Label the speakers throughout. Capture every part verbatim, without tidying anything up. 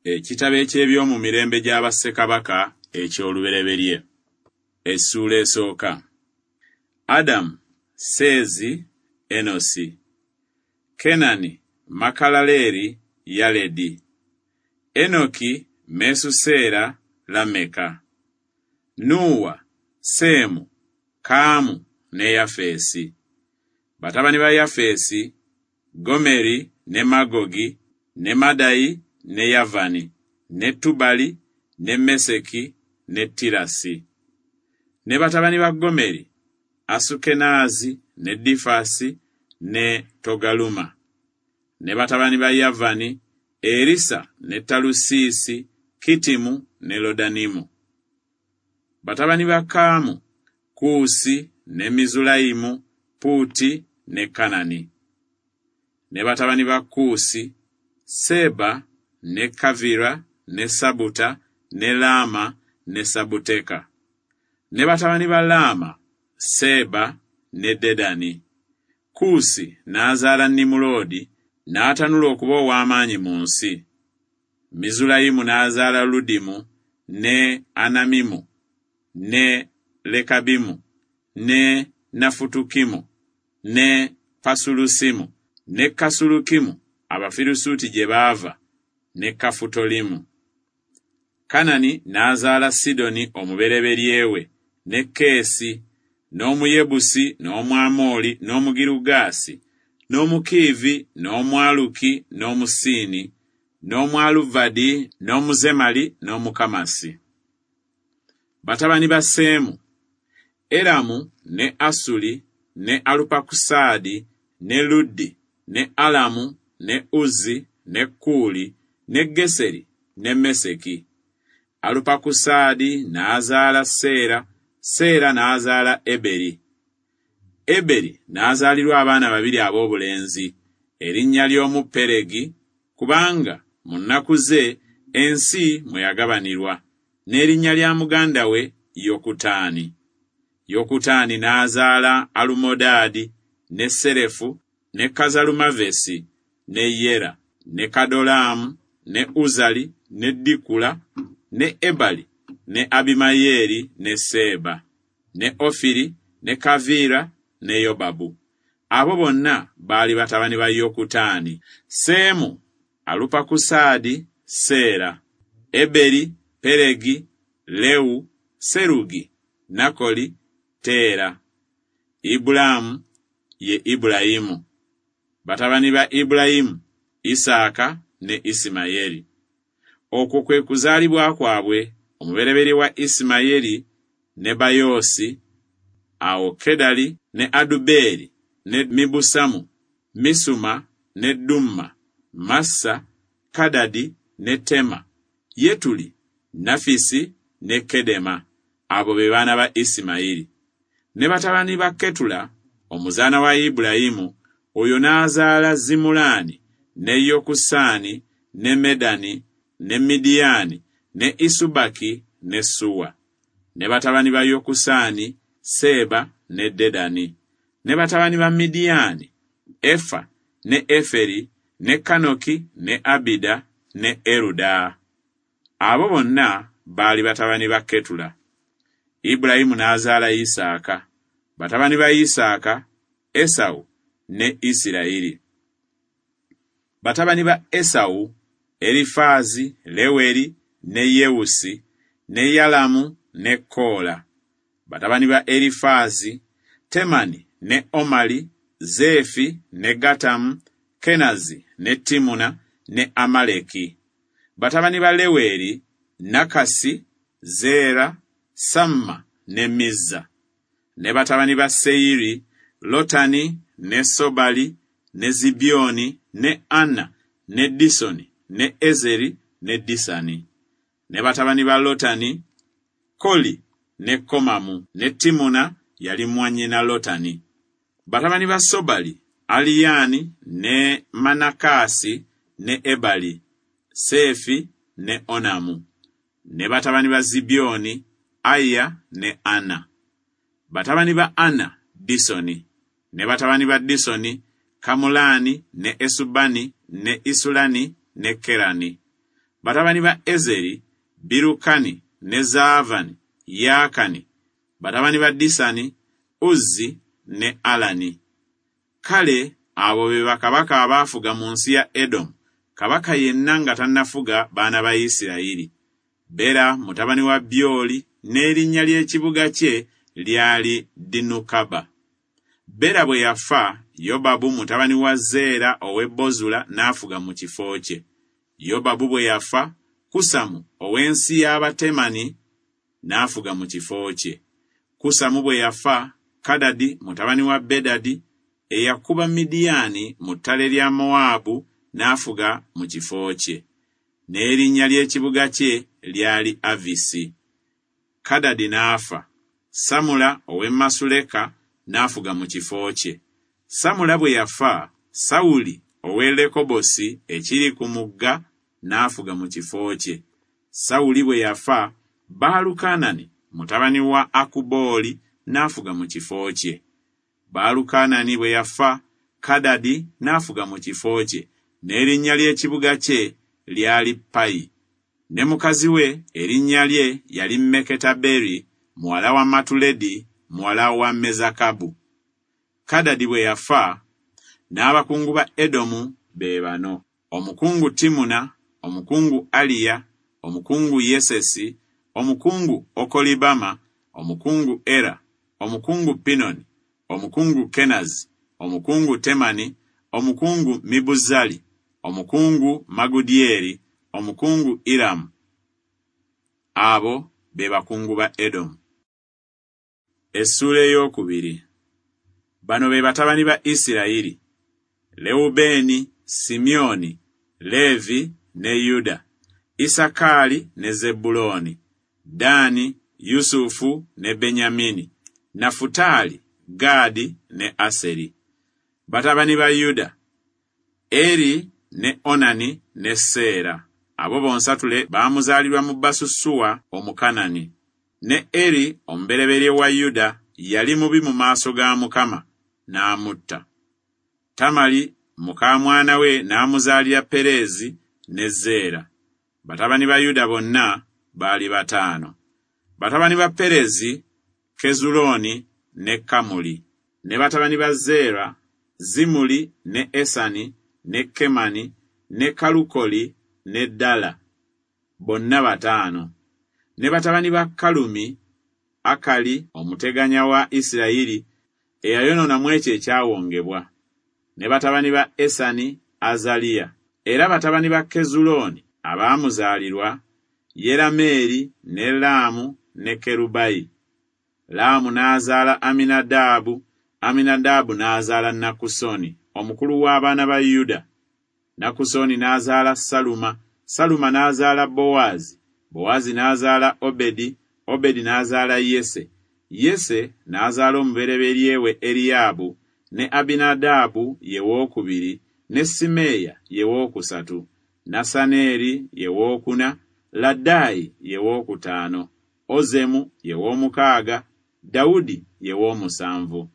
Speaker 1: Ekitabo eky'ebyomumirembe gya bassekabaka eky'olubereberye. Essuula esooka. Adamu, Seezi, Enosi. Kenani, Makalaleeri, Yaledi. Enoki, Mesuseera, Lameka. Nuuwa, Seemu, Kaamu ne Yafeesi. Batabani ba Yafeesi, Gomeri ne Magogi ne Madayi ne Yavani ne Tubali ne Meseki ne Tirasi. Ne batabani ba Gomeri, Asukenaazi ne Difasi ne Togaluma. Ne batabani ba Yavani, Erisa ne Talusiisi, Kitimu ne Lodanimu. Batabani ba Kaamu, Kuusi ne Mizulayimu, Puuti ne Kanani. Ne batabani ba Kuusi, Seba ne Kavira ne Sabuta ne Laama ne Sabuteka. Ne batabani ba Laama, Seba ne Dedani. Kuusi n'azaala Nimuloodi, n'atanula okuba ow'amaanyi mu nsi. Mizulayimu n'azaala Ludimu ne Anamimu ne Lekabimu ne Nafutukimu ne Pasulusimu ne Kasulukimu Abafirisuuti gye baava ne Kafutolimu. Kanani n'azaala Sidoni omubereberye we ne Keesi n'Omuyebusi n'Omwamoli n'Omugirugaasi n'Omukiivi n'Omwaluki n'Omusiini n'Omwaluvadi n'Omuzemali n'Omukamasi. Batabani ba Seemu, Eramu ne Asuli ne Alupakusaadi ne Luddi ne Alamu ne Uzzi ne Kuuli ne Geseri ne Meseki. Alupakusaadi n'azaala Seera, Seera n'azaala Eberi. Eberi n'azaalirwa abaana babiri ab'obulenzi, erinnya ly'omu Peregi, kubanga mu nnaku ze ensi mwe yagabanirwa, n'erinnya lya muganda we Yokutaani. Yokutaani n'azaala Alumodaadi ne Serefu ne Kazalumavesi ne Yera ne Kadolaamu ne Uzali ne Dikula ne Ebali ne Abimayeeri ne Seeba ne Ofiri ne Kaviira ne Yobabu. Abo bonna baali batabani ba Yokutaani. Seemu, Alupakusaadi, Seera, Eberi, Peregi, Lewu, Serugi, Nakoli, Teera. Ibulaamu ye Ibulayimu. Batabani ba Ibulayimu, Isaaka ne Isimayeri. Okwo kwe kuzaalibwa kwabwe, omubereberye wa Isimayeri ne Bayoosi, awo Kedali ne Adubeeri ne Mibusamu, Misuma ne Dumma, Massa, Kadadi ne Tema, Yetuli, Nafisi ne Kedema. Abo be baana ba Isimayiri. Ne batabani ba Ketula, omuzaana wa Ibulayimu, oyo n'azaala Zimulaani ne Yokusaani ne Medani ne Midiyaani ne Isubaki ne Suwa. Ne batabani ba Yokusaani, Seeba ne Dedani. Ne batabani ba Midiyaani, Efa ne Eferi ne Kanoki ne Abida ne Eruda. Abo bonna baali batabani ba Ketula. Ibulayimu n'azaala Isaaka. Batabani ba Isaaka, Esawu ne Isirayiri. Batabani ba Esawu, Erifaazi, Leweri ne Yewusi ne Yalamu ne Koola. Batabani ba Erifaazi, Temani ne Omali, Zeefi ne Gatamu, Kenazi ne Timuna ne Amaleki. Batabani ba Leweri, Nakasi, Zeera, Samma ne Mizza. Ne batabani ba Seyiri, Lotani ne Sobali ne Zibyoni ne Ana ne Disoni ne Ezeri ne Disani. Ne batabani ba Lotani, Koli ne Komamu ne Timuna yali mwannyina Lotani. Batabani ba Sobali, Aliyani ne Manakasi ne Ebali, Sefi ne Onamu. Ne batabani ba Zibyoni, Aya ne Ana. Batabani ba Ana, Disoni. Ne batabani ba Disoni, Kamulani ne Esubani ne Isulani ne Kerani. Batabani ba Ezeri, Birukani ne Zaavani, Yaakani. Batabani ba Disani, Uzzi ne Alani. Kale abo be bakabaka abaafuga mu nsi ya Edomu, kabaka yenna nga tannafuga baana ba Isirayiri. Bera mutabani wa Byoli, n'erinnya ly'ekibuga kye lyali Dinukaba. Bera bwe yafa, Yobabu mutabani wa Zeera ow'e Bozula n'afuga mu kifo kye. Yobabu bwe yafa, Kusamu ow'ensi y'Abatemani n'afuga mu kifo kye. Kusamu bwe yafa, Kadadi mutabani wa Bedadi eyakuba Midiyaani mu ttale lya Mowaabu n'afuga mu kifo kye. N'erinnya ly'ekibuga kye lyali Avisi. Kadadi n'afa, Samula ow'e Masuleka n'afuga mu kifo kye. Samula bwe yafa, Sawuli ow'e Lekobosi ekiri ku mugga n'afuga mu kifo kye. Sawuli bwe yafa, Baalukanani mutabani wa Akubooli n'afuga mu kifo kye. Baalukanani bwe yafa, Kadadi n'afuga mu kifo kye, n'erinnya ly'ekibuga kye lyali Payi. Ne mukazi we erinnya lye yali Meketaberi muwala wa Matuledi muwala wa Mezakabu. Kadadi bwe yafa, n'abakungu ba Edomu be bano: omukungu Timuna, omukungu Aliya, omukungu Yesesi, omukungu Okolibama, omukungu Era, omukungu Pinoni, omukungu Kenazi, omukungu Temani, omukungu Mibuzali, omukungu Magudyeri, omukungu Iramu. Abo be bakungu ba Edomu. Essuula ey'okubiri. Bano be batabani ba Isirayiri: Lewubeeni, Simyoni, Leevi ne Yuda, Isakaali ne Zebbulooni, Ddaani, Yusufu ne Benyamini, Nafutaali, Gaadi ne Aseri. Batabani ba Yuda: Eri ne Onani ne Seera. Abo bonsatule baamuzaalirwa mu Basusuwa Omukanani. Ne Eri omubereberye wa Yuda yali mubi mu maaso ga Mukama, n'amutta. Tamali muka mwana we n'amuzaalira Perezi ne Zeera. Batabani ba Yuda bonna baali bataano. Batabani ba Perezi, Kezulooni ne Kamuli. Ne batabani ba Zeera, Zimuli ne Esani ne Kemani ne Kalukoli ne Dala. Bonna bataano. Ne batabani ba Kalumi, Akali omuteganya wa Isirayiri eyayonoona mu ekyo ekyawongebwa. Ne batabani ba Esani, Azaliya. Era batabani ba Kezulooni abaamuzaalirwa, Yerameeri ne Laamu ne Kerubayi. Laamu n'azaala Aminadaabu, Aminadaabu n'azaala Nakusoni, omukulu w'abaana ba Yuda. Nakusoni n'azaala Saluma, Saluma n'azaala Bowaazi, Bowaazi n'azaala Obedi, Obedi n'azaala Yese. Yese n'azaala omubereberye we Eriyaabu, ne Abinadaabu ye wookubiri, ne Simeeya ye wookusatu, Nasaneeri ye wookuna, Laddayi ye wookutaano, Ozemu ye woomukaaga, Dawudi ye woomusanvu.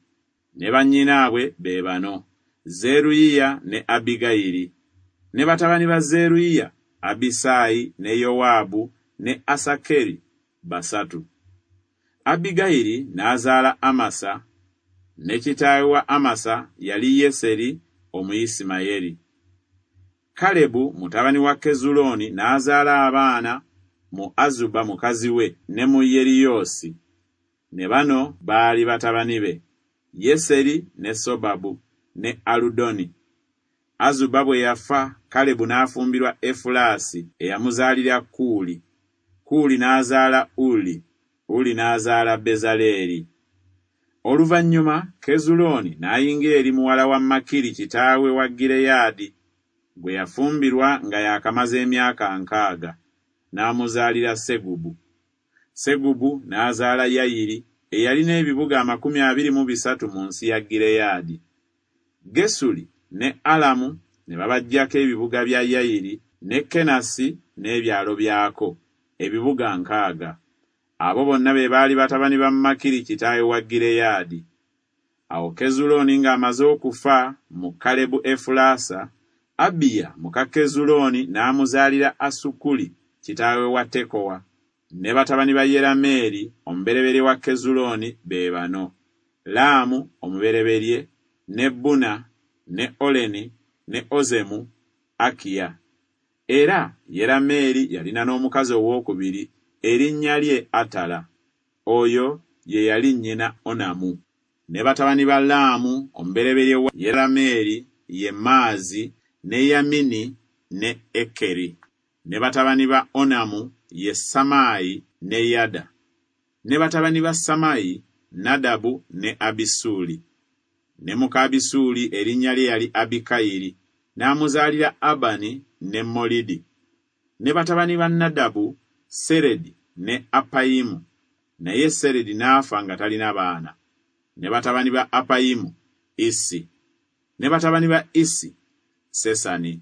Speaker 1: Ne bannyinaabwe be bano: Zeruyiya ne Abbigayiri. Ne batabani ba Zeruyiya, Abisaayi ne Yowaabu ne Asakeri basatu. Abbigayiri n'azaala Amasa, ne kitaawe wa Amasa yali Yeseri Omuyisimayeri. Kalebu mutabani wa Kezulooni n'azaala abaana mu Azuba mukazi we ne mu Yeriyoosi. Ne bano baali batabani be: Yeseri ne Sobabu ne Aludoni. Azuba bwe yafa, Kalebu n'afumbirwa Efulaasi eyamuzaalira Kuuli. Kuuli n'azaala Uli, Uli n'azaala Bezaleeri. Oluvannyuma Kezulooni n'ayingira eri muwala wa Makiri kitaawe wa Gireyaadi, gwe yafumbirwa nga yaakamaze emyaka nkaaga, n'amuzaalira Segubu. Segubu n'azaala Yayiri eyalina ebibuga amakumi abiri mu bisatu mu nsi ya Gireyaadi. Gesuli ne Alamu ne babaggyako ebibuga bya Yayiri ne Kenasi n'ebyalo byako, ebibuga nkaaga. Abo bonna be baali batabani ba Makiri kitaawe wa Gireyaadi. Awo Kezulooni ng'amaze okufa mu Kalebu Efulaasa, Abiya muka Kezulooni n'amuzaalira Asukuli kitaawe wa Tekowa. Ne batabani ba Yerameeri omubereberye wa Kezulooni be bano: Laamu omubereberye, ne Buna, ne Oleni, ne Ozemu, Akiya. Era Yerameeri yalina n'omukazi owookubiri, erinnya lye Atala. Oyo ye yali nnyina Onamu. Ne batabani ba Laamu omubereberye wa Yerameeri ye Maazi, ne Yamini, ne Ekeri. Ne batabani ba Onamu ye Samaayi ne Yada. Ne batabani ba Samaayi, Nadabu ne Abisuuli. Ne muka Abisuuli erinnya lye yali Abikayiri, n'amuzaalira Abani ne Molidi. Ne batabani ba Nadabu, Seredi ne Apayimu. Naye Seredi n'afa nga talina baana. Ne batabani ba Apayimu, Isi. Ne batabani ba Isi, Sesani.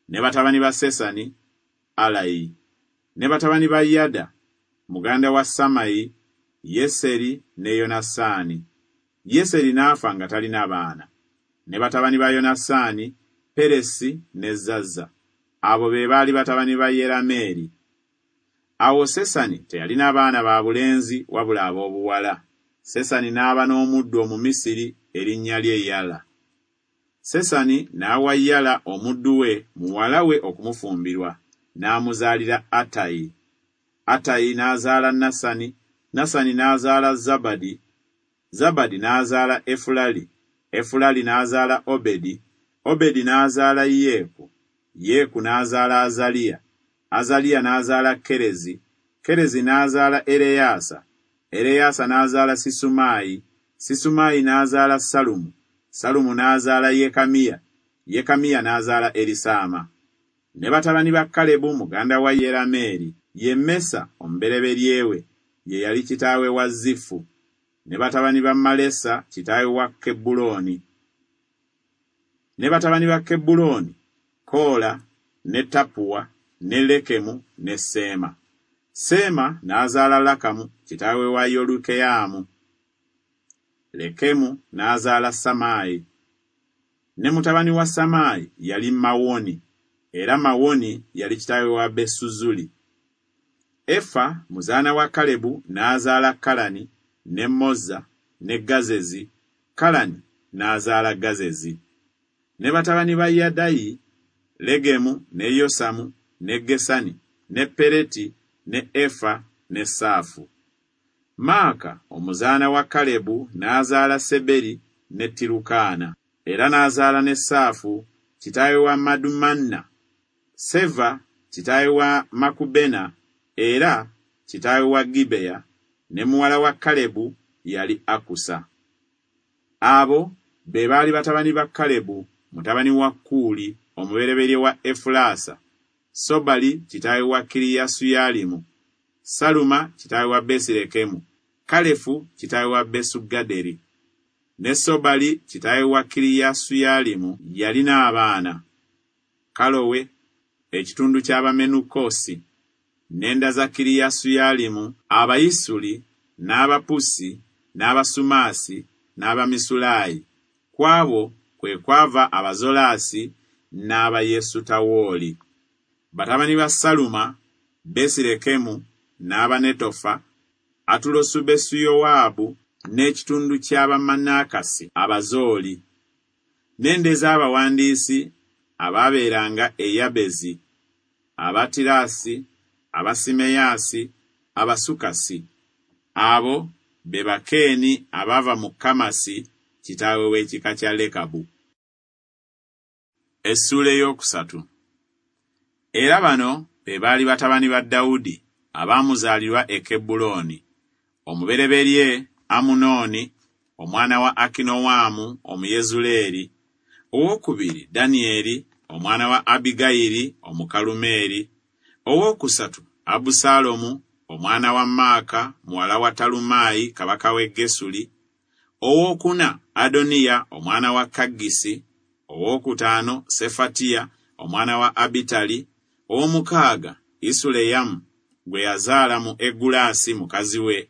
Speaker 1: Ne batabani ba Sesani, Alayi. Ne batabani ba Yada, muganda wa Samayi, Yeseri ne Yonasaani. Yeseri n'afa nga talina baana. Ne batabani ba Yonasaani, Peresi ne Zaza. Abo be baali batabani ba Yerameeri. Awo Sesani teyalina baana ba bulenzi wabula ab'obuwala. Sesani n'aba n'omuddu Omumisiri erinnya lye Yala. Sesani n'awa Yala omuddu we muwala we okumufumbirwa, n'amuzaalira Atayi. Atayi n'azaala Nasani, Nasani n'azaala Zabadi, Zabadi n'azaala Efulali, Efulali n'azaala Obedi, Obedi n'azaala Yeeku, Yeeku n'azaala Azaliya, Azaliya n'azaala Kerezi, Kerezi n'azaala Ereyaasa, Ereyaasa n'azaala Sisumaayi, Sisumaayi n'azaala Salumu, Salumu n'azaala Yekamiya, Yekamiya n'azaala Erisaama. Ne batabani ba Kalebu muganda wa Yerameeri ye Mesa omubereberye we, ye yali kitaawe wa Zifu. Ne batabani ba Malesa kitaawe wa Kebbulooni. Ne batabani ba Kebbulooni, Koola ne Tapuwa ne Lekemu ne Seema. Seema n'azaala Lakamu kitaawe wa Yolukeyaamu. Lekemu n'azaala Samaayi. Ne mutabani wa Samaayi yali Mawoni, era Mawoni yali kitaawe wa Besuzuli. Efa muzaana wa Kalebu n'azaala Kalani ne Moza ne Gazezi. Kalani n'azaala Gazezi. Ne batabani ba Yadayi, Legemu ne Yosamu ne Gesani ne Pereti ne Efa ne Saafu. Maaka omuzaana wa Kalebu n'azaala Seberi ne Tirukaana. Era n'azaala ne Saafu kitaawe wa Madumanna, Seva kitaawe wa Makubena, era kitaawe wa Gibeya, ne muwala wa Kalebu yali Akusa. Abo be baali batabani ba Kalebu mutabani wa Kuuli omubereberye wa Efulaasa, Sobali kitaawe wa Kiriyasuyalimu, Saluma kitaawe wa Besirekemu, Kalefu kitaawe wa Besugaderi. Ne Sobali kitaawe wa Kiriyasuyalimu yalina abaana: Kalowe, ekitundu ky'Abamenukosi, n'enda za Kiriyasuyalimu, Abayisuli, n'Abapusi, n'Abasumaasi, n'Abamisulaayi. Ku abo kwe kwava Abazolaasi n'Abayesutawooli. Batabani ba Saluma, Besirekemu, n'Abanetofa, AtulosubesuYowaabu, n'ekitundu ky'Abamanakasi Abazooli. N'enda ez'abawandiisi abaabeeranga e Yabezi, Abatirasi, Abasimeyaasi, Abasukasi. Abo be Bakeeni abaava mu Kamasi kitaawe w'ekika kya Lekabu. Essuula ey'okusatu. Era bano be baali batabani ba Dawudi abaamuzaalirwa e Kebbulooni: omubereberye Amunooni omwana wa Akinowaamu Omuyezuleeri, owookubiri Danyeri omwana wa Abigayiri Omukalumeeri, owookusatu Abusaalomu omwana wa Maaka muwala wa Talumaayi kabaka w'e Gesuli, owookuna Adoniya omwana wa Kaggisi, owookutaano Sefatiya omwana wa Abitali, ow'omukaaga Isuleyamu gwe yazaala mu Egulaasi mukazi we.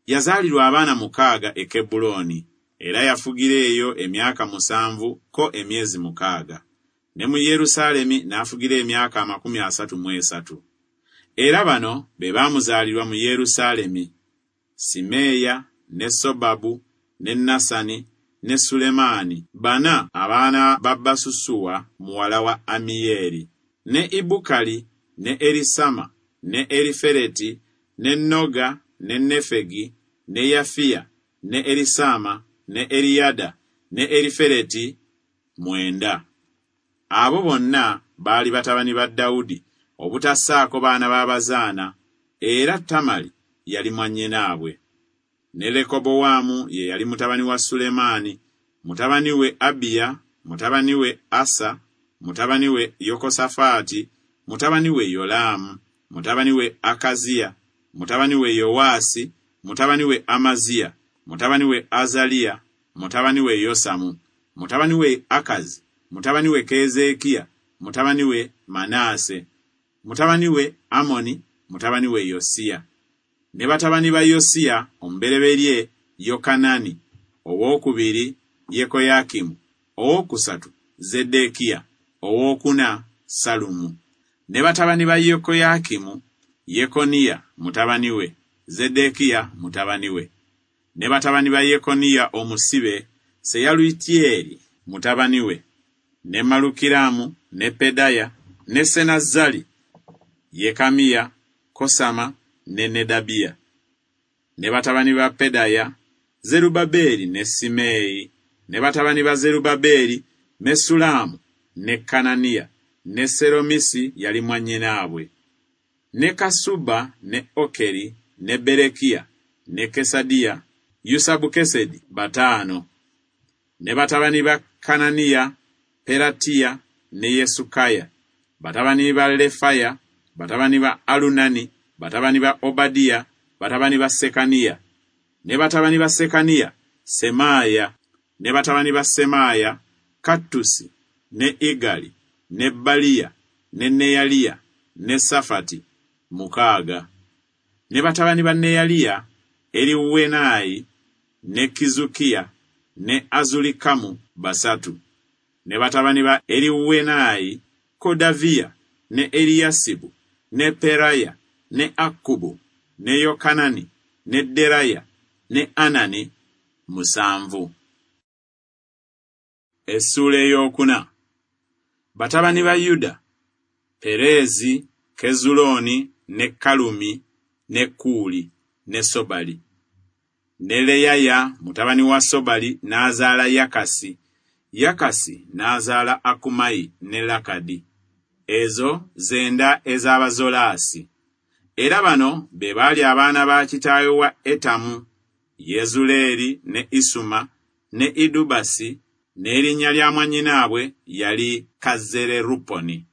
Speaker 1: Yazaalirwa abaana mukaaga e Kebbulooni, era yafugira eyo emyaka musanvu ko emyezi mukaaga. Ne mu Yerusaalemi n'afugira emyaka amakumi asatu mu esatu. Era bano be baamuzaalirwa mu Yerusaalemi: Simeeya, ne Sobabu, ne Nasani, ne Sulemaani, bana abaana ba Basusuwa muwala wa Amiyeeri, ne Ibukali, ne Erisama, ne Erifereti, ne Noga, ne Nefegi, ne Yafiya, ne Erisama, ne Eriyada, ne Erifereti, mwenda. Abo bonna baali batabani ba Dawudi, obutassaako baana b'abazaana, era Tamali yali mwannyinaabwe. Ne Lekobowaamu ye yali mutabani wa Sulemaani, mutabani we Abiya, mutabani we Asa, mutabani we Yokosafaati, mutabani we Yolaamu, mutabani we Akaziya, mutabani we Yowaasi, mutabani we Amaziya, mutabani we Azaliya, mutabani we Yosamu, mutabani we Akazi, mutabani we Keezeekiya, mutabani we Manaase, mutabani we Amoni, mutabani we Yosiya. Ne batabani ba Yosiya omubereberye Yokanani, owookubiri Yekoyakimu, owookusatu Zeddekiya, owookuna Salumu. Ne batabani ba Yekoyakimu Yekoniya mutabani we, Zeddekiya mutabani we. Ne batabani ba Yekoniya omusibe Seyalutieri mutabani we, ne Malukiramu, ne Pedaya, ne Senazzali, Yekamiya, Kosama ne Nedabiya. Ne batabani ba Pedaya Zerubbabeli ne Simeeyi. Ne batabani ba Zerubbabeli Mesulamu ne Kananiya ne Seromisi yali mwannyinaabwe. Ne Kasuba ne Okeri ne Berekiya ne Kesadiya, Yusabukesedi bataano. Ne batabani ba Kananiya Peratiya ne Yesukaya, batabani ba Lefaya, batabani ba Alunani, batabani ba Obadiya, batabani ba Sekaniya. Ne batabani ba Sekaniya Semaaya. Ne batabani ba Semaaya Kattusi ne Igali ne Baliya ne Neyaliya ne Safati mukaaga. Ne batabani ba Neyaliya Eriwenayi ne Kizukiya ne Azulikamu basatu. Ne batabani ba Eriwenayi Kodaviya ne Eriyasibu ne Peraya ne Akkubu ne Yokanani ne Deraya ne Anani musanvu. Essuula ey'okuna. Batabani ba Yuda Perezi, Kezulooni ne Kalumi ne Kuuli ne Sobali. Ne Leyaya mutabani wa Sobali n'azaala Yakasi, Yakasi n'azaala Akumayi ne Lakadi. Ezo zenda ez'Abazolaasi. Era bano be baali abaana ba kitaawe wa Etamu, Yezuleeri ne Isuma ne Idubasi, n'erinnya lya mwannyinaabwe yali Kazereruponi.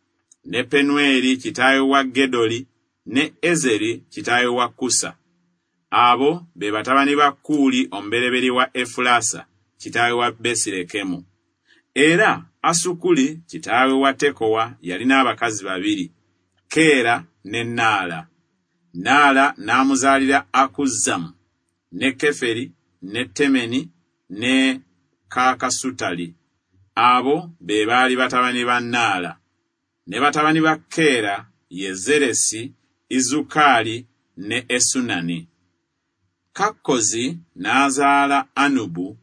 Speaker 1: Ne Penueri kitaawe wa Gedoli ne Ezeri kitaawe wa Kusa. Abo be batabani ba Kuuli omubereberye wa Efulasa kitaawe wa Besirekemu. Era Asukuli kitaawe wa Tekowa yalina abakazi babiri, Keera ne Naala. Naala n'amuzaalira Akuzzamu ne Keferi ne Temeni ne Kaakasutali. Abo be baali batabani ba Naala. Ne batabani ba Keera ye Zeresi, Izukali ne Esunani. Kakkozi n'azaala Anubu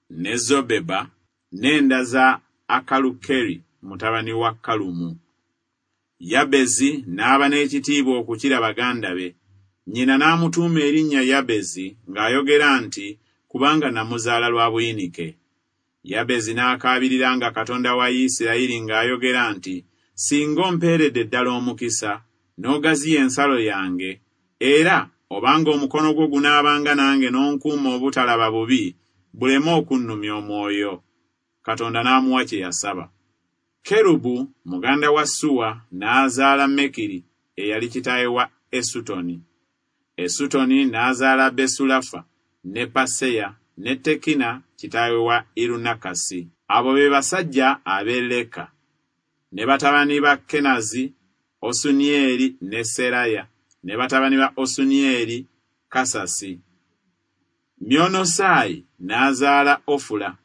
Speaker 1: ne Zobeba n'enda za Akalukeri mutabani wa Kalumu. Yabezi n'aba n'ekitiibwa okukira baganda be. Nnyina n'amutuuma erinnya Yabezi ng'ayogera nti, kubanga namuzaala lwa buyinike. Yabezi n'akaabiriranga Katonda wa Isirayiri ng'ayogera nti, singa ompeeredde ddala omukisa, n'ogaziya ensalo yange, era obanga omukono gwo gunaabanga nange n'onkuuma obutalaba bubi, buleme okunnumya omwoyo. Katonda n'amuwa kye yasaba. Kerubu muganda wa Suwa n'azaala Mekiri eyali kitaawe wa Esutoni. Esutoni n'azaala Besulafa ne Paseya ne Tekina kitaawe wa Irunakasi. Abo be basajja ab'e Leka. Ne batabani ba Kenazi, Osunieri ne Seraya. Ne batabani ba Osunieri, Kasasi. Myonosaayi n'azaala Ofula.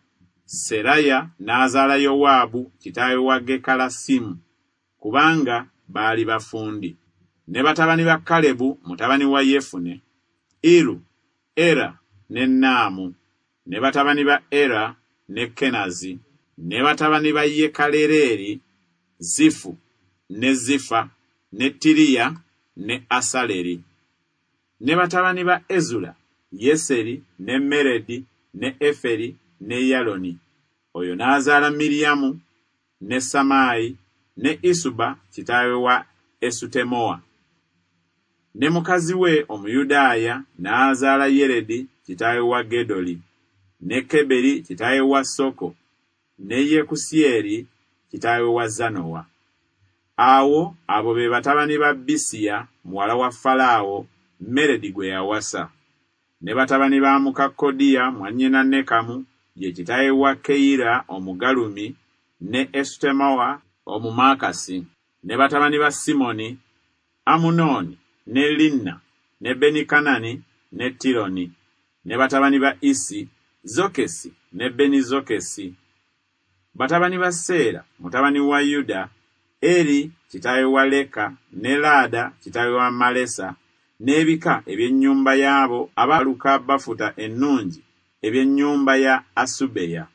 Speaker 1: Seraya n'azaala Yowaabu kitaawe wa Gekalasimu, kubanga baali bafundi. Ne batabani ba Kalebu mutabani wa Yefune, Iru, Era ne Naamu. Ne batabani ba Era ne Kenazi. Ne batabani ba Yekalereri, Zifu ne Zifa ne Tiriya ne Asaleri. Ne batabani ba Ezula, Yeseri ne Meredi ne Eferi ne Yaloni. Oyo n'azaala Miriyamu ne Samaayi ne Isuba kitaawe wa Esutemoa. Ne mukazi we Omuyudaaya n'azaala Yeredi kitaawe wa Gedoli, ne Keberi kitaawe wa Soko, ne Yekusyeri kitaawe wa Zanowa. Awo abo be batabani ba Bisiya muwala wa Falaawo Meredi gwe yawasa. Ne batabani ba muka Kodiya mwannyina Nekamu, ye kitaawe wa Keira Omugalumi ne Esutemoa Omumaakasi. Ne batabani ba Simoni, Amunoni ne Linna ne Benikanani ne Tironi. Ne batabani ba Isi, Zokesi ne Benizokesi. Batabani ba Seera mutabani wa Yuda, Eri kitaawe wa Leka ne Laada kitaawe wa Malesa, n'ebika eby'ennyumba y'abo abaluka bafuta ennungi eby'ennyumba ya Asubeya,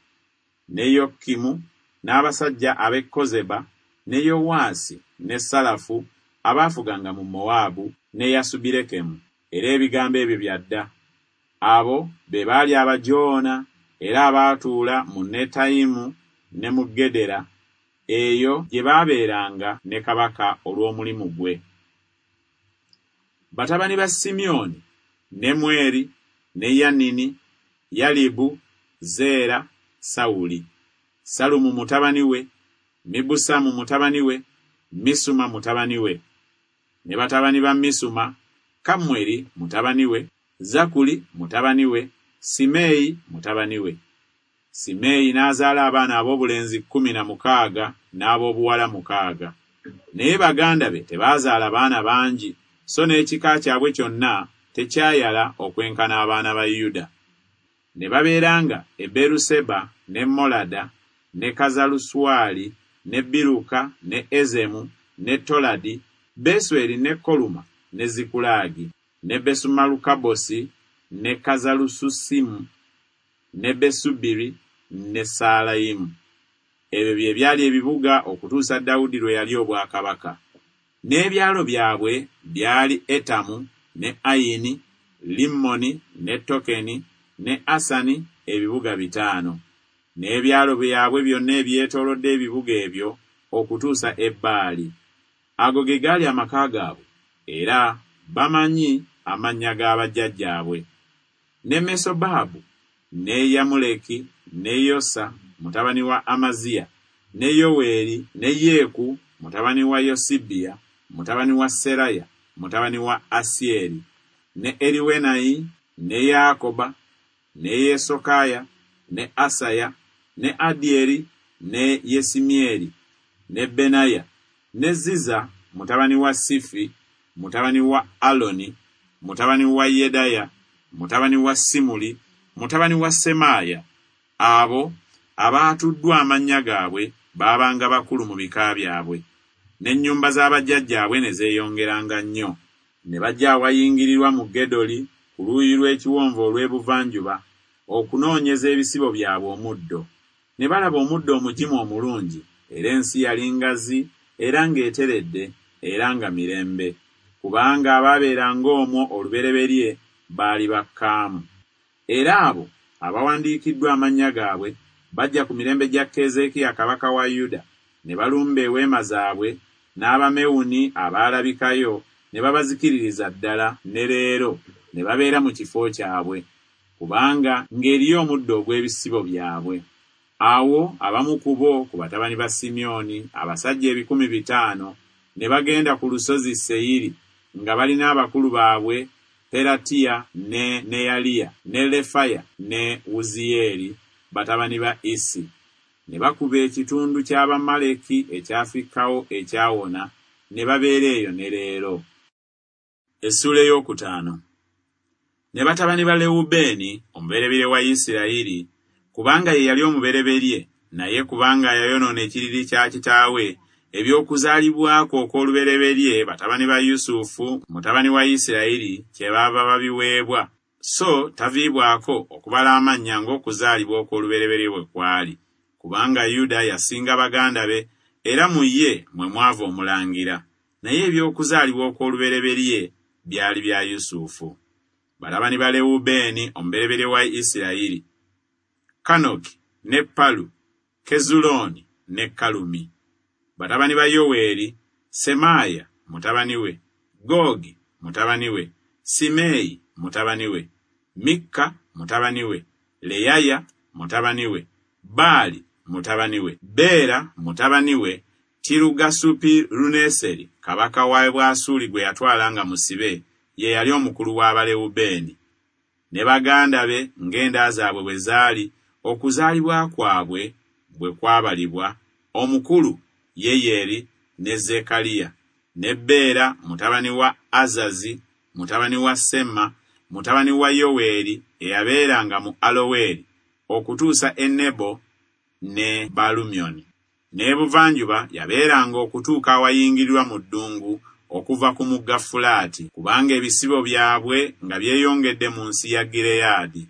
Speaker 1: ne Yokimu n'abasajja ab'e Kozeba, ne Yowaasi ne Salafu abaafuganga mu Mowaabu ne Yasubirekemu. Era ebigambo ebyo bya dda. Abo be baali abajoona era abaatuula mu Netayimu ne mu Gedera, eyo gye baabeeranga ne kabaka olw'omulimu gwe. Batabani ba Simyoni, Nemweri ne Yanini, Yalibu, Zeera, Sawuli, Salumu mutabani we, Mibusamu mutabani we, Misuma mutabani we. Ne batabani ba Misuma, Kamweri mutabani we, Zakuli mutabani we, Simeeyi mutabani we. Simeeyi n'azaala abaana ab'obulenzi kkumi na mukaaga n'ab'obuwala mukaaga. Naye baganda be tebaazaala baana bangi, so n'ekika kyabwe kyonna tekyayala okwenkana abaana ba Yuda. Ne babeeranga e Beruseba ne Molada ne Kazaluswali ne Biruka ne Ezemu ne Toladi, Besweri ne Koluma ne Zikulaagi, ne Besumalukabosi ne Kazalususimu ne Besubiri ne Saalayimu. Ebyo bye byali ebibuga okutuusa Dawudi lwe yali obwakabaka. N'ebyalo byabwe byali Etamu ne Ayini, Limmoni ne Tokeni ne Asani, ebibuga bitaano. N'ebyalo byabwe byonna ebyetoolodde ebibuga ebyo okutuusa e Baali. Ago ge gaali amaka gaabwe, era bamanyi amannya ga bajjajjaabwe. Ne Mesobaabu ne Yamuleki ne Yosa mutabani wa Amaziya, ne Yoweeri ne Yeeku mutabani wa Yosibiya mutabani wa Seraya mutabani wa Asieri, ne Eriwenayi ne Yakoba ne Yesokaya ne Asaya ne Adieri ne Yesimieri ne Benaya ne Ziza mutabani wa Sifi mutabani wa Aloni mutabani wa Yedaya mutabani wa Simuli mutabani wa Semaaya. Abo abaatuddwa amannya gaabwe baabanga bakulu mu bika byabwe, n'ennyumba z'abajjajjaabwe ne zeeyongeranga nnyo. Ne bajja awayingirirwa mu Gedoli ku luuyi lw'ekiwonvu olw'ebuvanjuba okunoonyeza ebisibo byabwe omuddo. Ne balaba omuddo omugimu omulungi, era ensi yali ngazi era ng'eteredde era nga mirembe, kubanga abaabeeranga omwo olubereberye baali bakkaamu. Era abo abawandiikiddwa amannya gaabwe bajja ku mirembe gya Keezeekiya kabaka wa Yuda, ne balumba eweema zaabwe n'Abamewuni abaalabikayo ne babazikiririza ddala ne leero, ne babeera mu kifo kyabwe, kubanga ng'eriyo omuddo ogw'ebisibo byabwe. Awo abamu ku bo ku batabani ba Simyoni, abasajja ebikumi bitaano, ne bagenda ku lusozi Seyiri nga balina abakulu baabwe Peratiya ne Neyaliya ne Lefaya ne Wuziyeeri batabani ba Isi. Ne bakuba ekitundu ky'Abamaleki ekyafikkawo ekyawona, ne babeera eyo ne leero. Essuula ey'okutaano. Ne batabani ba Lewubeeni omubereberye wa Isirayiri, Kubanga ye yali omubereberye, naye kubanga yayonoona ekiriri kya kitaawe, eby'okuzaalibwa kwe okw'olubereberye batabani ba Yusufu mutabani wa Isirayiri kyebaava babiweebwa, so taviibwako okubala amannya ng'okuzaalibwa okw'olubereberye bwe kwali, kubanga Yuda yasinga baganda be, era mu ye mwe mwava omulangira, naye eby'okuzaalibwa okw'olubereberye byali bya Yusufu. Batabani ba Lewubeeni omubereberye wa Isirayiri: Kanoki ne Palu, Kezulooni ne Kalumi. Batabani ba Yoweeri: Semaaya mutabani we, Googi mutabani we, Simeeyi mutabani we, Mikka mutabani we, Leyaya mutabani we, Baali mutabani we, Beera mutabani we, Tirugasupiruneseri kabaka wa Bwasuli gwe yatwala nga musibe, ye yali omukulu w'Abalewubeeni. Ne baganda be ng'enda zaabwe bwe zaali, okuzaalibwa kwabwe bwe kwabalibwa, omukulu Yeyeri ne Zekaliya, ne Beera mutabani wa Azazi, mutabani wa Sema, mutabani wa Yoweeri, eyabeeranga mu Aloweri, okutuusa e Nebo ne Baalumyoni. N'ebuvanjuba yabeeranga okutuuka awayingirirwa mu ddungu okuva ku mugga Fulaati, kubanga ebisibo byabwe nga byeyongedde mu nsi ya Gireyaadi.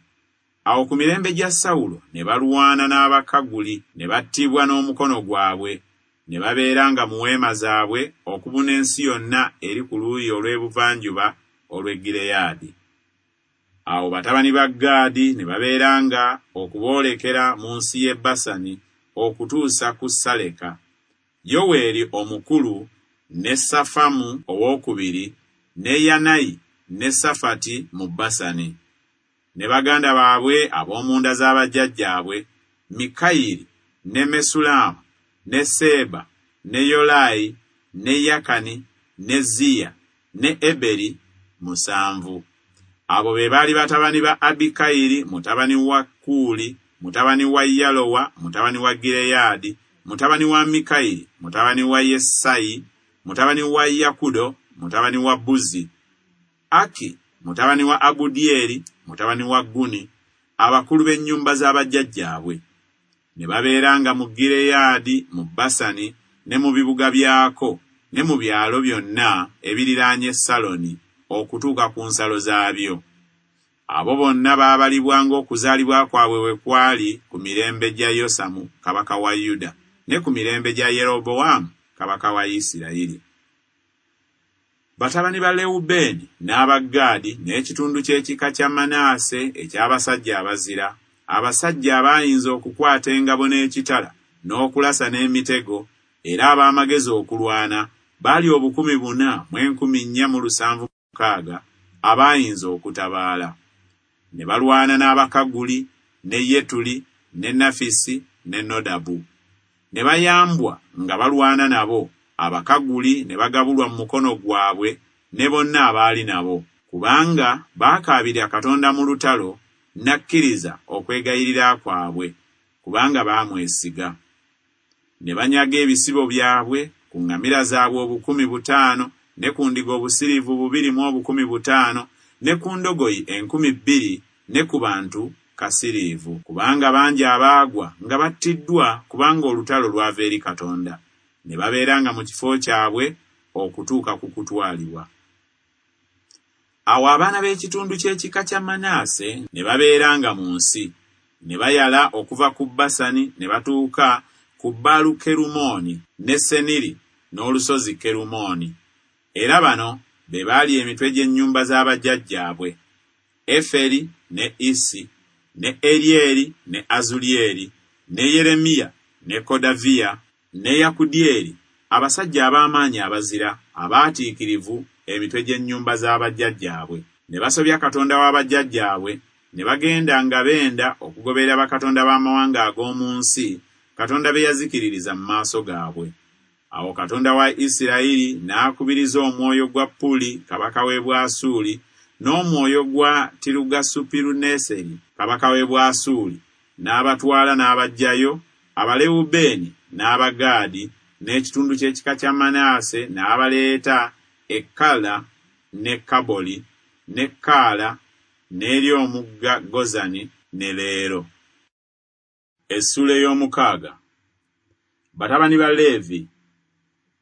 Speaker 1: Awo ku mirembe gya Sawulo ne balwana n'Abakaguli, ne battibwa n'omukono gwabwe, ne babeeranga mu weema zaabwe okubuna ensi yonna eri ku luuyi olw'ebuvanjuba olw'e Gireyaadi. Awo batabani ba Gaadi ne babeeranga okuboolekera mu nsi y'e Basani okutuusa ku Saleka. Yoweeri omukulu ne Safamu owookubiri ne Yanayi ne Safati mu Basani. Ne baganda baabwe ab'omu nda z'abajjajjaabwe, Mikayiri ne Mesulaamu ne Seeba ne Yolayi ne Yakani ne Ziya ne Eberi musanvu. Abo be baali batabani ba Abikayiri mutabani wa Kuuli, mutabani wa Yalowa, mutabani wa Gireyaadi, mutabani wa Mikayiri, mutabani wa Yesayi, mutabani wa Yakudo, mutabani wa Buzi, Aki mutabani wa Abudyeri, mutabani wa Guni, abakulu b'ennyumba z'abajjajjaabwe. Ne babeeranga mu Gireyaadi, mu Basani, ne mu bibuga byako, ne mu byalo byonna ebiriraanye Saloni, okutuuka ku nsalo zaabyo. Abo bonna baabalibwa ng'okuzaalibwa kwabwe bwe kwali ku mirembe gya Yosamu kabaka wa Yuda, ne ku mirembe gya Yerobowaamu kabaka wa Isirayiri. Batabani ba Lewubeeni n'aba Gaadi n'ekitundu ky'ekika kya Manaase eky'abasajja abazira, abasajja abaayinza okukwata engabo n'ekitala n'okulasa n'emitego, era ab'amagezi okulwana, baali obukumi buna mu enkumi nnya mu lusanvu mukaaga abaayinza okutabaala. Ne balwana n'Abakaguli, ne Yetuli, ne Nafisi, ne Nodabu. Ne bayambwa nga balwana nabo, Abakaguli ne bagabulwa mu mukono gwabwe ne bonna abaali nabo, kubanga baakaabirira Katonda mu lutalo, n'akkiriza okwegayirira kwabwe, kubanga baamwesiga. Ne banyaga ebisibo byabwe, ku ŋŋamira zaabwe obukumi butaano, ne ku ndiga obusiriivu bubiri mu obukumi butaano, ne ku ndogoyi enkumi bbiri, ne ku bantu kasiriivu, kubanga bangi abaagwa nga battiddwa, kubanga olutalo lwava eri Katonda. Ne babeeranga mu kifo kyabwe okutuuka ku kutwalibwa. Awo abaana b'ekitundu ky'ekika kya Manaase ne babeeranga mu nsi, ne bayala okuva ku Basani ne batuuka ku Baalukerumooni ne Seniri n'olusozi Kerumooni. Era bano be baali emitwe gy'ennyumba z'abajjajjaabwe: Eferi ne Isi ne Eryeri ne Azulyeri ne Yeremiya ne Kodaviya ne Yakudyeri, abasajja ab'amaanyi abazira, abaatiikirivu, emitwe gy'ennyumba z'abajjajjaabwe. Ne basobya Katonda w'abajjajjaabwe, ne bagenda nga benda okugoberera bakatonda b'amawanga ag'omu nsi, Katonda be yazikiririza mu maaso gaabwe. Awo Katonda wa Isirayiri n'akubiriza omwoyo gwa Puli kabaka w'e Bwasuuli n'omwoyo gwa Tirugasupiruneseri kabaka w'e Bwasuuli, n'abatwala n'abaggyayo, Abalewubeeni n'Abagaadi n'ekitundu ky'ekika kya Manaase n'abaleeta e Kala ne Kaboli ne Kaala n'eri omugga Gozani ne leero. Essuula ey'omukaaga. Batabani ba Leevi: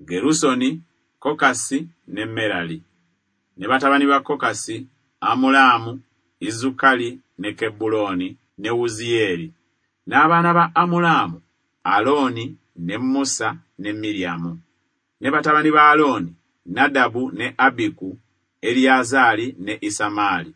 Speaker 1: Gerusoni, Kokasi ne Merali. Ne batabani ba Kokasi: Amulaamu, Izukali ne Kebbulooni ne Wuziyeeri. N'abaana ba Amulaamu: Alooni ne Musa ne Miryamu. Ne batabani ba Alooni: Nadabu ne Abiku, Eriyazaali ne Isamaali.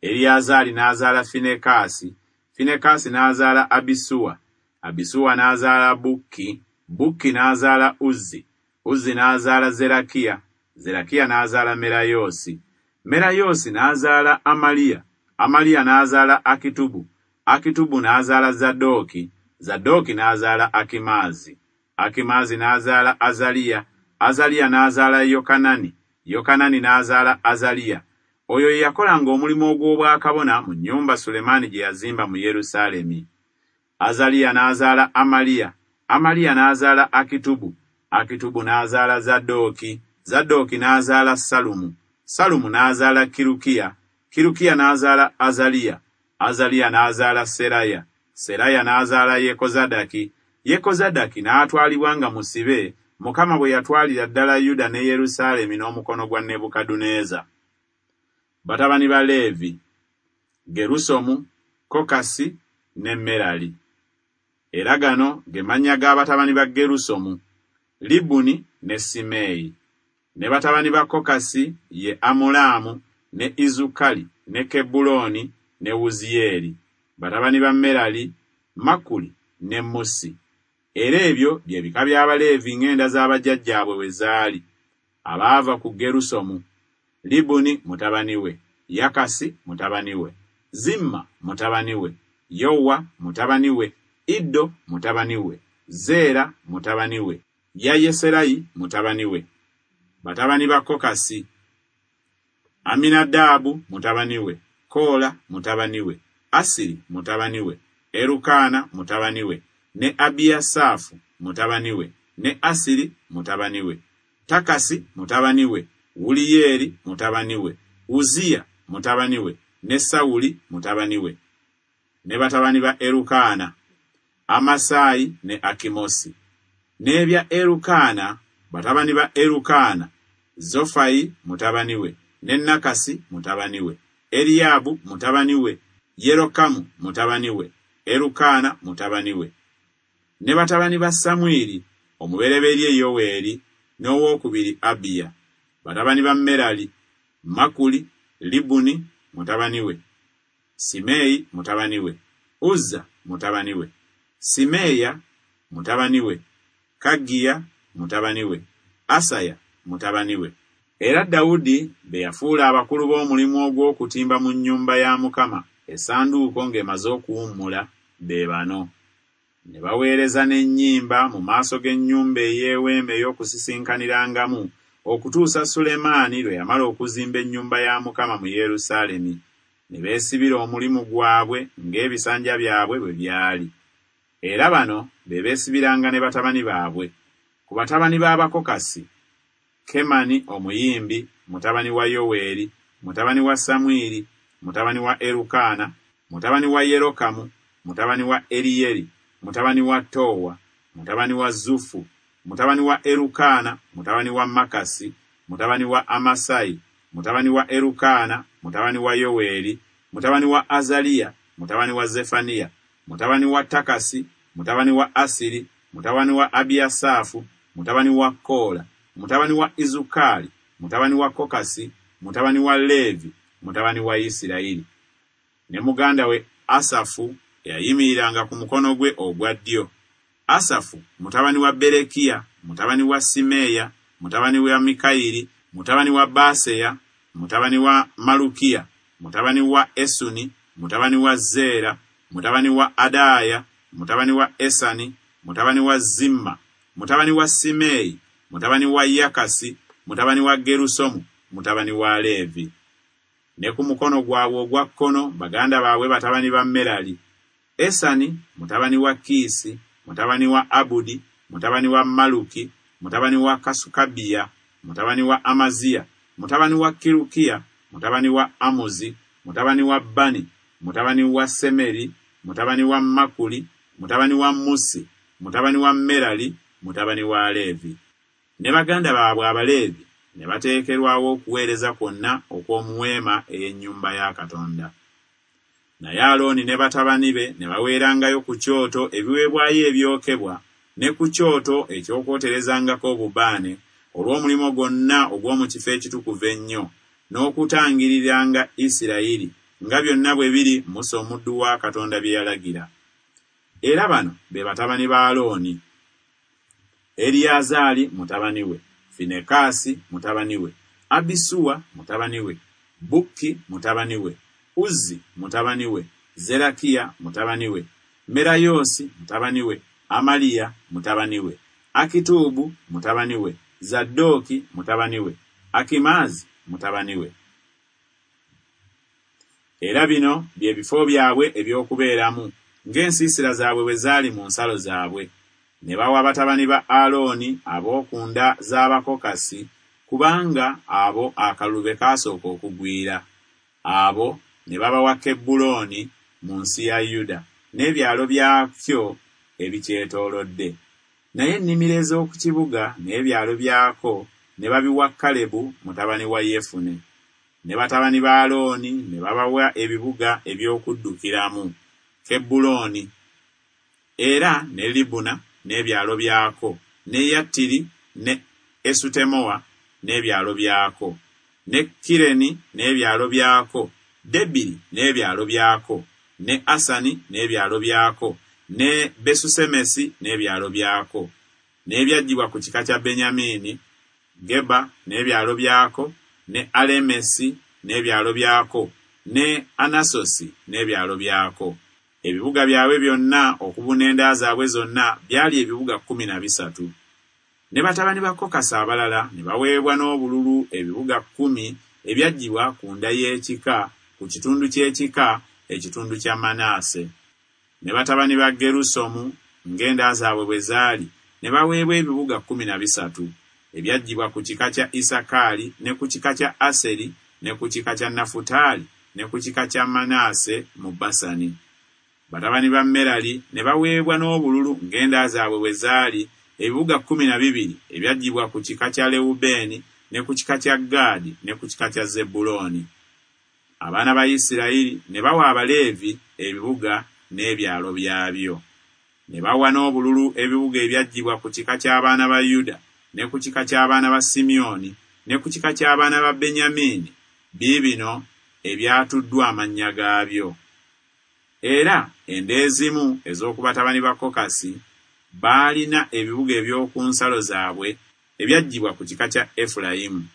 Speaker 1: Eriyazaali n'azaala Finekaasi, Finekaasi n'azaala Abisuwa, Abisuwa n'azaala Bukki, Bukki n'azaala Uzzi, Uzzi n'azaala Zerakiya, Zerakiya n'azaala Merayoosi. Merayoosi n'azaala Amaliya, Amaliya n'azaala Akitubu, Akitubu n'azaala Zadooki, Zadooki n'azaala Akimaazi. Akimaazi n'azaala Azaliya, Azaliya n'azaala Yokanani, Yokanani n'azaala Azaliya. Oyo ye yakolanga omulimu ogw'obwakabona mu nnyumba Sulemaani gye yazimba mu Yerusaalemi. Azaliya n'azaala Amaliya, Amaliya n'azaala Akitubu, Akitubu n'azaala Zadooki, Zadooki n'azaala Salumu, Salumu n'azaala Kirukiya, Kirukiya n'azaala Azaliya, Azaliya n'azaala Seraya, Seraya n'azaala Yekozadaki, Yekozadaki n'atwalibwa nga musibe, Mukama bwe yatwalira ddala Yuda ne Yerusaalemi n'omukono gwa Nebukadduneeza. Batabani ba Leevi: Gerusomu, Kokasi ne Merali. Era gano ge mannya g'abatabani ba Gerusomu: Libuni ne Simeeyi. Ne batabani ba Kokasi ye Amulaamu ne Izukali ne Kebbulooni ne Wuziyeeri. Batabani ba Merali: Makuli ne Musi. Era ebyo bye bika by'Abaleevi ng'enda z'abajjajjaabwe bwe zaali. Abaava ku Gerusomu: Libuni mutabani we, Yakasi mutabani we, Zimma mutabani we, Yowa mutabani we, Iddo mutabani we, Zeera mutabani we, Yayeserayi mutabani we. Batabani ba Kokasi: Aminadaabu mutabani we, Koola mutabani we, Asiri mutabani we, Erukaana mutabani we, ne Abiyasaafu mutabani we, ne Asiri mutabani we, Takasi mutabani we, Wuliyeeri mutabani we, Uziya mutabani we, ne Sawuli mutabani we. Ne batabani ba Erukaana: Amasaayi ne Akimosi. N'ebya Erukaana, batabani ba Erukaana: Zofayi mutabani we, ne Nakasi mutabani we, Eriyaabu mutabani we, Yerokamu mutabani we, Erukaana mutabani we. Ne batabani ba Samwiri: omubereberye Yoweeri n'owookubiri Abiya. Batabani ba Merali: Makuli, Libuni mutabani we, Simeeyi mutabani we, Uzza mutabani we, Simeeya mutabani we, Kaggiya mutabani we, Asaya mutabani we. Era Dawudi be yafuula abakulu b'omulimu ogw'okutimba mu nnyumba ya Mukama essanduuko ng'emaze okuwummula be bano. Ne baweereza n'ennyimba mu maaso g'ennyumba ey'eweema ey'okusisinkanirangamu okutuusa Sulemaani lwe yamala okuzimba ennyumba ya Mukama mu Yerusaalemi. Ne beesibira omulimu gwabwe ng'ebisanja byabwe bwe byali. Era bano be beesibiranga ne batabani baabwe. Ku batabani b'Abakokasi: Kemani omuyimbi, mutabani wa Yoweeri, mutabani wa Samwiri, mutabani wa Erukaana, mutabani wa Yerokamu, mutabani wa Eriyeri, mutabani wa Towa, mutabani wa Zufu, mutabani wa Erukaana, mutabani wa Makasi, mutabani wa Amasayi, mutabani wa Erukaana, mutabani wa Yoweeri, mutabani wa Azaliya, mutabani wa Zefaniya, mutabani wa Takasi, mutabani wa Asiri, mutabani wa Abiyasaafu, mutabani wa Koola, mutabani wa Izukali, mutabani wa Kokasi, mutabani wa Leevi, mutabani wa Isirayiri. Ne muganda we Asafu eyayimiriranga ku mukono gwe ogwa ddyo. Asafu mutabani wa Berekiya, mutabani wa Simeeya, mutabani wa Mikayiri, mutabani wa Baaseya, mutabani wa Malukiya, mutabani wa Esuni, mutabani wa Zeera, mutabani wa Adaaya, mutabani wa Esani, mutabani wa Zimma, mutabani wa Simeeyi, mutabani wa Yakasi, mutabani wa Gerusomu, mutabani wa Leevi. Ne ku mukono gwabwe ogwa kkono baganda baabwe batabani ba Merali: Esani mutabani wa Kiisi, mutabani wa Abudi, mutabani wa Maluki, mutabani wa Kasukabiya, mutabani wa Amaziya, mutabani wa Kirukiya, mutabani wa Amuzi, mutabani wa Bani, mutabani wa Semeri, mutabani wa Makuli, mutabani wa Musi, mutabani wa Merali, mutabani wa Leevi. Ne baganda baabwe Abaleevi ne bateekerwawo okuweereza kwonna okw'omu weema ey'ennyumba ya Katonda. Naye Alooni ne batabani be ne baweerangayo ku kyoto ebiweebwayo ebyokebwa ne ku kyoto eky'okwoterezangako obubaane olw'omulimu gwonna ogw'omu kifo ekitukuvu ennyo, n'okutangiriranga Isirayiri nga byonna bwe biri Musa omuddu wa Katonda bye yalagira. Era bano be batabani ba Alooni: Eriyazaali mutabani we, Finekaasi mutabani we, Abisuwa mutabani we, Bukki mutabani we, Uzzi mutabani we, Zerakiya mutabani we, Merayoosi mutabani we, Amaliya mutabani we, Akituubu mutabani we, Zadooki mutabani we, Akimaazi mutabani we. Era bino bye bifo byabwe eby'okubeeramu ng'ensiisira zaabwe bwe zaali mu nsalo zaabwe. Ne bawa batabani ba Alooni ab'oku nda z'Abakokasi, kubanga abo akalulu be kaasooka okugwira. Abo ne babawa Kebbulooni mu nsi ya Yuda n'ebyalo byakyo ebikyetoolodde. Naye ennimiro ez'oku kibuga n'ebyalo byako ne babiwa Kalebu mutabani wa Yefune. Ne batabani ba Alooni ne babawa ebibuga eby'okuddukiramu, Kebbulooni, era ne Libuna n'ebyalo byako, ne Yattiri ne Esutemoa n'ebyalo byako, ne Kireni n'ebyalo byako, Debiri n'ebyalo byako, ne Asani n'ebyalo byako, ne Besusemesi n'ebyalo byako. N'ebyaggyibwa ku kika kya Benyamini, Geba n'ebyalo byako, ne Alemesi n'ebyalo byako, ne Anasosi n'ebyalo byako. Ebibuga byabwe byonna okubuna enda zaabwe zonna byali ebibuga kkumi na bisatu. Ne batabani ba Kokasi abalala ne baweebwa n'obululu ebibuga kkumi ebyaggyibwa ku nda y'ekika, ku kitundu ky'ekika, ekitundu kya Manaase. Ne batabani ba Gerusomu ng'enda zaabwe bwe zaali ne baweebwa ebibuga kkumi na bisatu ebyaggyibwa ku kika kya Isakaali ne ku kika kya Aseri ne ku kika kya Nafutaali ne ku kika kya Manaase mu Basani. Batabani ba Merali ne baweebwa n'obululu ng'enda zaabwe bwe zaali ebibuga kkumi na bibiri ebyaggyibwa ku kika kya Lewubeeni ne ku kika kya Gaadi ne ku kika kya Zebbulooni. Abaana ba Isirayiri ne bawa Abaleevi ebibuga n'ebyalo byabyo. Ne bawa n'obululu ebibuga ebyaggyibwa ku kika ky'abaana ba Yuda ne ku kika ky'abaana ba Simyoni ne ku kika ky'abaana ba Benyamini, biibino ebyatuddwa amannya gaabyo. Era enda ezimu ez'oku batabani ba Kokasi baalina ebibuga eby'oku nsalo zaabwe ebyaggyibwa ku kika kya Efulayimu.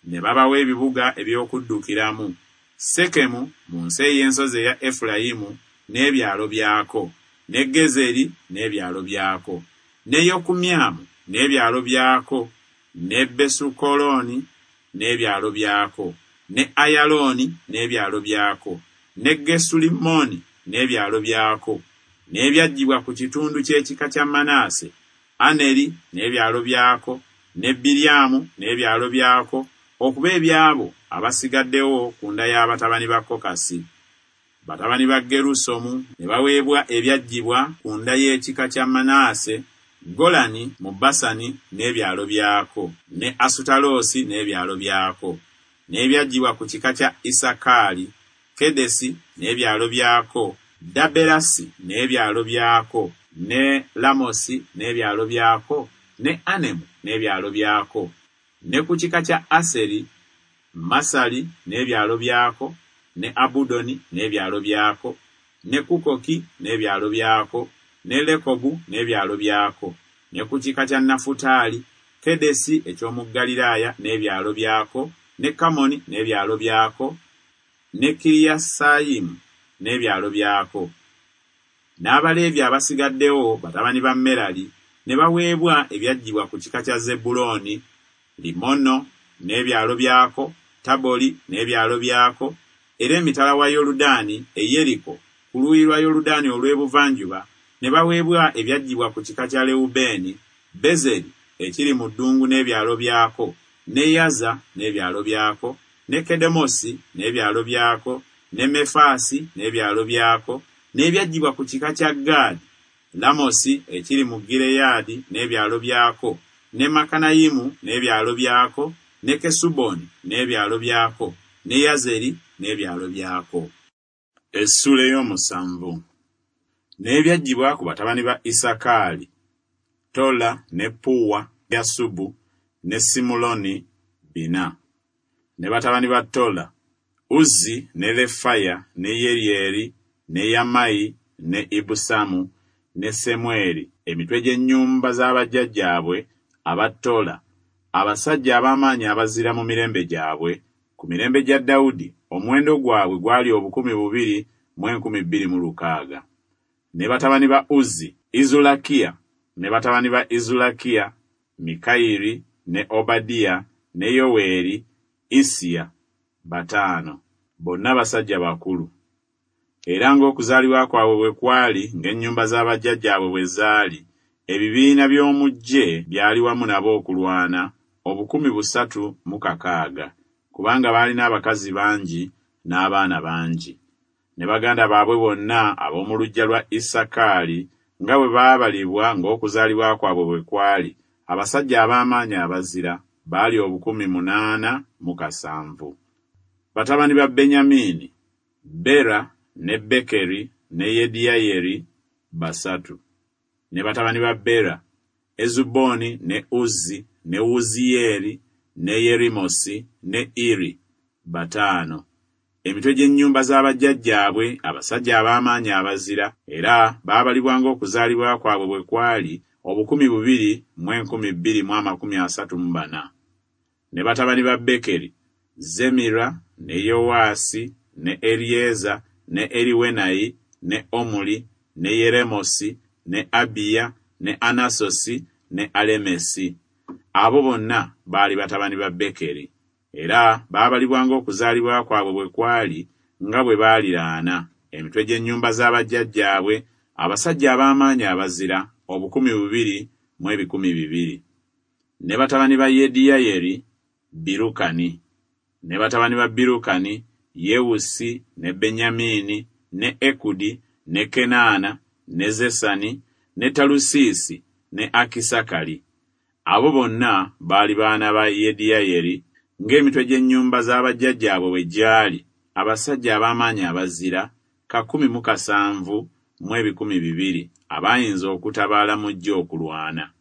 Speaker 1: Ne babawa ebibuga eby'okuddukiramu, Sekemu mu nsi ey'ensozi eya Efulayimu n'ebyalo byako, ne Gezeri n'ebyalo byako, ne Yokumyamu n'ebyalo byako, ne Besukolooni n'ebyalo byako, ne Ayalooni n'ebyalo byako, ne Gesulimoni n'ebyalo byako, n'ebyaggyibwa ku kitundu ky'ekika kya Manaase, Aneri n'ebyalo byako, ne Biryamu n'ebyalo byako, okuba ebyabo abasigaddewo ku nda y'abatabani ba Kokasi. Batabani ba Gerusomu ne baweebwa ebyaggyibwa ku nda y'ekika kya Manaase, Golani mu Basani n'ebyalo byako, ne Asutaloosi n'ebyalo byako, n'ebyaggyibwa ku kika kya Isakaali, Kedesi n'ebyalo byako, Daberasi n'ebyalo byako, ne Lamosi n'ebyalo byako, ne Anemu n'ebyalo byako, ne ku kika kya Aseri, Masali n'ebyalo byako, ne Abudoni n'ebyalo byako, ne Kukoki n'ebyalo byako, ne Lekobu n'ebyalo byako, ne ku kika kya Nafutaali, Kedesi eky'omu Ggaliraaya n'ebyalo byako, ne Kamoni n'ebyalo byako, ne Kiriyasayimu n'ebyalo byako. N'Abaleevi abasigaddewo batabani ba Merali ne baweebwa ebyaggyibwa ku kika kya Zebbulooni, Limono n'ebyalo byako, Taboli n'ebyalo byako, era emitala wa Yoludaani e Yeriko ku luuyi lwa Yoludaani olw'ebuvanjuba ne baweebwa ebyaggyibwa ku kika kya Lewubeeni, Bezeri ekiri mu ddungu n'ebyalo byako, ne Yaza n'ebyalo byako, ne Kedemosi n'ebyalo byako, ne Mefaasi n'ebyalo byako, n'ebyaggyibwa ku kika kya Gaadi, Lamosi ekiri mu Gireyaadi n'ebyalo byako, ne Makanayimu n'ebyalo byako, ne Kesuboni n'ebyalo byako, ne Yazeri n'ebyalo byako. Essuula ey'omusanvu. N'ebyaggyibwa ku batabani ba Isakaali, Tola ne Puwa, Yasubu ne Simuloni bina. Ne batabani ba Tola, Uzzi ne Lefaya ne Yeryeri ne Yamayi ne Ibusamu ne Semweri, emitwe gy'ennyumba z'abajjajjaabwe aba Tola, abasajja ab'amaanyi abazira mu mirembe gyabwe. Ku mirembe gya Dawudi omuwendo gwabwe gwali obukumi bubiri mu enkumi bbiri mu lukaaga. Ne batabani ba Uzzi, Izulakiya, ne batabani ba Izulakiya, Mikayiri ne Obadiya ne Yoweeri, Isiya, bataano. Bonna basajja bakulu. Era ng'okuzaalibwa kwabwe bwe kwali, ng'ennyumba z'abajjajjaabwe bwe zaali, ebibiina by'omu ggye byali wamu nabo okulwana, obukumi busatu mu kakaaga, kubanga baalina abakazi bangi n'abaana bangi. Ne baganda baabwe bonna ab'omu luggya lwa Isakaali nga bwe baabalibwa ng'okuzaalibwa kwabwe bwe kwali, abasajja ab'amaanyi abazira baali obukumi munaana mu kasanvu. Batabani ba Benyamini, Bera ne Bekeri ne Yediyayeri basatu. Ne batabani ba Bera, Ezuboni ne Uzzi ne Wuziyeeri ne Yerimosi ne Iri bataano. Emitwe gy'ennyumba z'abajjajjaabwe, abasajja ab'amaanyi abazira, era baabalibwa ng'okuzaalibwa kwabwe bwe kwali, obukumi bubiri mu enkumi bbiri mu amakumi asatu mu bana. Ne batabani ba Bekeri, Zemira ne Yowaasi ne Eryeza ne Eriwenayi ne Omuli ne Yeremosi ne Abiya ne Anasosi ne Alemesi. Abo bonna baali batabani ba Bekeri. Era baabalibwa ng'okuzaalibwa kwabwe bwe kwali, nga bwe baaliraana, emitwe gy'ennyumba z'abajjajjaabwe, abasajja ab'amaanyi abazira, obukumi bubiri mu ebikumi bibiri. Ne batabani ba Yediyayeri, Birukani. Ne batabani ba Birukani, Yewusi ne Benyamini ne Ekudi ne Kenaana ne Zesani ne Talusiisi ne Akisakali. Abo bonna baali baana ba Yediyayeri, ng'emitwe gy'ennyumba z'abajjajjaabwe bwe gyali, abasajja ab'amaanyi abazira, kakumi mu kasanvu mu ebikumi bibiri, abayinza okutabaala mu ggye okulwana.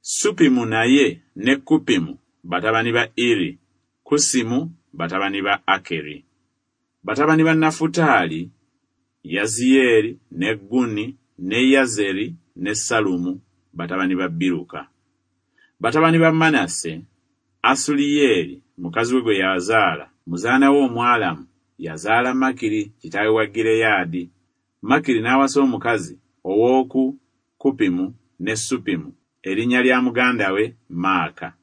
Speaker 1: Supimu naye ne Kupimu batabani ba Iri, Kusimu batabani ba Akeri. Batabani ba Nafutaali, Yaziyeeri ne Guni ne Yazeri ne Salumu batabani ba Biruka. Batabani ba Manase, Asuliyeri mukazi we gwe yazaala, muzaana we Omwalamu, yazaala Makiri kitaawe wa Gireyaadi. Makiri n'awasa omukazi ow'oku Kupimu ne Supimu, erinnya lya muganda we Maaka.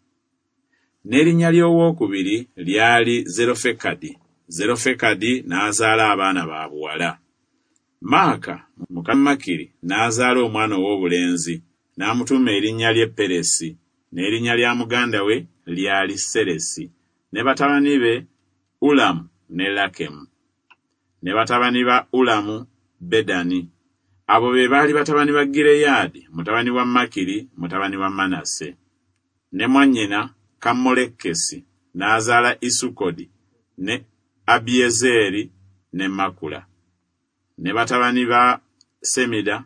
Speaker 1: N'erinnya ly'owookubiri lyali Zerofekadi. Zerofekadi n'azaala abaana ba buwala. Maaka muka Makiri n'azaala omwana ow'obulenzi, n'amutuuma erinnya lye Peresi, n'erinnya lya muganda we lyali Seresi, ne batabani be Ulamu ne Lakemu. Ne batabani ba Ulamu, Bedani. Abo be baali batabani ba Gireyaadi, mutabani wa Makiri, mutabani wa Manase. Ne mwannyina Kammolekesi n'azaala Isukodi ne Abiezeri ne Makula. Ne batabani ba Semida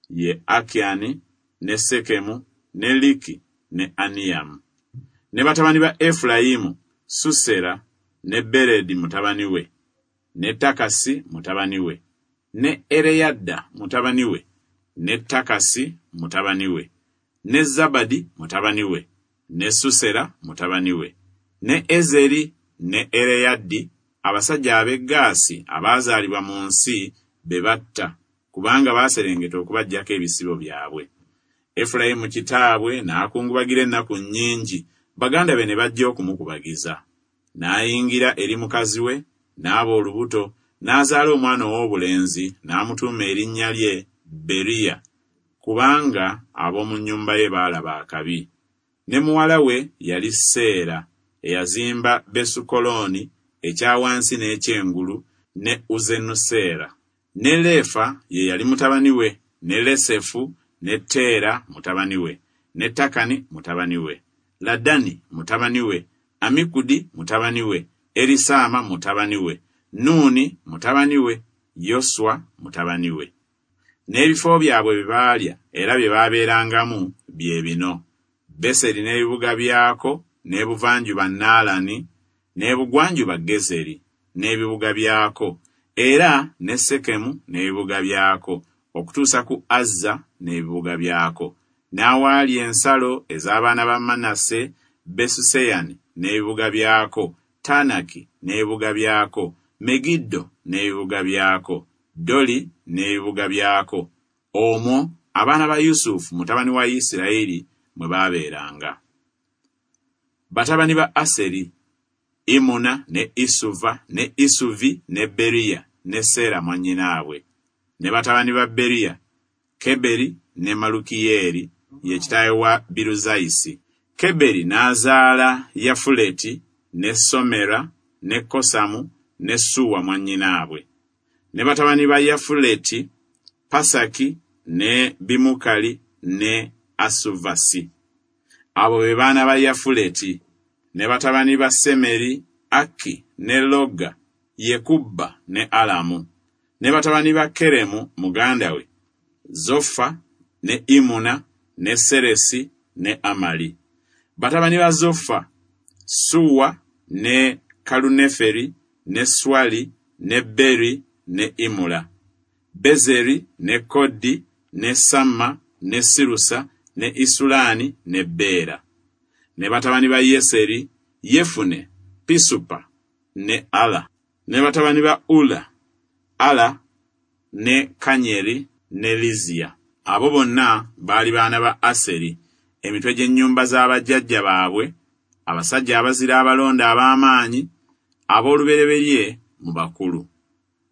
Speaker 1: ye Akyani ne Sekemu ne Liki ne Aniyamu. Ne batabani ba Efulayimu, Susera ne Beredi mutabani we, ne Takasi mutabani we, ne Ereyadda mutabani we, ne Takasi mutabani we, ne Zabadi mutabani we, ne Susera mutabani we, ne Ezeri ne Ereyaddi, abasajja ab'e Gaasi abaazaalibwa mu nsi be batta, kubanga baaserengeta okubaggyako ebisibo byabwe. Efulayimu kitaabwe n'akungubagira ennaku nnyingi, baganda be ne bajja okumukubagiza. N'ayingira eri mukazi we, n'aba olubuto, n'azaala omwana ow'obulenzi, n'amutuuma erinnya lye Beriya, kubanga ab'omu nnyumba ye baalaba akabi. Ne muwala we yali Seera, eyazimba Besukolooni ekya wansi n'ekyengulu, ne Uzenuseera. Ne Leefa ye yali mutabani we, ne Lesefu, ne Teera mutabani we, ne Takani mutabani we, Ladani mutabani we, Amikudi mutabani we, Erisaama mutabani we, Nuuni mutabani we, Yoswa mutabani we. N'ebifo byabwe bye baalya era bye baabeerangamu bye bino: Beseri n'ebibuga byako, n'ebuvanjuba Naalani, n'ebugwanjuba Gezeri n'ebibuga byako, era ne Sekemu n'ebibuga byako, okutuusa ku Azza n'ebibuga byako. N'awaali ensalo ez'abaana ba Manase, Besuseyani n'ebibuga byako, Taanaki n'ebibuga byako, Megiddo n'ebibuga byako, Doli n'ebibuga byako. Omwo abaana ba Yusufu mutabani wa Isirayiri mwe baabeeranga. Batabani ba Aseri: Imuna ne Isuva ne Isuvi ne Beriya ne Seera mwannyinaabwe. Ne batabani ba Beriya: Keberi ne Malukiyeeri, ye kitaawe wa Biruzayisi. Keberi n'azaala Yafuleti ne Somera ne Kosamu ne Suwa mwannyinaabwe. Ne batabani ba Yafuleti: Pasaki ne Bimukali ne Asuvasi. Abo be baana ba Yafuleti. Ne batabani ba Semeri: Aki ne Loga, Yekubba ne Alamu. Ne batabani ba Keremu muganda we: Zofa ne Imuna ne Seresi ne Amali. Batabani ba Zofa: Suwa ne Kaluneferi ne Swali ne Beri ne Imula. Bezeri ne Kodi ne Samma ne Sirusa ne Isulani ne Beera. Ne batabani ba Yeseri: Yefune, Pisupa ne Ala. Ne batabani ba Ula: Ala ne Kanyeri ne Liziya. Abo bonna baali baana ba Aseri, emitwe gy'ennyumba z'abajjajja baabwe, abasajja abazira abalonda ab'amaanyi, ab'olubereberye mu bakulu.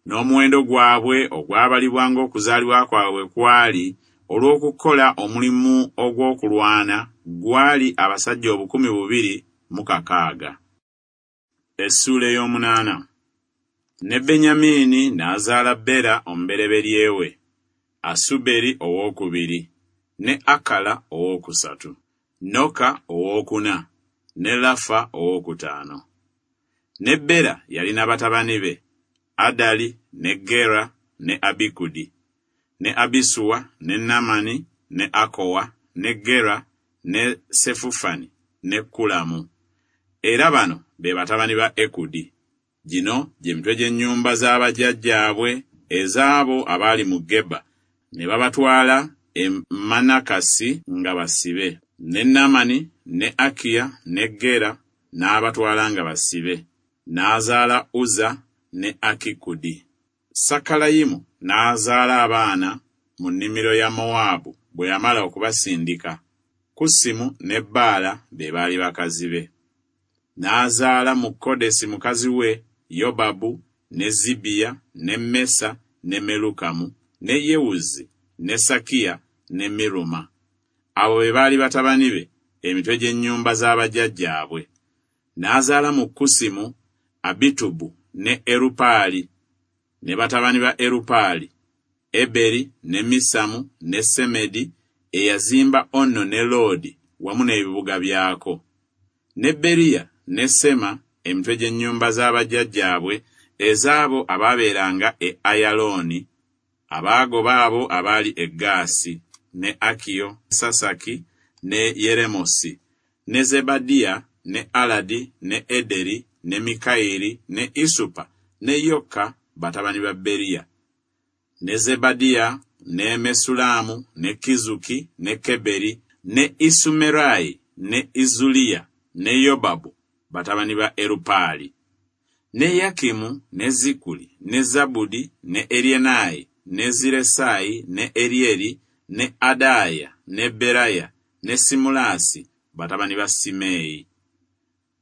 Speaker 1: N'omuwendo gwabwe ogwabalibwa ng'okuzaalibwa kwabwe kwali olw'okukola omulimu ogw'okulwana gwali abasajja obukumi bubiri mu kakaaga. Essuula ey'omunaana. Ne Benyamini n'azaala Bera omubereberye we, Asuberi owookubiri, ne Akala owookusatu, Noka owookuna, ne Lafa owookutaano. Ne Bera yalina batabani be: Adali ne Gera ne Abikudi, ne Abisuwa ne Namani ne Akowa ne Gera ne Sefufani ne Kulamu. Era bano be batabani ba Ekudi. Gino gye mitwe gy'ennyumba z'abajjajjaabwe ez'abo abaali mu Geba, ne babatwala e Manakasi nga basibe. Ne Namani ne Akiya ne Gera n'abatwala nga basibe. N'azaala Uza ne Akikudi. Sakalayimu n'azaala abaana mu nnimiro ya Mowaabu bwe yamala okubasindika. Kusimu ne Baala be baali bakazi be. N'azaala mu Kodesi mukazi we Yobabu ne Zibiya ne Mesa ne Melukamu ne Yewuzi ne Sakiya ne Miruma. Abo be baali batabani be, emitwe gy'ennyumba z'abajjajjaabwe. N'azaala mu Kusimu Abitubu ne Erupaali. Ne batabani ba Erupaali: Eberi ne Misamu ne Semedi, eyazimba Onno ne Loodi wamu n'ebibuga byako. Ne Beriya ne Sema, emitwe gy'ennyumba z'abajjajjaabwe ez'abo abaabeeranga e Ayalooni, abaagoba abo abaali e Gaasi, ne Akiyo, Sasaki ne Yeremosi, ne Zebadiya ne Aladi ne Ederi ne Mikayiri ne Isupa ne Yoka, batabani ba Beriya. Ne Zebadiya ne Mesulaamu ne Kizuki ne Keberi ne Isumerayi ne Izuliya ne Yobabu, batabani ba Erupaali. Ne Yakimu ne Zikuli ne Zabudi ne Erienayi ne Ziresayi ne Erieri ne Adaya ne Beraya ne Simulasi, batabani ba Simeeyi.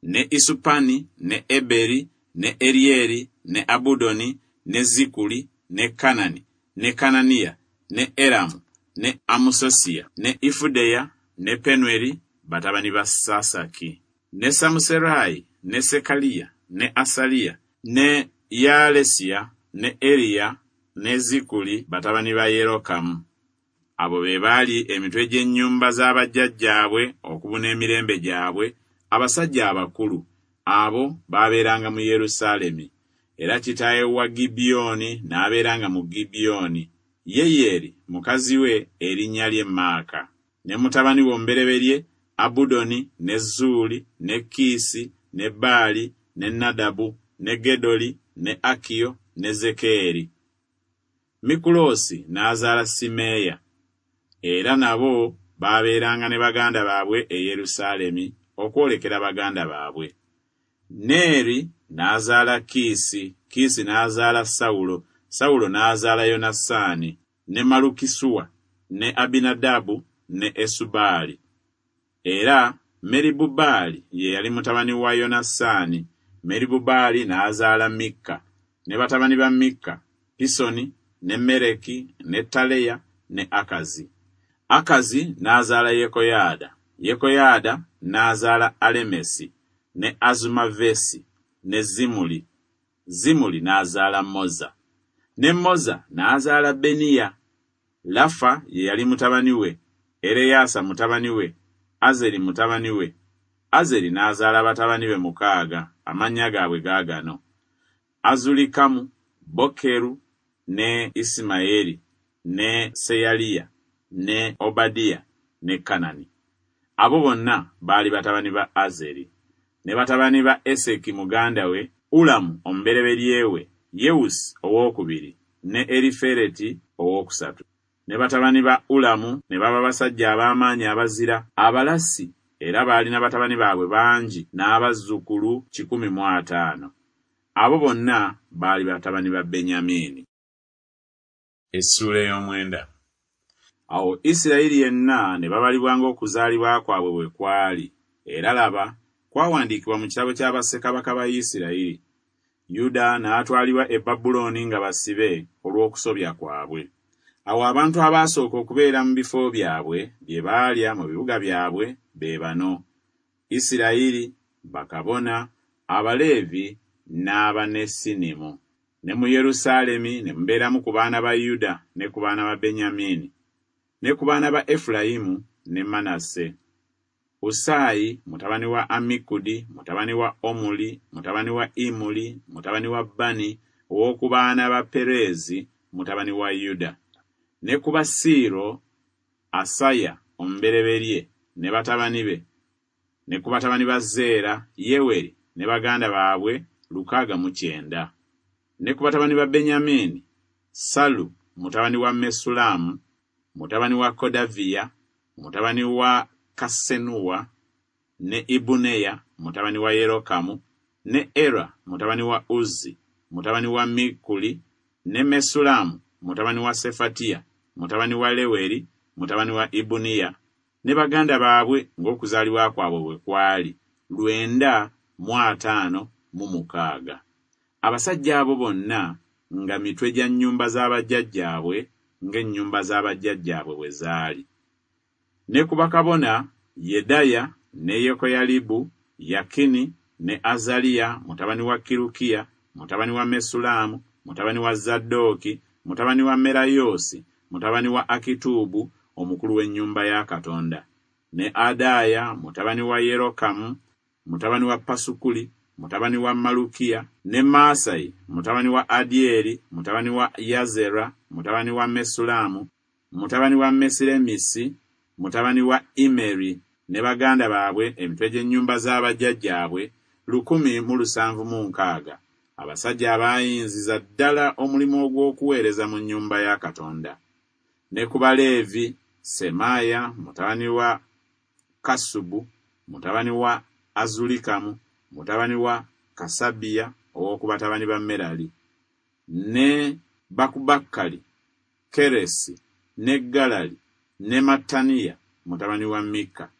Speaker 1: Ne Isupani ne Eberi ne Erieri ne Abudoni ne Zikuli ne Kanani ne Kananiya ne Eramu ne Amusosiya ne Ifudeya ne Penweri, batabani ba Sasaki. Ne Samuserayi ne Sekaliya ne Asaliya ne Yaalesiya ne Eriya ne Zikuli, batabani ba Yerokamu. Abo be baali emitwe gy'ennyumba za bajjajjaabwe okubuna emirembe gyabwe, abasajja abakulu, abo baabeeranga mu Yerusaalemi. Era kitaawe wa Gibyoni n'abeeranga mu Gibyoni, Yeyeri mukazi we erinnya lye Maaka, ne mutabani we omubereberye Abudoni, ne Zuuli, ne Kiisi, ne Baali, ne Nadabu, ne Gedoli, ne Akiyo, ne Zekeeri. Mikuloosi n'azaala Simeeya. Era nabo baabeeranga ne baganda baabwe e Yerusaalemi okwolekera baganda baabwe. Neeri n'azaala Kiisi, Kiisi n'azaala Sawulo, Sawulo n'azaala Yonasaani, ne Malukisuwa, ne Abinadabu, ne Esubaali. Era Meribubaali ye yali mutabani wa Yonasaani, Meribubaali n'azaala Mikka, ne batabani ba Mikka, Pisoni, ne Mereki, ne Taleya, ne Akazi. Akazi n'azaala Yekoyaada, Yekoyaada n'azaala Alemesi, ne Azumavesi, ne Zimuli. Zimuli n'azaala Moza, ne Moza n'azaala Beniya. Lafa ye yali mutabani we, Ereyasa mutabani we, Azeri mutabani we. Azeri n'azaala batabani be mukaaga, amannya gaabwe gaagano: Azulikamu, Bokeru, ne Isimayeri, ne Seyaliya, ne Obadiya, ne Kanani. Abo bonna baali batabani ba Azeri. Ne batabani ba Eseki muganda we, Ulamu omubereberye we, Yewusi owookubiri, ne Erifereti owookusatu. Ne batabani ba Ulamu ne baba basajja ab'amaanyi abazira, abalasi, era baalina batabani baabwe bangi n'abazzukulu kikumi mu ataano. Abo bonna baali batabani ba Benyamini. Essuula ey'omwenda. Awo Isirayiri yenna ne babalibwa ng'okuzaalibwa kwabwe bwe kwali, era laba, kwawandiikibwa mu kitabo kya bassekabaka ba Isirayiri. Yuda n'atwalibwa e Babulooni nga basibe olw'okusobya kwabwe. Awo abantu abaasooka okubeera mu bifo byabwe bye baalya mu bibuga byabwe be bano: Isirayiri, bakabona, Abaleevi n'Abanesinimu. Ne mu Yerusaalemi ne mubeeramu ku baana ba Yuda ne ku baana ba Benyamini, ne ku baana ba Efulayimu ne Manase. Usaayi mutabani wa Amikudi, mutabani wa Omuli, mutabani wa Imuli, mutabani wa Bani, ow'oku baana ba Pereezi, mutabani wa Yuda. Ne ku Basiiro, Asaya omubereberye ne batabani be, ne ku batabani ba Zeera, Yeweri ne baganda baabwe lukaaga mu kyenda. Ne ku batabani ba Benyamini, Salu mutabani wa Mesulamu, mutabani wa Kodaviya, mutabani wa Kasenuwa, ne Ibuneya mutabani wa Yerokamu, ne Era mutabani wa Uzzi, mutabani wa Mikuli, ne Mesulamu mutabani wa Sefatiya, mutabani wa Leweri, mutabani wa Ibuniya, ne baganda baabwe ng'okuzaalibwa kwabwe bwe kwali lwenda mu ataano mu mukaaga. Abasajja abo bonna nga mitwe gya nnyumba z'abajjajjaabwe ng'ennyumba z'abajjajjaabwe bwe zaali. Ne ku bakabona, Yedaya ne Yekoyalibu, Yakini ne Azaliya mutabani wa Kirukiya, mutabani wa Mesulamu, mutabani wa Zadooki, mutabani wa Merayoosi, mutabani wa Akitubu, omukulu w'ennyumba ya Katonda, ne Adaaya mutabani wa Yerokamu, mutabani wa Pasukuli, mutabani wa Malukiya, ne Maasayi mutabani wa Adyeri, mutabani wa Yazera, mutabani wa Mesulamu, mutabani wa Mesiremisi, mutabani wa Imeri, ne baganda baabwe emitwe gy'ennyumba z'abajjajjaabwe lukumi mu lusanvu mu nkaaga, abasajja abaayinziza ddala omulimu ogw'okuweereza mu nnyumba ya Katonda. Ne ku Baleevi, Semaaya mutabani wa Kasubu, mutabani wa Azulikamu, mutabani wa Kasabiya ow'oku batabani ba Merali, ne Bakubakkali, Keresi, ne Galali, ne Mattaniya mutabani wa Mikka,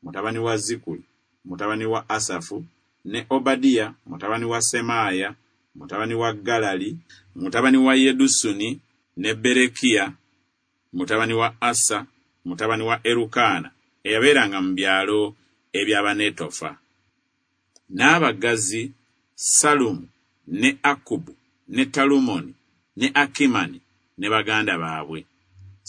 Speaker 1: mutabani wa Zikuli, mutabani wa Asafu, ne Obadiya mutabani wa Semaaya, mutabani wa Galali, mutabani wa Yedusuni, ne Berekiya mutabani wa Asa, mutabani wa Erukaana, eyabeeranga mu byalo eby'Abanetofa. N'abaggazi Salumu ne Akubu ne Talumoni ne Akimani ne baganda baabwe.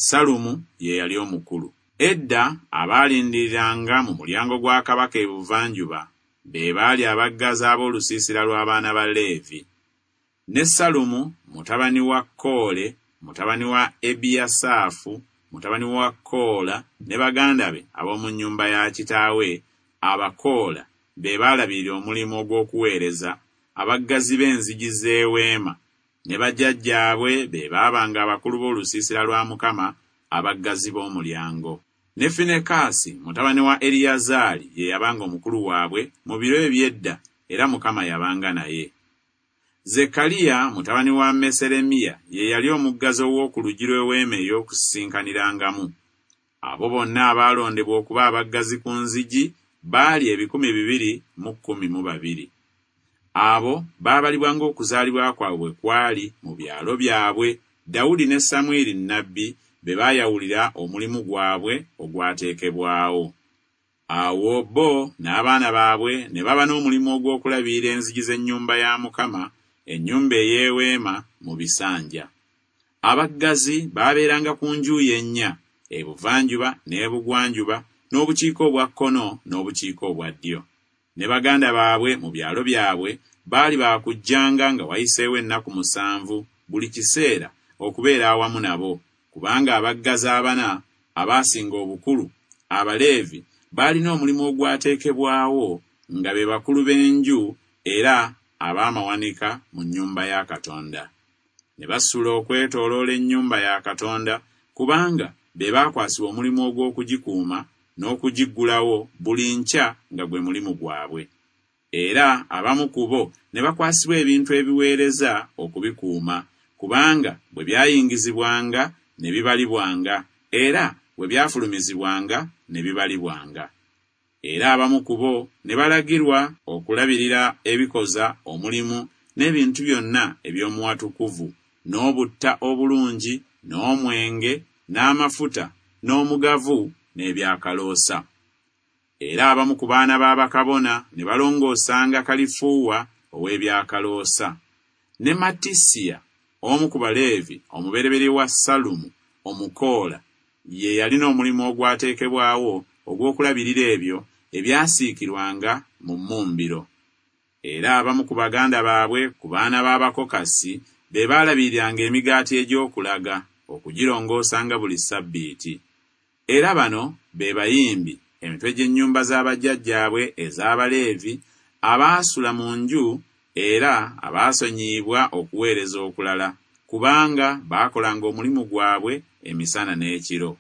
Speaker 1: Salumu ye yali omukulu. Edda abaalindiriranga mu mulyango gwa kabaka ebuvanjuba be baali abaggazi ab'olusiisira lw'abaana ba Leevi. Ne Salumu mutabani wa Koole, mutabani wa Ebiyasaafu, mutabani wa Koola, ne baganda be ab'omu nnyumba ya kitaawe Abakoola be baalabirira omulimu ogw'okuweereza, abaggazi b'enzigi z'eweema, ne bajjajjaabwe be baabanga abakulu b'olusiisira lwa Mukama, abaggazi b'omulyango. Ne Finekaasi mutabani wa Eriyazaali ye yabanga omukulu waabwe mu biro eby'edda, era Mukama yabanga naye. Zekkaliya mutabani wa Meseremiya ye yali omuggazi ow'oku luggi lw'eweema ey'okusisinkanirangamu. Abo bonna abaalondebwa okuba abaggazi ku nzigi baali ebikumi bibiri mu kkumi mu babiri. Abo baabalibwa ng'okuzaalibwa kwabwe bwe kwali mu byalo byabwe, Dawudi ne Samwiri nnabbi be baayawulira omulimu gwabwe ogwateekebwawo. Awo bo n'abaana baabwe ne baba n'omulimu ogw'okulabirira enzigi z'ennyumba ya Mukama, ennyumba ey'eweema mu bisanja. Abaggazi baabeeranga ku njuyi ennya, ebuvanjuba n'ebugwanjuba, n'obukiika obwa kkono n'obukiika obwa ddyo. Ne baganda baabwe mu byalo byabwe baali baakujjanga nga wayiseewo ennaku musanvu buli kiseera okubeera awamu nabo, kubanga abaggazi abana abaasinga obukulu, Abaleevi, baalina omulimu ogwateekebwawo nga be bakulu b'enju era ab'amawanika mu nnyumba ya Katonda. Ne basula okwetooloola ennyumba ya Katonda, kubanga be baakwasibwa omulimu ogw'okugikuuma n'okugiggulawo buli nkya nga gwe mulimu gwabwe. Era abamu ku bo ne bakwasibwa ebintu ebiweereza okubikuuma, kubanga bwe byayingizibwanga ne bibalibwanga, era bwe byafulumizibwanga ne bibalibwanga. Era abamu ku bo ne balagirwa okulabirira ebikoza omulimu n'ebintu byonna eby'omuwatukuvu, n'obutta obulungi, n'omwenge, n'amafuta, n'omugavu, n'ebyakaloosa. Era abamu ku baana ba bakabona ne balongoosanga kalifuuwa ow'ebyakaloosa. Ne Mattisiya, omu ku Baleevi, omubereberye wa Salumu Omukoola, ye yalina omulimu ogwateekebwawo ogw'okulabirira ebyo ebyasiikirwanga mu mmumbiro. Era abamu ku baganda baabwe ku baana b'Abakokasi be baalabiriranga emigaati egy'okulaga, okugirongoosanga buli ssabbiiti. Era bano be bayimbi, emitwe gy'ennyumba z'abajjajjaabwe ez'Abaleevi, abaasula mu nju era abaasonyiyibwa okuweereza okulala, kubanga baakolanga omulimu gwabwe emisana n'ekiro.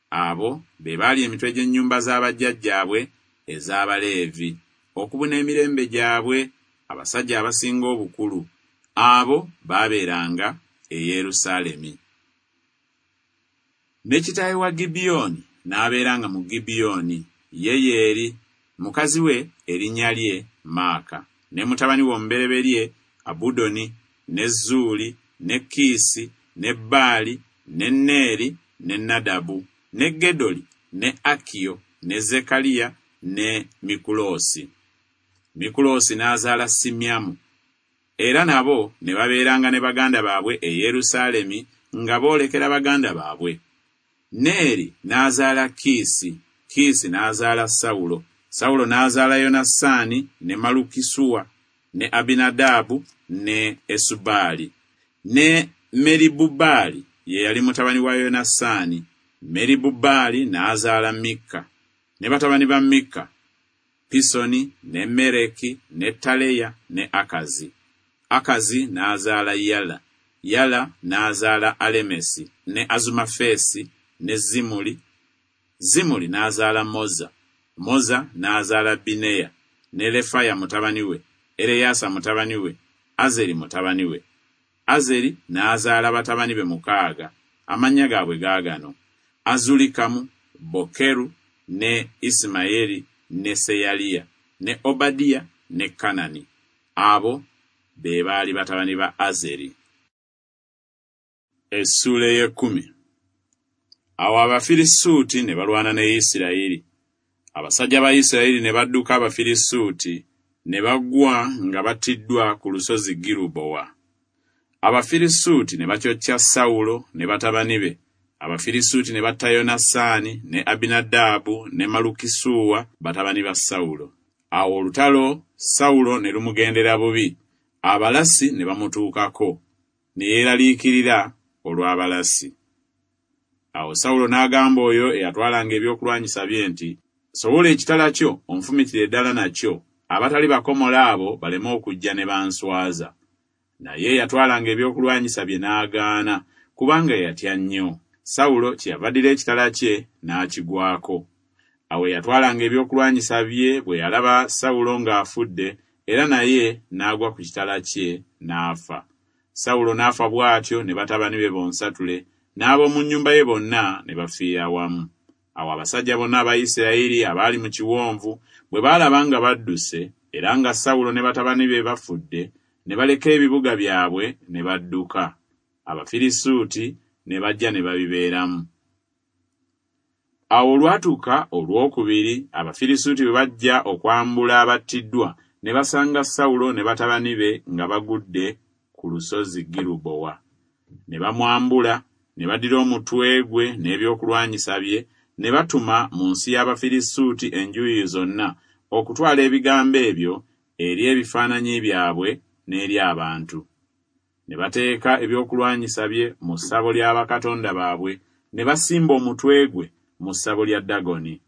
Speaker 1: Abo be baali emitwe gy'ennyumba z'abajjajjaabwe ez'Abaleevi, okubuna emirembe gyabwe, abasajja abasinga obukulu. Abo baabeeranga e Yerusaalemi. Ne kitaawe wa Gibyoni n'abeeranga mu Gibyoni, Yeyeeri, mukazi we erinnya lye Maaka, ne mutabani we omubereberye Abudoni, ne Zuuli, ne Kiisi, ne Baali, ne Neeri, ne Nadabu, ne Gedoli, ne Akiyo, ne Zekkaliya, ne Mikuloosi. Mikuloosi n'azaala Simyamu. Era nabo ne babeeranga ne baganda baabwe e Yerusaalemi nga boolekera baganda baabwe. Neeri n'azaala Kiisi, Kiisi n'azaala Sawulo, Sawulo n'azaala Yonasaani ne Malukisuwa, ne Abinadaabu ne Esubaali. Ne Meribubaali ye yali mutabani wa Yonasaani. Meribubaali n'azaala Mikka. Ne batabani ba Mikka, Pisoni ne Mereki ne Taleya ne Akazi. Akazi n'azaala Yala, Yala n'azaala Alemesi ne Azumafeesi ne Zimuli. Zimuli n'azaala Moza, Moza n'azaala Bineya ne Lefaya mutabani we, Ereyasa mutabani we, Azeri mutabani we. Azeri n'azaala batabani be mukaaga, amannya gaabwe gaagano: Azulikamu, Bokeru ne Isimayeri ne Seyaliya ne Obadiya ne Kanani. Abo be baali batabani ba Azeri. Essuula ey'ekkumi. Awo Abafirisuuti ne balwana ne Isirayiri. Abasajja ba Isirayiri ne badduka Abafirisuuti, ne bagwa nga battiddwa ku lusozi Girubowa. Abafirisuuti ne bakyokya Sawulo ne batabani be Abafirisuuti ne batta Yonasaani ne Abinadaabu ne Malukisuwa, batabani ba Sawulo. Awo olutalo Sawulo ne lumugendera bubi, abalasi ne bamutuukako, ne yeeraliikirira olw'abalasi. Awo Sawulo n'agamba oyo eyatwalanga ebyokulwanyisa bye nti, Sowola ekitala kyo onfumitire ddala nakyo, abatali bakomole abo baleme okujja ne banswaza. Naye eyatwalanga ebyokulwanyisa bye n'agaana, kubanga yatya nnyo. Sawulo kyeyava addira ekitala kye n'akigwako. Awo eyatwalanga ebyokulwanyisa bye bwe yalaba Sawulo ng'afudde, era naye n'agwa ku kitala kye n'afa. Sawulo n'afa bw'atyo ne batabani be bonsatule, n'ab'omu nnyumba ye bonna ne bafiira wamu. Awo abasajja bonna aba Isirayiri abaali mu kiwonvu bwe baalaba nga badduse, era nga Sawulo ne batabani be bafudde, ne baleka ebibuga byabwe ne badduka. Abafirisuuti ne bajja ne babibeeramu. Awo olwatuuka olwokubiri, Abafirisuuti bwe bajja okwambula abattiddwa, ne basanga Sawulo ne batabani be nga bagudde ku lusozi Girubowa. Ne bamwambula, ne baddira omutwe gwe n'ebyokulwanyisa bye, ne batuma mu nsi y'Abafirisuuti enjuyi zonna okutwala ebigambo ebyo eri ebifaananyi byabwe n'eri abantu. Ne bateeka ebyokulwanyisa bye mu ssabo lya bakatonda baabwe, ne basimba omutwe gwe mu ssabo lya Dagoni.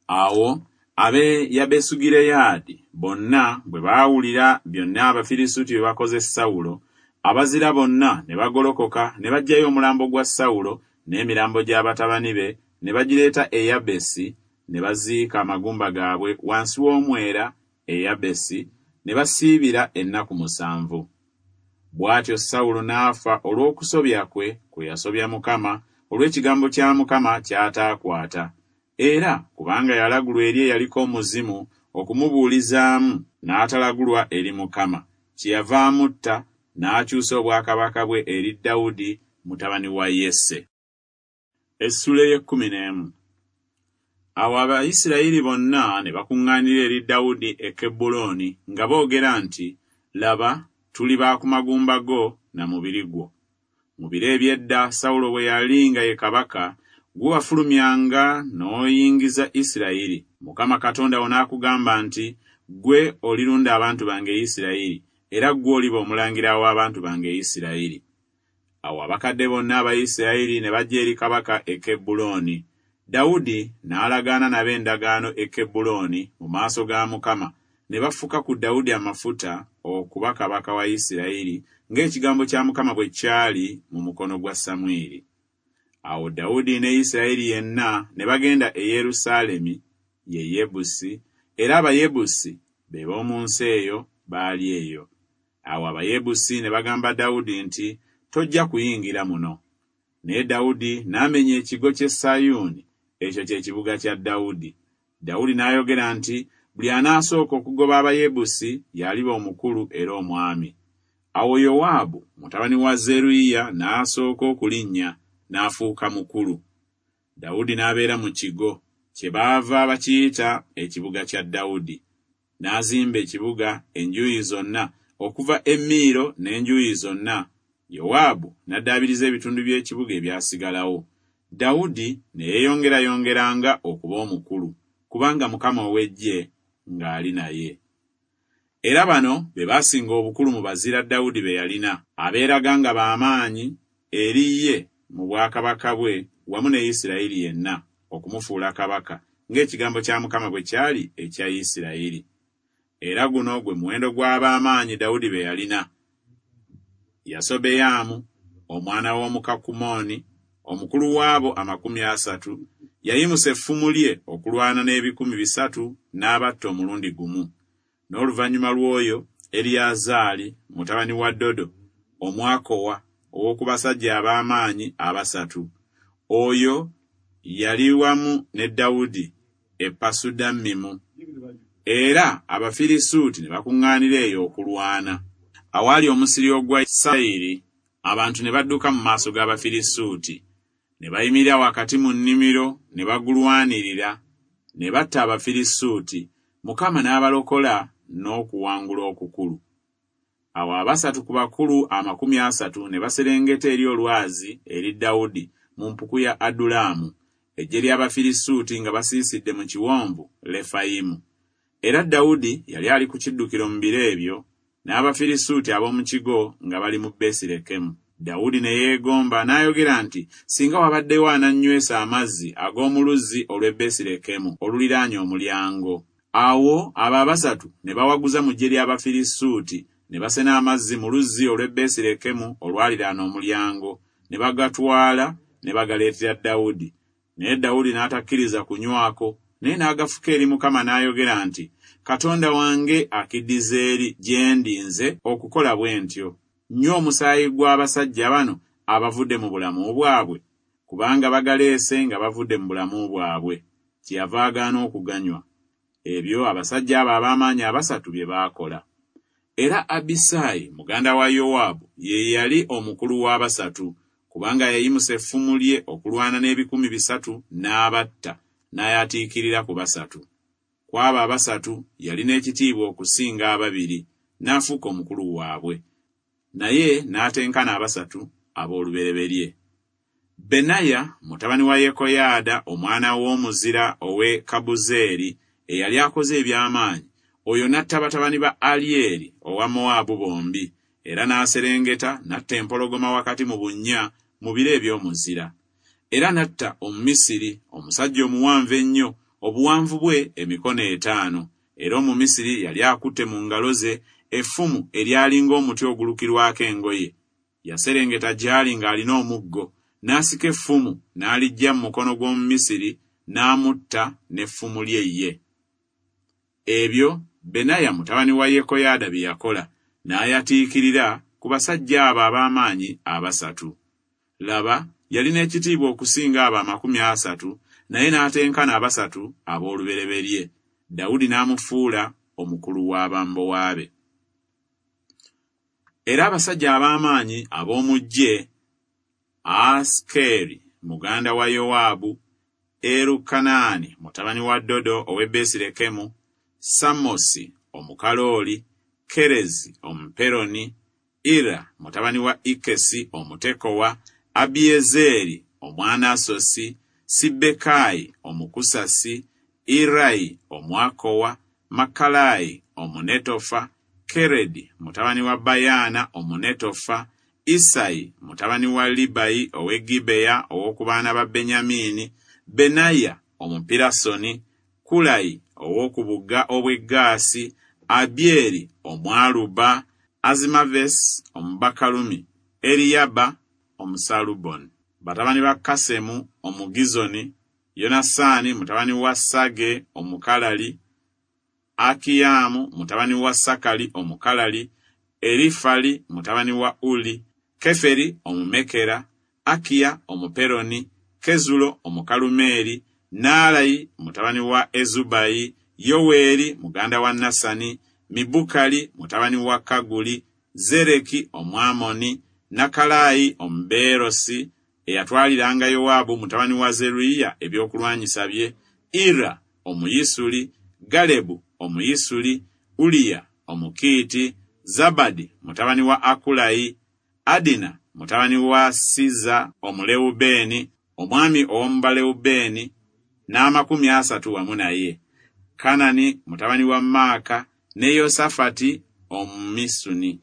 Speaker 1: Awo ab'e Yabesugireyaadi bonna bwe baawulira byonna Abafirisuuti bye bakoze Sawulo, abazira bonna ne bagolokoka ne baggyayo omulambo gwa Sawulo n'emirambo gya batabani be, ne bagireeta e Yabesi, ne baziika amagumba gaabwe wansi w'omwera e Yabesi, ne basiibira ennaku musanvu. Bw'atyo Sawulo n'afa olw'okusobya kwe kwe yasobya Mukama, olw'ekigambo kya Mukama ky'ataakwata, era kubanga yalagulwa eri eyaliko omuzimu okumubuulizaamu, n'atalagulwa eri Mukama, kyeyava amutta n'akyusa obwakabaka bwe eri Dawudi mutabani wa Yese. Essula ey'ekkumi n'emu. Awo Abayisirayiri bonna ne bakuŋŋaanira eri Dawudi e Kebbulooni nga boogera nti, Laba, tuli ba ku magumba go na mubiri gwo. Mu biro eby'edda Sawulo bwe yali nga ye kabaka, gwe wafulumyanga n'oyingiza Isirayiri. Mukama Katonda wo n'akugamba nti, Ggwe olirunda abantu bange Isirayiri, era ggwe oliba omulangira w'abantu bange Isirayiri. Awo abakadde bonna aba Isirayiri ne bajja eri kabaka e Kebbulooni. Dawudi n'alagaana nabo endagaano e Kebbulooni mu maaso ga Mukama, ne bafuka ku Dawudi amafuta okuba kabaka wa Isirayiri, ng'ekigambo kya Mukama bwe kyali mu mukono gwa Samwiri. Awo Dawudi ne Isirayiri yenna ne bagenda e Yerusaalemi, ye Yebusi, era Abayebusi be b'omu nsi eyo baali eyo. Awo Abayebusi ne bagamba Dawudi nti, Tojja kuyingira muno. Naye Dawudi n'amenya ekigo ky'e Sayuuni, ekyo kye kibuga kya Dawudi. Dawudi n'ayogera nti, Buli anaasooka okugoba Abayebusi y'aliba omukulu era omwami. Awo Yowaabu mutabani wa Zeruyiya n'asooka okulinnya, n'afuuka mukulu. Dawudi n'abeera mu kigo, kyebaava bakiyita ekibuga kya Dawudi. N'azimba ekibuga enjuuyi zonna, okuva e Miiro n'enjuuyi zonna. Yowaabu n'addaabiriza ebitundu by'ekibuga ebyasigalawo. Dawudi ne yeeyongerayongeranga okuba omukulu, kubanga Mukama ow'eggye ng'ali naye. Era bano be baasinga obukulu mu bazira Dawudi be yalina, abeeraga nga b'amaanyi eri ye mu bwakabaka bwe wamu ne Isirayiri yenna, okumufuula kabaka, ng'ekigambo kya Mukama bwe kyali ekya Isirayiri. Era guno gwe muwendo gw'ab'amaanyi Dawudi be yalina: Yasobeyaamu omwana w'Omukakumooni, omukulu w'abo amakumi asatu, yayimusa effumu lye okulwana n'ebikumi bisatu n'abatta omulundi gumu. N'oluvannyuma lw'oyo Eriyazaali mutabani wa Dodo Omwakowa, ow'oku basajja ab'amaanyi abasatu. Oyo yali wamu ne Dawudi e Pasudammimu. Era Abafirisuuti ne bakuŋŋaanira eyo okulwana. Awaali omusiri ogwa Sayiri, abantu ne badduka mu maaso g'Abafirisuuti. Ne bayimirira wakati mu nnimiro ne bagulwanirira, ne batta Abafirisuuti. Mukama n'abalokola n'okuwangula okukulu. Awo abasatu ku bakulu amakumi asatu ne baserengeta eri olwazi eri Dawudi mu mpuku ya Adulamu, eggye ly'Abafirisuuti nga basiisidde mu kiwonvu Lefayimu. Era Dawudi yali ali ku kiddukiro mu biro ebyo, n'Abafirisuuti ab'omu kigo nga bali mu Besirekemu. Dawudi ne yeegomba n'ayogera nti, Singa wabaddewo anannywesa amazzi ag'omu luzzi olw'e Besirekemu oluliraanye omulyango. Awo abo abasatu ne bawaguza mu ggye ly'Abafirisuuti, ne basena amazzi mu luzzi olw'e Besirekemu olwaliraana omulyango, ne bagatwala ne bagaleetera Dawudi. Naye Dawudi n'atakkiriza kunywako, naye n'agafuka eri Mukama n'ayogera nti, Katonda wange akiddiza eri gye ndi nze okukola bwe ntyo. Nnywa omusaayi gw'abasajja bano abavudde mu bulamu bwabwe, kubanga bagaleese nga bavudde mu bulamu bwabwe. Kyeyava agaana okuganywa. Ebyo abasajja abo ab'amaanyi abasatu bye baakola. Era Abisaayi muganda wa Yowaabu ye yali omukulu w'abasatu, kubanga yayimusa effumu lye okulwana n'ebikumi bisatu n'abatta, n'ayatiikirira ku basatu. Ku abo abasatu yalina ekitiibwa okusinga ababiri, n'afuuka omukulu waabwe. Naye n'atenkana abasatu ab'olubereberye. Benaya mutabani wa Yekoyaada omwana w'omuzira ow'e Kabuzeeri eyali akoze eby'amaanyi, oyo n'atta batabani ba Alyeri owa Mowaabu bombi, era n'aserengeta n'atta empologoma wakati mu bunnya mu biro eby'omuzira. Era n'atta Omumisiri, omusajja omuwanvu ennyo, obuwanvu bwe emikono etaano, era Omumisiri yali akutte mu ngalo ze effumu eryali ng'omuti ogulukirwako engoye. Yaserengeta gy'ali ng'alina omuggo, n'asika effumu n'aliggya mu mukono gw'Omumisiri, n'amutta n'effumu lye ye. Ebyo Benaya mutabani wa Yekoyaada bye yakola, n'ayatiikirira ku basajja abo ab'amaanyi abasatu. Laba, yalina ekitiibwa okusinga abo amakumi asatu, naye n'atenkana abasatu ab'olubereberye. Dawudi n'amufuula omukulu w'abambowa be. Era abasajja ab'amaanyi ab'omu ggye, Asikeeri muganda wa Yowaabu, Erukanaani mutabani wa Dodo ow'e Besirekemu, Samosi Omukalooli, Kerezi Omuperoni, Ira mutabani wa Ikesi Omutekowa, Abiyezeeri Omwanasosi, Sibbekayi Omukusasi, Irayi Omwakowa, Makalayi Omunetofa, Keredi mutabani wa Bayaana Omunetofa, Isayi mutabani wa Libayi ow'e Gibeya ow'oku baana ba Benyamini, Benaya Omupirasoni, Kulayi ow'oku bugga obw'e Gaasi, Abyeri Omwaluba, Azimavesi Omubakalumi, Eriyaba Omusaluboni. Batabani ba Kasemu Omugizoni, Yonasaani mutabani wa Sage Omukalali, Akiyamu mutabani wa Sakali Omukalali, Erifali mutabani wa Uli, Keferi Omumekera, Akiya Omuperoni, Kezulo Omukalumeeri, Naalayi mutabani wa Ezubayi, Yoweeri muganda wa Nasani, Mibukali mutabani wa Kaguli, Zereki Omwamoni, Nakalayi Omubeerosi, eyatwaliranga Yowaabu mutabani wa Zeruyiya ebyokulwanyisa bye, Ira Omuyisuli, Galebu Omuyisuli, Uliya Omukiiti, Zabadi mutabani wa Akulayi, Adina mutabani wa Siza Omulewubeeni, omwami ow'omu Balewubeeni, n'amakumi asatu wamu naye, Kanani mutabani wa Maaka, ne Yosafati Omumisuni,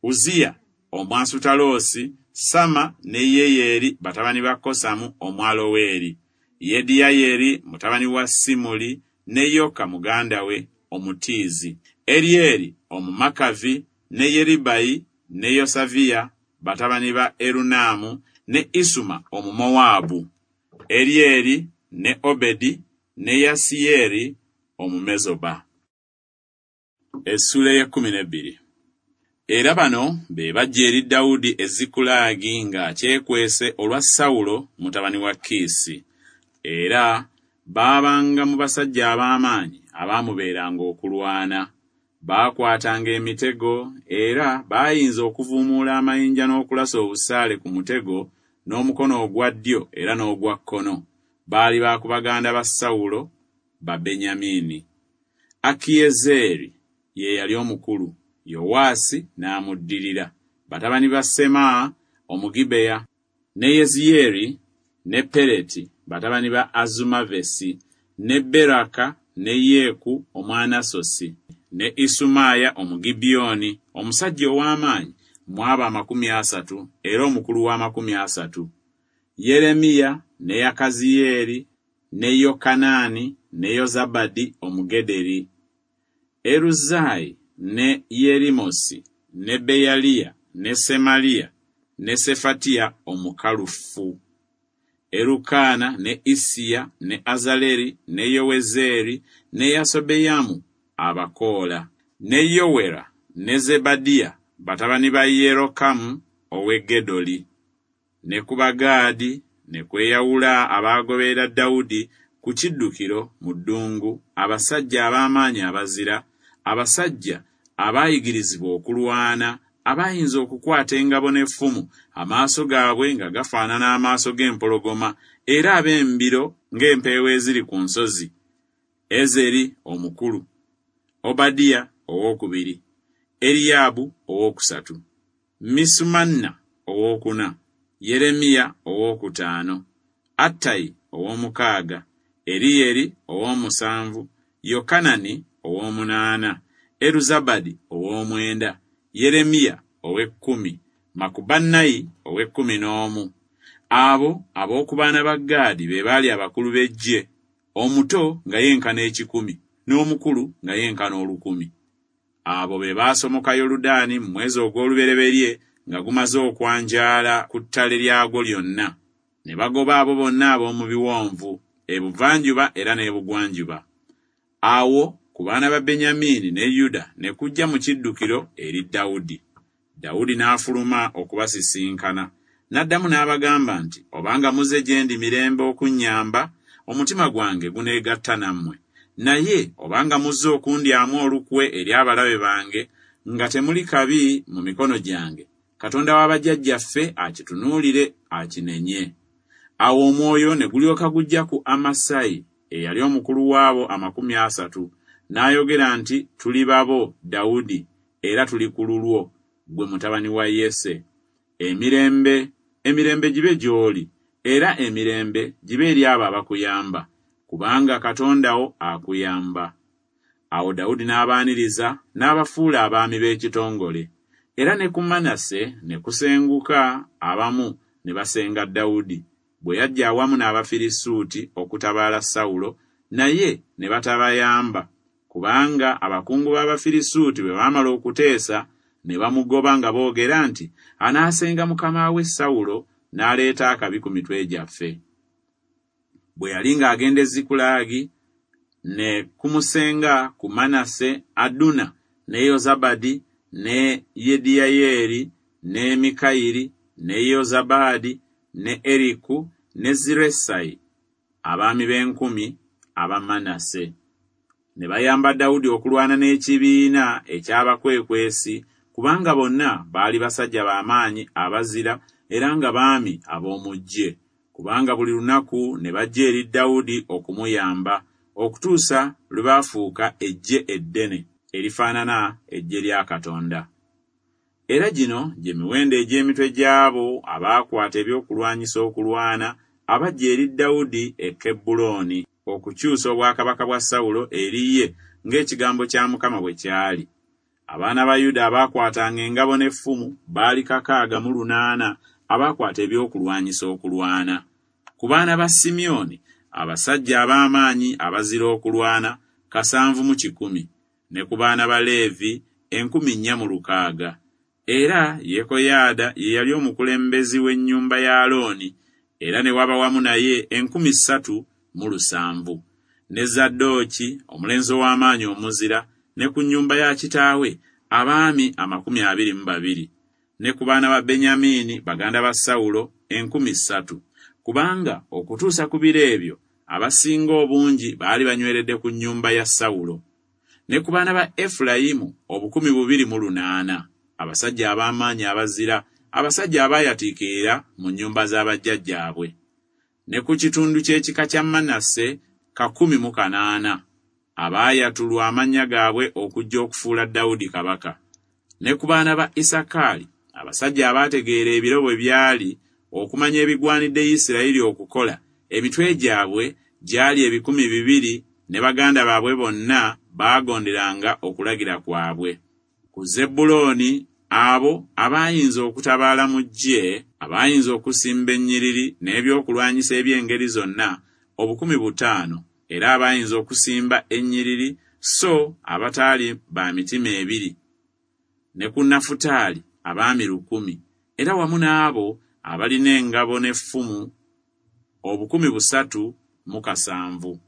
Speaker 1: Uziya Omwasutaloosi, Sama ne Yeyeri batabani ba Kosamu Omwaloweri, Yediyayeri mutabani wa Simuli, ne Yoka muganda we Omutiizi, Erieri Omumakavi, ne Yeribayi ne Yosaviya batabani ba Erunaamu, ne Isuma Omumowaabu, Erieri ne Obedi ne Yasiyeri Omumezoba. Essuula ey'ekkumi n'ebbiri. Era bano be bajja eri Dawudi e Zikulaagi ng'akyekwese olwa Sawulo mutabani wa Kiisi. Era baabanga mu basajja ab'amaanyi abaamubeeranga okulwana. Baakwatanga emitego, era baayinza okuvuumuula amayinja n'okulasa obusaale ku mutego n'omukono ogwa ddyo era n'ogwa kkono. Baali ba ku baganda ba Sawulo, ba Benyamini. Akiyezeeri ye yali omukulu, Yowaasi n'amuddirira. Batabani ba Semaa Omugibeya, Ne Yeziyeri ne Pereti batabani ba Azumavesi, ne Beraka ne Yeeku Omwanasosi, ne Isumaaya Omugibyoni, omusajja ow'amaanyi mu abo amakumi asatu, era omukulu w'amakumi asatu. Yeremiya ne Yakaziyeeri ne Yokanaani ne Yozabadi Omugederi. Eruzaayi ne Yerimosi ne Beyaliya ne Semaliya ne Sefatiya Omukalufu. Erukaana ne Isiya ne Azaleri ne Yowezeeri ne Yasobeyamu Abakoola, ne Yowera ne Zebadiya batabani ba Yerokamu ow'e Gedoli. Ne ku Bagaadi ne kweyawula abaagoberera Dawudi ku kiddukiro mu ddungu, abasajja ab'amaanyi abazira, abasajja abaayigirizibwa okulwana, abayinza okukwata engabo n'effumu, amaaso gaabwe nga gafaanana amaaso g'empologoma, era ab'embiro ng'empeewo eziri ku nsozi. Ezeri omukulu, Obadiya owookubiri, Eriyaabu owookusatu, Misumanna owookuna, Yeremiya owookutaano, Attayi ow'omukaaga, Eriyeri ow'omusanvu, Yokanani ow'omunaana, Eruzabadi ow'omwenda, Yeremiya ow'ekkumi, Makubannayi ow'ekkumi n'omu. Abo ab'oku baana ba Gaadi be baali abakulu b'eggye, omuto nga yenkana ekikumi, n'omukulu nga yenkana olukumi. Abo be baasomoka Yoludaani mu mwezi ogw'olubereberye nga gumaze okwanjaala ku ttale lyagwo lyonna, ne bagoba abo bonna ab'omu biwonvu, ebuvanjuba era n'ebugwanjuba. Awo ku baana ba Benyamini ne Yuda ne kujja mu kiddukiro eri Dawudi. Dawudi n'afuluma okubasisinkana, n'addamu n'abagamba nti, Obanga muzze gye ndi mirembe okunnyamba, omutima gwange guneegatta nammwe. Naye obanga muzze okundyamu olukwe eri abalabe bange, nga temuli kabi mu mikono gyange, Katonda wa bajjajjaffe akitunuulire akinenye. Awo omwoyo ne gulyoka gujja ku Amasayi eyali omukulu w'abo amakumi asatu, n'ayogera nti, Tuli babo, Dawudi, era tuli ku lulwo, ggwe mutabani wa Yese. Emirembe, emirembe gibe gy'oli, era emirembe gibe eri abo abakuyamba, kubanga Katonda wo akuyamba. Awo Dawudi n'abaaniriza n'abafuula abaami b'ekitongole. Era ne ku Manase ne kusenguka abamu ne basenga Dawudi, bwe yajja awamu n'Abafirisuuti okutabaala Sawulo, naye ne batabayamba, kubanga abakungu b'Abafirisuuti bwe baamala okuteesa ne bamugoba nga boogera nti, Anaasenga mukama we Sawulo n'aleeta akabi ku mitwe gyaffe. Bwe yali ng'agenda e Zikulaagi, ne kumusenga ku Manase Aduna ne Yozabadi ne Yediyayeeri ne Mikayiri ne Yozabaadi ne Eriku ne Ziresayi, abaami b'enkumi aba Manase. Ne bayamba Dawudi okulwana n'ekibiina eky'abakwekwesi, kubanga bonna baali basajja b'amaanyi abazira era nga baami ab'omu ggye, kubanga buli lunaku ne bajja eri Dawudi okumuyamba, okutuusa lwe baafuuka eggye eddene erifaanana eggye lya Katonda. Era gino gye miwendo egy'emitwe gy'abo abaakwata ebyokulwanyisa okulwana, abajja eri Dawudi e Kebbulooni okukyusa obwakabaka bwa Sawulo eri ye ng'ekigambo kya Mukama bwe kyali. Abaana ba Yuda abaakwatanga engabo n'effumu baali kakaaga mu lunaana abaakwata ebyokulwanyisa okulwana. Ku baana ba Simyoni abasajja ab'amaanyi abazira okulwana kasanvu mu kikumi, ne ku baana ba Leevi enkumi nnya mu lukaaga. Era Yekoyaada ye yali omukulembeze w'ennyumba ya Alooni, era ne waba wamu naye enkumi ssatu mu lusanvu. Ne Zadooki omulenzi ow'amaanyi omuzira, ne ku nnyumba ya kitaawe abaami amakumi abiri mu babiri, ne ku baana ba Benyamini baganda ba Sawulo enkumi ssatu, kubanga okutuusa ku biro ebyo abasinga obungi baali banyweredde ku nnyumba ya Sawulo. Ne ku baana ba Efulayimu obukumi bubiri mu lunaana, abasajja ab'amaanyi abazira, abasajja abaayatiikirira mu nnyumba z'abajjajjaabwe. Ne ku kitundu ky'ekika kya Manase kakumi mu kanaana, abaayatulwa amannya gaabwe okujja okufuula Dawudi kabaka. Ne ku baana ba Isakaali abasajja abaategeera ebiro bwe byali okumanya ebigwanidde Isirayiri okukola, emitwe gyabwe gyali ebikumi bibiri, ne baganda baabwe bonna baagonderanga okulagira kwabwe. Ku Zebbulooni abo abaayinza okutabaala mu ggye, abaayinza okusimba ennyiriri n'ebyokulwanyisa eby'engeri zonna, obukumi butaano, era abaayinza okusimba ennyiriri, so abataali ba mitima ebiri. Ne ku Nafutaali abaami lukumi, era wamu n'abo abalina engabo n'effumu obukumi busatu mu kasanvu.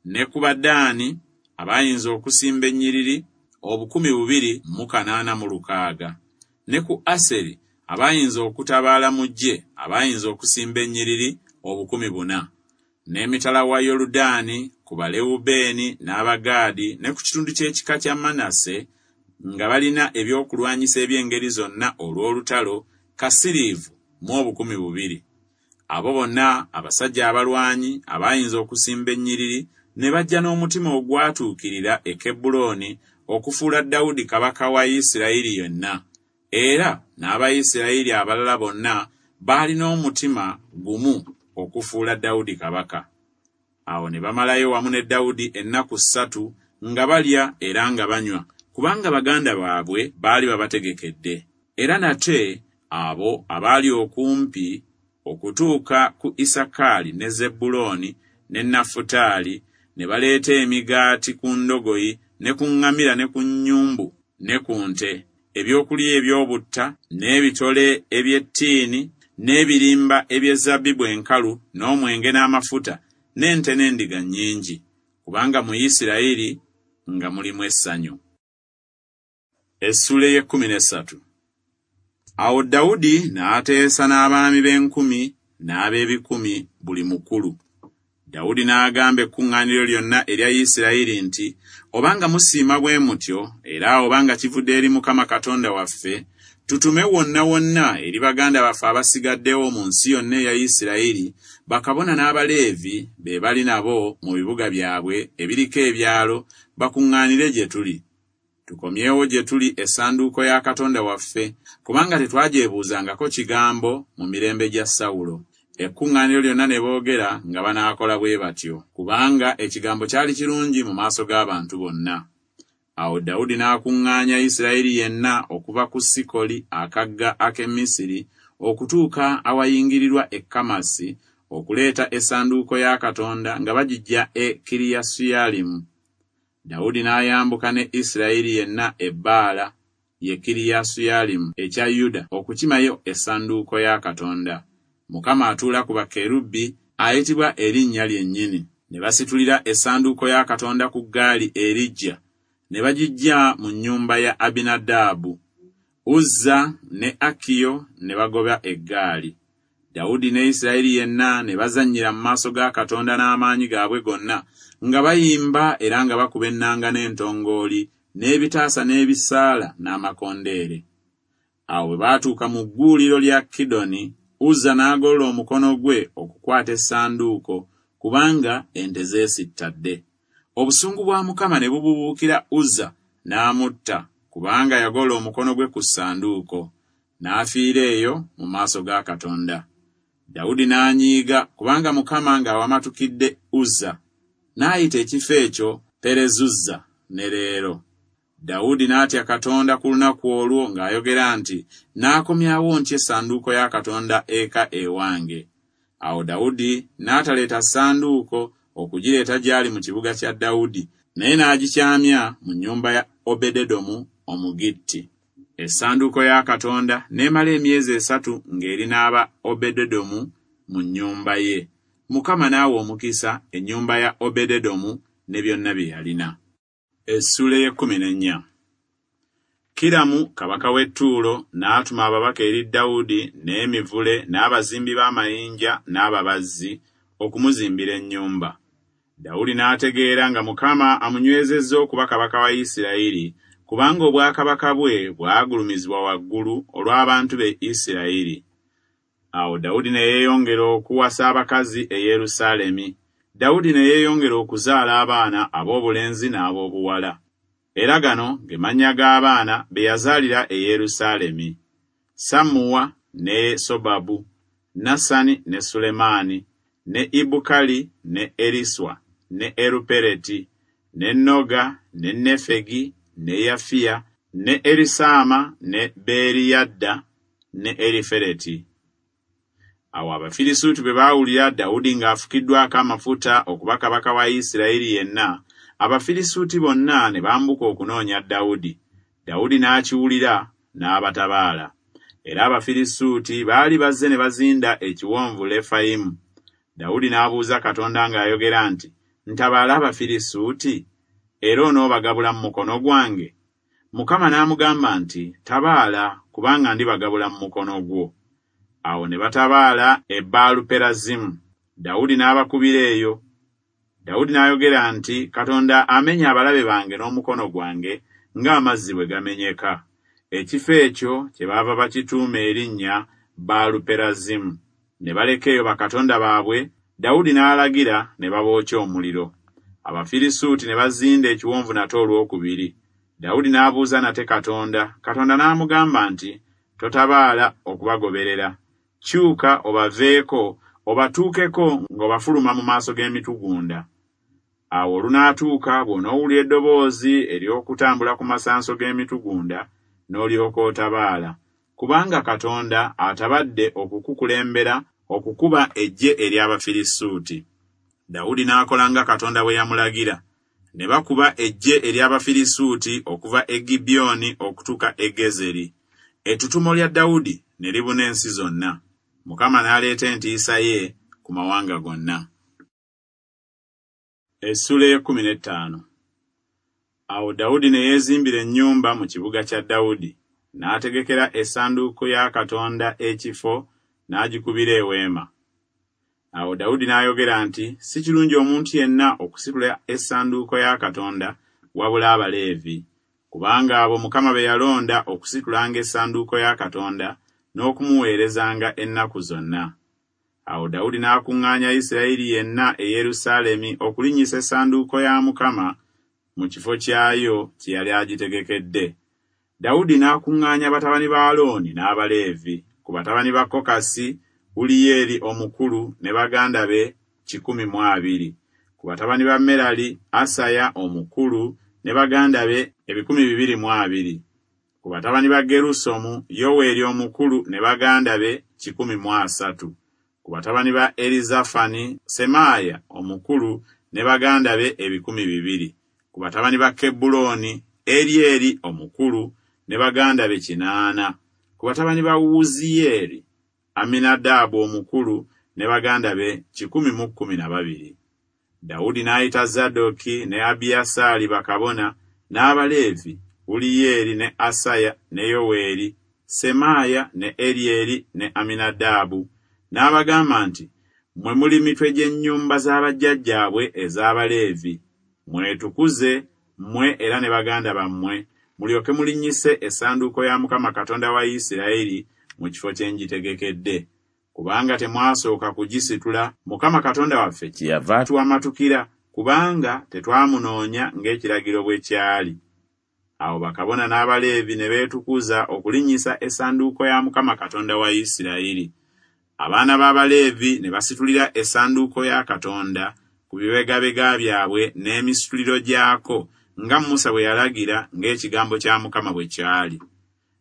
Speaker 1: Ne ku Badaani abaayinza okusimba ennyiriri obukumi bubiri mu kanaana mu lukaaga. Ne ku Aseri abaayinza okutabaala mu ggye, abaayinza okusimba ennyiriri obukumi buna. N'emitala wa Yoludaani ku Balewubeeni n'Abagaadi ne ku kitundu ky'ekika kya Manase, nga balina ebyokulwanyisa eby'engeri zonna olw'olutalo, kasiriivu mu obukumi bubiri. Abo bonna abasajja abalwanyi abaayinza okusimba ennyiriri ne bajja n'omutima ogwatuukirira e Kebbulooni okufuula Dawudi kabaka wa Isirayiri yonna. Era n'Abayisirayiri abalala bonna baalina omutima gumu okufuula Dawudi kabaka. Awo ne bamalayo wamu ne Dawudi ennaku ssatu nga balya era nga banywa, kubanga baganda baabwe baali babategekedde. Era nate abo abaali okumpi okutuuka ku Isakaali ne Zebbulooni ne Nafutaali ne baleeta emigaati ku ndogoyi ne ku ŋŋamira ne ku nnyumbu ne ku nte, ebyokulya eby'obutta n'ebitole eby'ettiini n'ebirimba eby'ezabbibu enkalu n'omwenge n'amafuta n'ente n'endiga nnyingi, kubanga mu Isirayiri nga mulimu essanyu. Essuula ey'ekkumi n'essatu. Awo Dawudi n'ateesa n'abaami b'enkumi n'ab'ebikumi buli mukulu. Dawudi n'agamba ekkuŋŋaaniro lyonna erya Isirayiri nti, obanga musiima bwe mutyo, era obanga kivudde eri Mukama Katonda waffe, tutume wonna wonna eri baganda baffe abasigaddewo mu nsi yonna eya Isirayiri, bakabona n'Abaleevi be bali nabo mu bibuga byabwe ebiriko ebyalo, bakuŋŋaanire gye tuli. Tukomyewo gye tuli essanduuko ya Katonda waffe, kubanga tetwagyebuuzangako kigambo mu mirembe gya Sawulo. Ekkuŋŋaaniro lyonna ne boogera nga banaakola bwe batyo, kubanga ekigambo kyali kirungi mu maaso g'abantu bonna. Awo Dawudi n'akuŋŋaanya Isirayiri yenna okuva ku Sikoli akagga ak'e Misiri okutuuka awayingirirwa e Kamasi, okuleeta essanduuko ya Katonda nga bagiggya e Kiriyasuyalimu. Dawudi n'ayambuka ne Isirayiri yenna e Baala, ye Kiriyasuyalimu ekya Yuda, okukimayo essanduuko ya Katonda. Mukama atuula ku bakerubi ayitibwa erinnya lyennyini. Ne basitulira essanduuko ya Katonda ku ggaali eriggya, ne bagiggya mu nnyumba ya Abinadaabu. Uzza ne Akiyo ne bagoba eggaali. Dawudi ne Isirayiri yenna ne bazannyira mu maaso ga Katonda n'amaanyi gaabwe gonna, nga bayimba era nga bakuba ennanga n'entongooli, n'ebitaasa n'ebisaala n'amakondeere. Awo bwe baatuuka mu gguuliro lya Kidoni, Uzza n'agolola omukono gwe okukwata essanduuko, kubanga ente zeesittadde. Obusungu bwa Mukama ne bububuukira Uzza n'amutta, kubanga yagolola omukono gwe ku ssanduuko. N'afiira eyo mu maaso ga Katonda. Dawudi n'anyiiga kubanga Mukama ng'awamatukidde Uzza, n'ayita ekifo ekyo Perezuzza ne leero. Dawudi n'atya Katonda ku lunaku olwo ng'ayogera nti, n'akomyawo ntya essanduuko ya Katonda eka ewange? Awo Dawudi n'ataleeta ssanduuko okugireeta gy'ali mu kibuga kya Dawudi, naye n'agikyamya mu nnyumba ya Obededomu Omugitti. Essanduuko ya Katonda n'emala emyezi esatu ng'eri n'aba Obededomu mu nnyumba ye. Mukama n'awa omukisa ennyumba ya Obededomu ne byonna bye yalina. Essuula ey'ekkumi n'ennya. Kiramu kabaka w'e Ttuulo n'atuma ababaka eri Dawudi n'emivule n'abazimbi b'amayinja n'ababazzi okumuzimbira ennyumba. Dawudi n'ategeera nga Mukama amunywezezza okuba kabaka wa Isirayiri, kubanga obwakabaka bwe bwagulumizibwa waggulu olw'abantu be Isirayiri. Awo Dawudi ne yeeyongera okuwasa abakazi e Yerusaalemi. Dawudi ne yeeyongera okuzaala abaana ab'obulenzi n'ab'obuwala. Era gano ge mannya g'abaana be yazaalira e Yerusaalemi: Sammuwa ne Sobabu, Nasani ne Sulemaani, ne Ibukali ne Eriswa ne Erupereti, ne Noga ne Nefegi ne Yafiya ne Erisaama ne Beeriyadda ne Erifereti. Awo Abafirisuuti bwe baawulira Dawudi ng'afukiddwako amafuta okuba kabaka wa Isirayiri yenna, Abafirisuuti bonna ne bambuka okunoonya Dawudi. Dawudi n'akiwulira n'abatabaala. Era Abafirisuuti baali bazze ne bazinda ekiwonvu Lefayimu. Dawudi n'abuuza Katonda ng'ayogera nti, Ntabaale Abafirisuuti? Era onoobagabula mu mukono gwange? Mukama n'amugamba nti, Tabaala, kubanga ndibagabula mu mukono gwo. Awo ne batabaala e Baaluperazimu. Dawudi n'abakubira eyo. Dawudi n'ayogera nti, Katonda amenya abalabe bange n'omukono gwange ng'amazzi bwe gamenyeka. Ekifo ekyo kyebaava bakituuma erinnya Baaluperazimu. Ne baleka eyo bakatonda baabwe, Dawudi n'alagira ne babookya omuliro. Abafirisuuti ne bazinda ekiwonvu nate olwokubiri. Dawudi n'abuuza nate Katonda, Katonda n'amugamba nti, Totabaala okubagoberera. Kyuka obaveeko, obatuukeko ng'obafuluma mu maaso g'emitugunda. Awo olunaatuuka bw'onoowulira eddoboozi ery'okutambula ku masanso g'emitugunda, n'olyoka otabaala, kubanga Katonda atabadde okukukulembera okukuba eggye ery'Abafirisuuti. Dawudi n'akola nga Katonda bwe yamulagira. Ne bakuba eggye ery'Abafirisuuti okuva e Gibyoni okutuuka e Gezeri. Ettutumo lya Dawudi ne libuna ensi zonna. Mukama n'aleeta entiisa ye ku mawanga gonna. Essuula ey'ekkumi n'ettaano. Awo Dawudi ne yeezimbira ennyumba mu kibuga kya Dawudi, n'ategekera essanduuko ya Katonda ekifo, n'agikubira eweema. Awo Dawudi n'ayogera nti, Si kirungi omuntu yenna okusitula essanduuko ya Katonda wabula Abaleevi, kubanga abo Mukama be yalonda okusitulanga essanduuko ya Katonda n'okumuweerezanga ennaku zonna. Awo Dawudi n'akuŋŋaanya Isirayiri yenna e Yerusaalemi okulinnyisa essanduuko ya Mukama mu kifo kyayo kye yali agitegekedde. Dawudi n'akuŋŋaanya batabani ba Alooni n'Abaleevi, ku batabani ba Kokasi, Uliyeri omukulu ne baganda be kikumi mu abiri, ku batabani ba Merali, Asaya omukulu ne baganda be ebikumi bibiri mu abiri, ku batabani ba Gerusomu, Yoweeri omukulu ne baganda be kikumi mu asatu, ku batabani ba Erizafani, Semaaya omukulu ne baganda be ebikumi bibiri, ku batabani ba Kebbulooni, Eryeri omukulu ne baganda be kinaana, ku batabani ba Wuziyeeri, Aminadaabu omukulu ne baganda be kikumi mu kkumi na babiri. Dawudi n'ayita Zadooki ne Abiyasaali bakabona, n'Abaleevi, Uliyeri ne Asaya ne Yoweeri, Semaaya ne Eryeri ne Aminadaabu, n'abagamba nti, Mmwe muli mitwe gy'ennyumba z'abajjajjaabwe ez'Abaleevi, mwetukuze mmwe era ne baganda bammwe, mulyoke mulinnyise essanduuko ya Mukama Katonda wa Isirayiri mu kifo kye ngitegekedde. Kubanga temwasooka kugisitula, Mukama Katonda waffe kyeyava atuwamatukira, kubanga tetwamunoonya ng'ekiragiro bwe kyali. Awo bakabona n'Abaleevi ne beetukuza okulinnyisa essanduuko ya Mukama Katonda wa Isirayiri. Abaana b'Abaleevi ne basitulira essanduuko ya Katonda ku bibegabega byabwe n'emisituliro gyako, nga Musa bwe yalagira ng'ekigambo kya Mukama bwe kyali.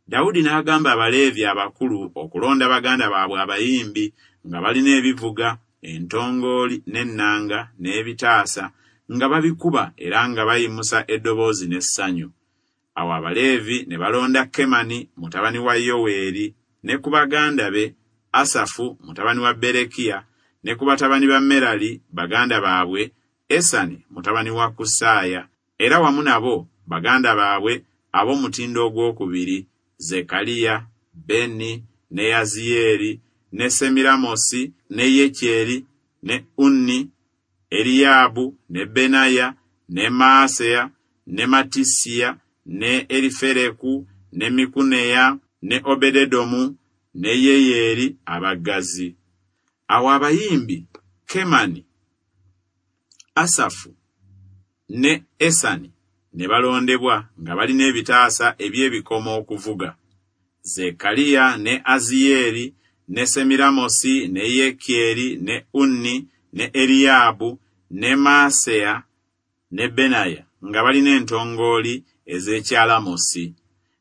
Speaker 1: Dawudi n'agamba Abaleevi abakulu okulonda baganda baabwe abayimbi nga balina ebivuga, entongooli n'ennanga n'ebitaasa, nga babikuba era nga bayimusa eddoboozi n'essanyu. Awo Abaleevi ne balonda Kemani mutabani wa Yoweeri, ne ku baganda be Asafu mutabani wa Berekiya, ne ku batabani ba Merali baganda baabwe Esani mutabani wa Kusaaya, era wamu nabo baganda baabwe ab'omutindo ogwokubiri, Zekaliya, Beni, ne Yaziyeeri, ne Semiramosi, ne Yekyeri, ne Unni, Eriyaabu, ne Benaya, ne Maaseya, ne Matisiya, ne Erifereku, ne Mikuneya, ne Obededomu, ne Yeyeeri abaggazi. Awo abayimbi Kemani, Asafu ne Esani ne balondebwa nga balina ebitaasa eby'ebikomo okuvuga. Zekaliya ne Aziyeeri ne Semiramosi, ne Yekyeri, ne Unni, ne Eriyaabu, ne Maaseya, ne Benaya, nga balina entongooli ez'ekyalamosi,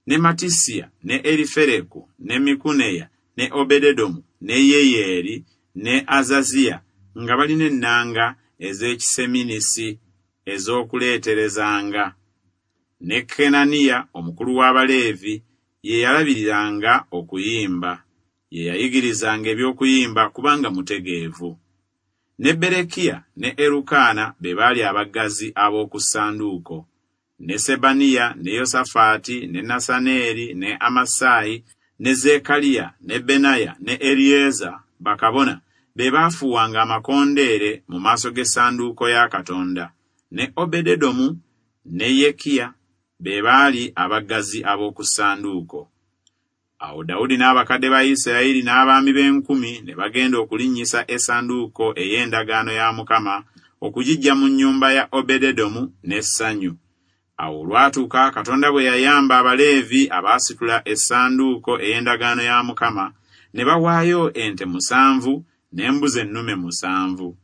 Speaker 1: ne Matisiya, ne Erifereku, ne Mikuneya, ne Obededomu, ne Yeyeeri, ne Azaziya, nga balina ennanga ez'ekiseminisi ez'okuleeterezanga. Ne Kenaniya omukulu w'Abaleevi ye yalabiriranga okuyimba, ye yayigirizanga eby'okuyimba kubanga mutegeevu. Ne Berekiya ne Erukaana be baali abaggazi ab'oku ssanduuko, ne Sebaniya, ne Yosafaati, ne Nasaneeri, ne Amasaayi, ne Zeekaliya, ne Benaya, ne Eryeza bakabona be baafuuwanga amakondeere mu maaso g'essanduuko ya Katonda, ne Obededomu ne Yekiya be baali abaggazi ab'oku ssanduuko. Awo Dawudi n'abakadde ba Isirayiri n'abaami b'enkumi ne bagenda okulinnyisa essanduuko ey'endagaano ya Mukama okugiggya mu nnyumba ya Obededomu n'essanyu. Awo olwatuuka Katonda bwe yayamba Abaleevi abaasitula essanduuko ey'endagaano ya Mukama, ne bawaayo ente musanvu n'embuzi ennume musanvu.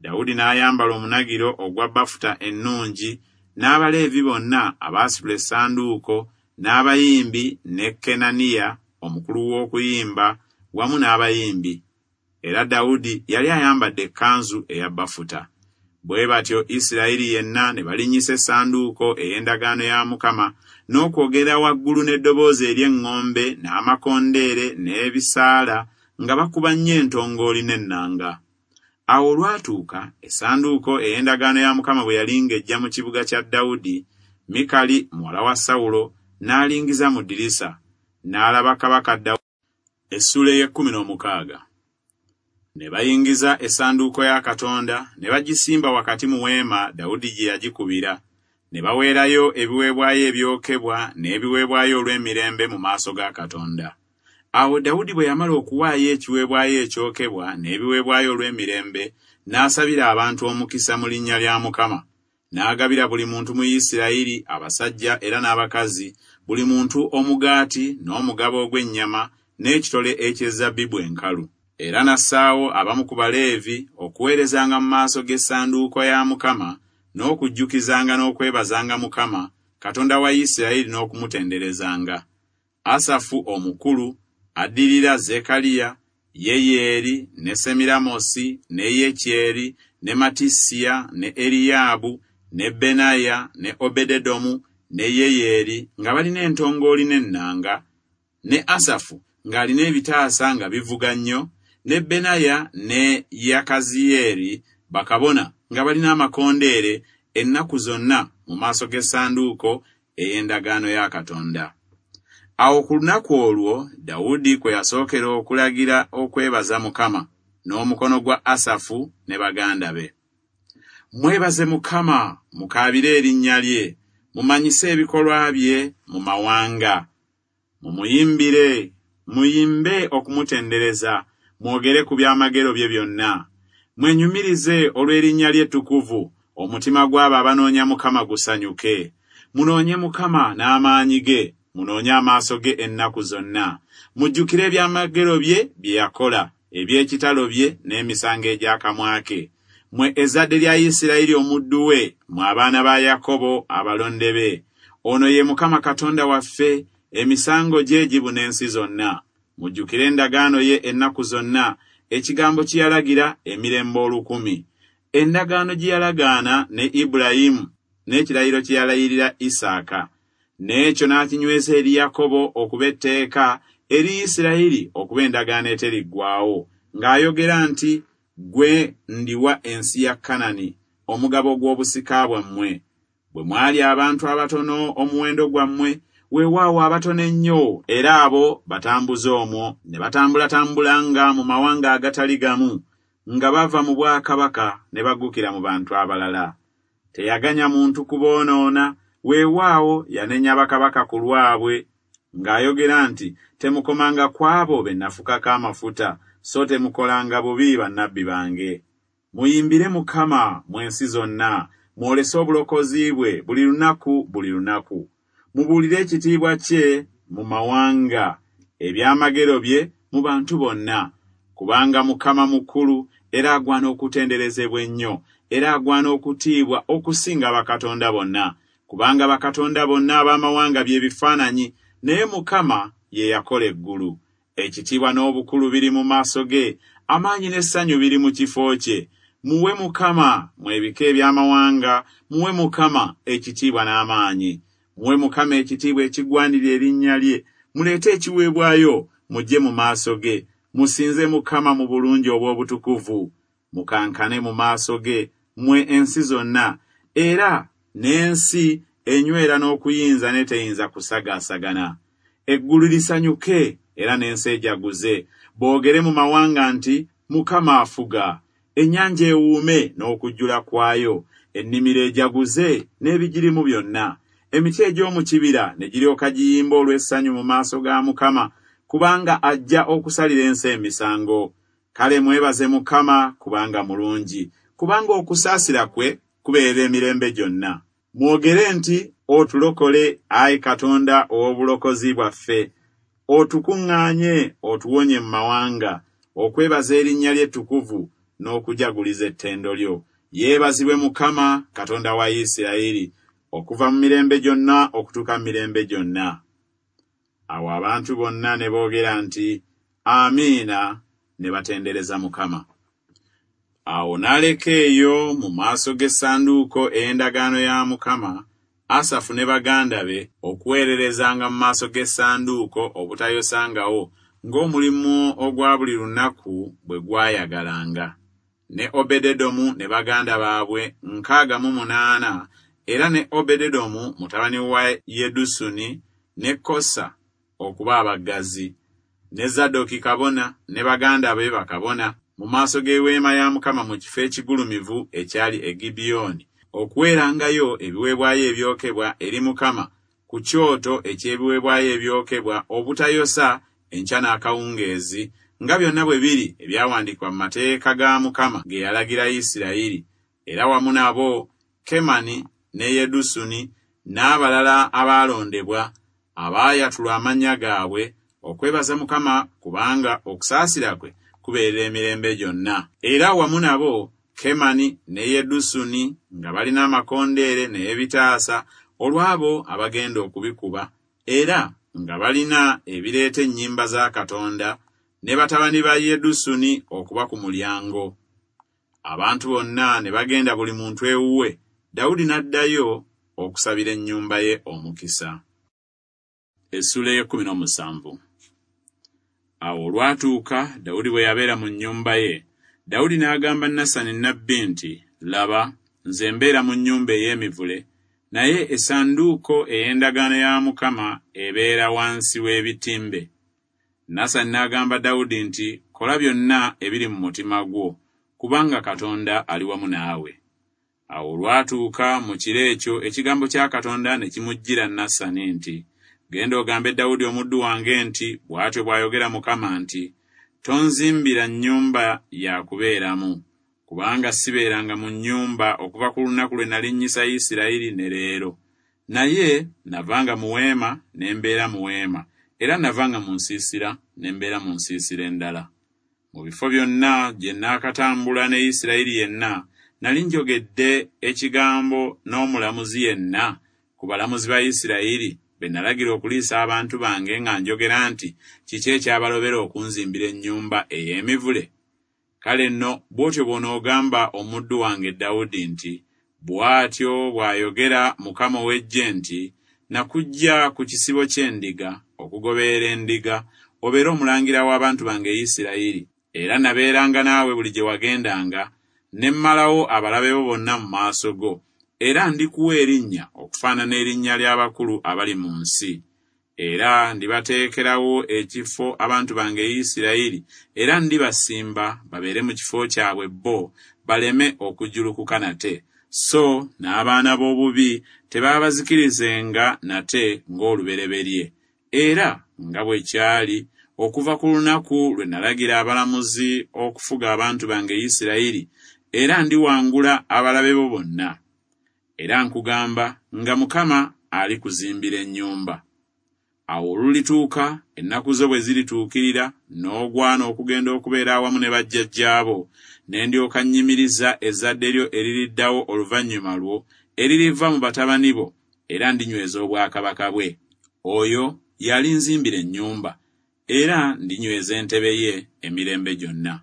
Speaker 1: Dawudi n'ayambala omunagiro ogwa bafuta ennungi, n'Abaleevi bonna abaasitula essanduuko, n'abayimbi ne Kenaniya omukulu w'okuyimba wamu n'abayimbi. Era Dawudi yali ayambadde ekkanzu eya bafuta. Bwe batyo Isirayiri yenna ne balinnyisa essanduuko ey'endagaano ya Mukama n'okwogera waggulu n'eddoboozi ery'eŋŋombe n'amakondeere n'ebisaala, nga bakuba nnyo entongooli n'ennanga. Awo olwatuuka essanduuko ey'endagaano ya Mukama bwe yali ng'ejja mu kibuga kya Dawudi, Mikali muwala wa Sawulo n'alingiza mu ddirisa, n'alaba kabaka Dawudi. Essuula ey'ekkumi n'omukaaga. Ne bayingiza essanduuko ya Katonda ne bagisimba wakati mu weema Dawudi gye yagikubira, ne baweerayo ebiweebwayo ebyokebwa n'ebiweebwayo olw'emirembe mu maaso ga Katonda. Awo Dawudi bwe yamala okuwaayo ekiweebwayo ekyokebwa n'ebiweebwayo olw'emirembe, n'asabira abantu omukisa mu linnya lya Mukama. N'agabira buli muntu mu Isirayiri, abasajja era n'abakazi, buli muntu omugaati n'omugabo ogw'ennyama n'ekitole eky'ezabbibu enkalu. Era n'assaawo abamu ku Baleevi okuweerezanga mu maaso g'essanduuko ya Mukama n'okujjukizanga n'okwebazanga Mukama, Katonda wa Isirayiri, n'okumutenderezanga. Asafu omukulu, addirira Zekaliya, Yeyeeri, ne Semiramosi, ne Yekyeri, ne Matisiya, ne Eriyaabu, ne Benaya, ne Obededomu, ne Yeyeeri, nga balina entongooli n'ennanga, ne Asafu ng'alina ebitaasa nga bivuga nnyo, ne Benaya ne Yakaziyeeri bakabona nga balina amakondeere ennaku zonna mu maaso g'essanduuko ey'endagaano ya Katonda. Awo ku lunaku olwo Dawudi kwe yasookera okulagira okwebaza Mukama n'omukono gwa Asafu ne baganda be. Mwebaze Mukama, mukaabire erinnya lye, mumanyise ebikolwa bye mu mawanga. Mumuyimbire, muyimbe okumutendereza, mwogere ku byamagero bye byonna. Mwenyumirize olw'erinnya lye ettukuvu, omutima gw'abo abanoonya Mukama gusanyuke. Munoonye Mukama n'amaanyi ge, munoonye amaaso ge ennaku zonna. Mujjukire ebyamagero bye bye yakola, eby'ekitalo bye n'emisango egy'akamwa ke. Mwe ezzadde lya Isirayiri omuddu we, mwe abaana ba Yakobo abalonde be. Ono ye Mukama Katonda waffe, emisango gye gibuna ensi zonna. Mujjukire endagaano ye ennaku zonna, ekigambo kye yalagira emirembe olukumi. Endagaano gye yalagaana ne Ibulayimu, n'ekirayiro kye yalayirira Isaaka. N'ekyo n'akinyweza eri Yakobo okuba etteeka, eri Isirayiri okuba endagaano eteriggwaawo, ng'ayogera nti, Ggwe ndiwa ensi ya Kanani, omugabo gw'obusika bwammwe. Bwe mwali abantu abatono omuwendo gwammwe, weewaawo abatono ennyo, era abo batambuze omwo, ne batambulatambulanga mu mawanga agatali gamu, nga bava mu bwakabaka ne baggukira mu bantu abalala. Teyaganya muntu kuboonoona, weewaawo yanenya bakabaka ku lwabwe, ng'ayogera nti, Temukomanga ku abo be nafukako amafuta, so temukolanga bubi bannabbi bange. Muyimbire Mukama mu ensi zonna, mwolese obulokozi bwe buli lunaku buli lunaku. Mubuulire ekitiibwa kye mu mawanga, ebyamagero bye mu bantu bonna. Kubanga Mukama mukulu, era agwana okutenderezebwa ennyo, era agwana okutiibwa okusinga bakatonda bonna. Kubanga bakatonda bonna ab'amawanga bye bifaananyi, naye Mukama ye yakola eggulu. Ekitiibwa n'obukulu biri mu maaso ge, amaanyi n'essanyu biri mu kifo kye. Muwe Mukama, mmwe ebika eby'amawanga, muwe Mukama ekitiibwa n'amaanyi. Muwe Mukama ekitiibwa ekigwanira erinnya lye, muleete ekiweebwayo, mujje mu maaso ge. Musinze Mukama mu bulungi obw'obutukuvu. Mukankane mu maaso ge, mmwe ensi zonna, era n'ensi enywera n'okuyinza n'eteyinza kusagaasagana. Eggulu lisanyuke, era n'ensi ejaguze. Boogere mu mawanga nti, Mukama afuga. Ennyanja ewuume n'okujjula kwayo, ennimiro ejaguze n'ebigirimu byonna. Emiti egy'omu kibira ne giryoka giyimba olw'essanyu mu maaso ga Mukama, kubanga ajja okusalira ensi emisango. Kale mwebaze Mukama kubanga mulungi, kubanga okusaasira kwe kubeerera emirembe gyonna. Mwogere nti, Otulokole, ayi Katonda ow'obulokozi bwaffe, otukuŋŋaanye otuwonye mu mawanga, okwebaza erinnya lye ettukuvu n'okujaguliza ettendo lyo. Yeebazibwe Mukama Katonda wa Isirayiri, okuva mu mirembe gyonna okutuuka mu mirembe gyonna. Awo abantu bonna ne boogera nti, Amiina, ne batendereza Mukama. Awo n'aleka eyo mu maaso g'essanduuko ey'endagaano ya Mukama, Asafu ne baganda be okuweererezanga mu maaso g'essanduuko obutayosangawo, ng'omulimu ogwa buli lunaku bwe gwayagalanga. Ne Obededomu ne baganda baabwe nkaaga mu munaana, era ne Obededomu mutabani wa Yedusuni ne Kosa okuba abaggazi, ne Zadooki kabona ne baganda be bakabona mu maaso g'eweema ya Mukama mu kifo ekigulumivu ekyali e Gibyoni, okuweerangayo ebiweebwayo ebyokebwa eri Mukama ku kyoto eky'ebiweebwayo ebyokebwa obutayosa enkya n'akawungeezi, nga byonna bwe biri ebyawandiikibwa mu mateeka ga Mukama ge yalagira Isirayiri. Era wamu nabo Kemani ne Yedusuni n'abalala abaalondebwa abaayatulwa amannya gaabwe okwebaza Mukama kubanga okusaasira kwe kubeerera emirembe gyonna. Era wamu nabo Kemani ne Yedusuni nga balina amakondeere n'ebitaasa olw'abo abagenda okubikuba, era nga balina ebireeta ennyimba za Katonda, ne batabani ba Yedusuni okuba ku mulyango. Abantu bonna ne bagenda buli muntu ewuwe, Dawudi n'addayo okusabira ennyumba ye omukisa. Essula ey'ekkumi n'omusanvu. Awo olwatuuka Dawudi bwe yabeera mu nnyumba ye, Dawudi n'agamba Nasani nnabbi nti, Laba, nze mbeera mu nnyumba ey'emivule, naye essanduuko ey'endagaano ya Mukama ebeera wansi w'ebitimbe. Nasani n'agamba Dawudi nti, Kola byonna ebiri mu mutima gwo, kubanga Katonda ali wamu naawe. Awo olwatuuka mu kiro ekyo ekigambo kya Katonda ne kimujjira Nasani nti, Genda ogambe Dawudi omuddu wange nti, Bw'atyo bw'ayogera Mukama nti, Tonzimbira nnyumba ya kubeeramu, kubanga sibeeranga mu nnyumba okuva ku lunaku lwe nalinnyisa Isirayiri ne leero. Naye navanga mu weema ne mbeera mu weema, era navanga mu nsiisira ne mbeera mu nsiisira endala. Mu bifo byonna gye naakatambula ne Isirayiri yenna, nali njogedde ekigambo n'omulamuzi yenna ku balamuzi ba Isirayiri be nalagira okuliisa abantu bange nga njogera nti, Kiki ekyabalobera okunzimbira ennyumba ey'emivule? Kale nno bw'otyo bw'onoogamba omuddu wange Dawudi nti, Bw'atyo bw'ayogera Mukama ow'eggye nti, Nakuggya ku kisibo ky'endiga okugoberera endiga, obeere omulangira w'abantu bange Isirayiri, era nabeeranga naawe buli gye wagendanga, ne mmalawo abalabe bo bonna mu maaso go, era ndikuwa erinnya okufaanana erinnya ly'abakulu abali mu nsi. Era ndibateekerawo ekifo abantu bange Isirayiri, era ndibasimba babeere mu kifo kyabwe bo, baleme okujjulukuka nate. So n'abaana b'obubi tebaabazikirizenga nate ng'olubereberye, era nga bwe kyali okuva ku lunaku lwe nalagira abalamuzi okufuga abantu bange Isirayiri, era ndiwangula abalabe bo bonna. Era nkugamba nga Mukama alikuzimbira ennyumba. Awo olulituuka, ennaku zo bwe zirituukirira, n'ogwana okugenda okubeera awamu ne bajjajjaabo, ne ndyoka nnyimiriza ezzadde lyo eririddawo oluvannyuma lwo, eririva mu batabani bo, era ndinyweza obwakabaka bwe. Oyo y'alinzimbira ennyumba, era ndinyweza entebe ye emirembe gyonna.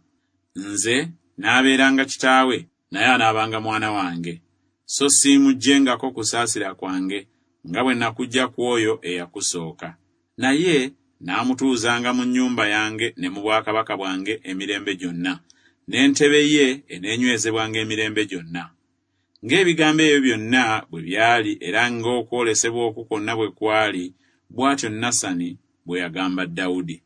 Speaker 1: Nze n'abeeranga kitaawe, naye anaabanga mwana wange. So siimuggyengako kusaasira kwange, nga bwe nakuggya ku oyo eyakusooka. Naye n'amutuuzanga mu nnyumba yange ne mu bwakabaka bwange emirembe gyonna, n'entebe ye eneenywezebwanga emirembe gyonna. Ng'ebigambo ebyo byonna bwe byali era ng'okwolesebwa okwo kwonna bwe kwali, bw'atyo Nasani bwe yagamba Dawudi.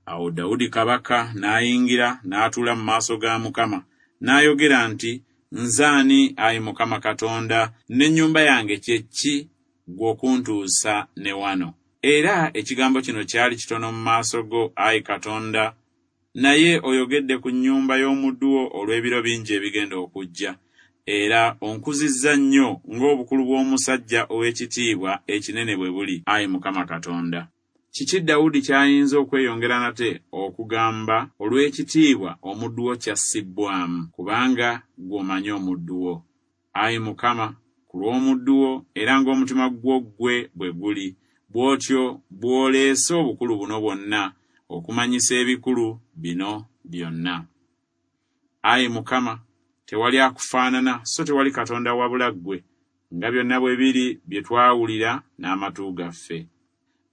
Speaker 1: Awo Dawudi kabaka n'ayingira n'atuula mu maaso ga Mukama, n'ayogera nti, Nze ani, ayi Mukama Katonda, n'ennyumba yange kye ki ggwe okuntuusa ne wano? Era ekigambo kino kyali kitono mu maaso go, ayi Katonda, naye oyogedde ku nnyumba y'omuddu wo olw'ebiro bingi ebigenda okujja. Era onkuzizza nnyo ng'obukulu bw'omusajja ow'ekitiibwa ekinene bwe buli, ayi Mukama Katonda. Kiki Dawudi ky'ayinza okweyongera nate okugamba olw'ekitiibwa omuddu wo ky'assibbwamu? Kubanga ggwe omanyi omuddu wo. Ayi Mukama, ku lw'omuddu wo era ng'omutima gwo ggwe bwe guli, bw'otyo bw'oleese obukulu buno bwonna okumanyisa ebikulu bino byonna. Ayi Mukama, tewali akufaanana, so tewali Katonda wabula ggwe, nga byonna bwe biri bye twawulira n'amatu gaffe.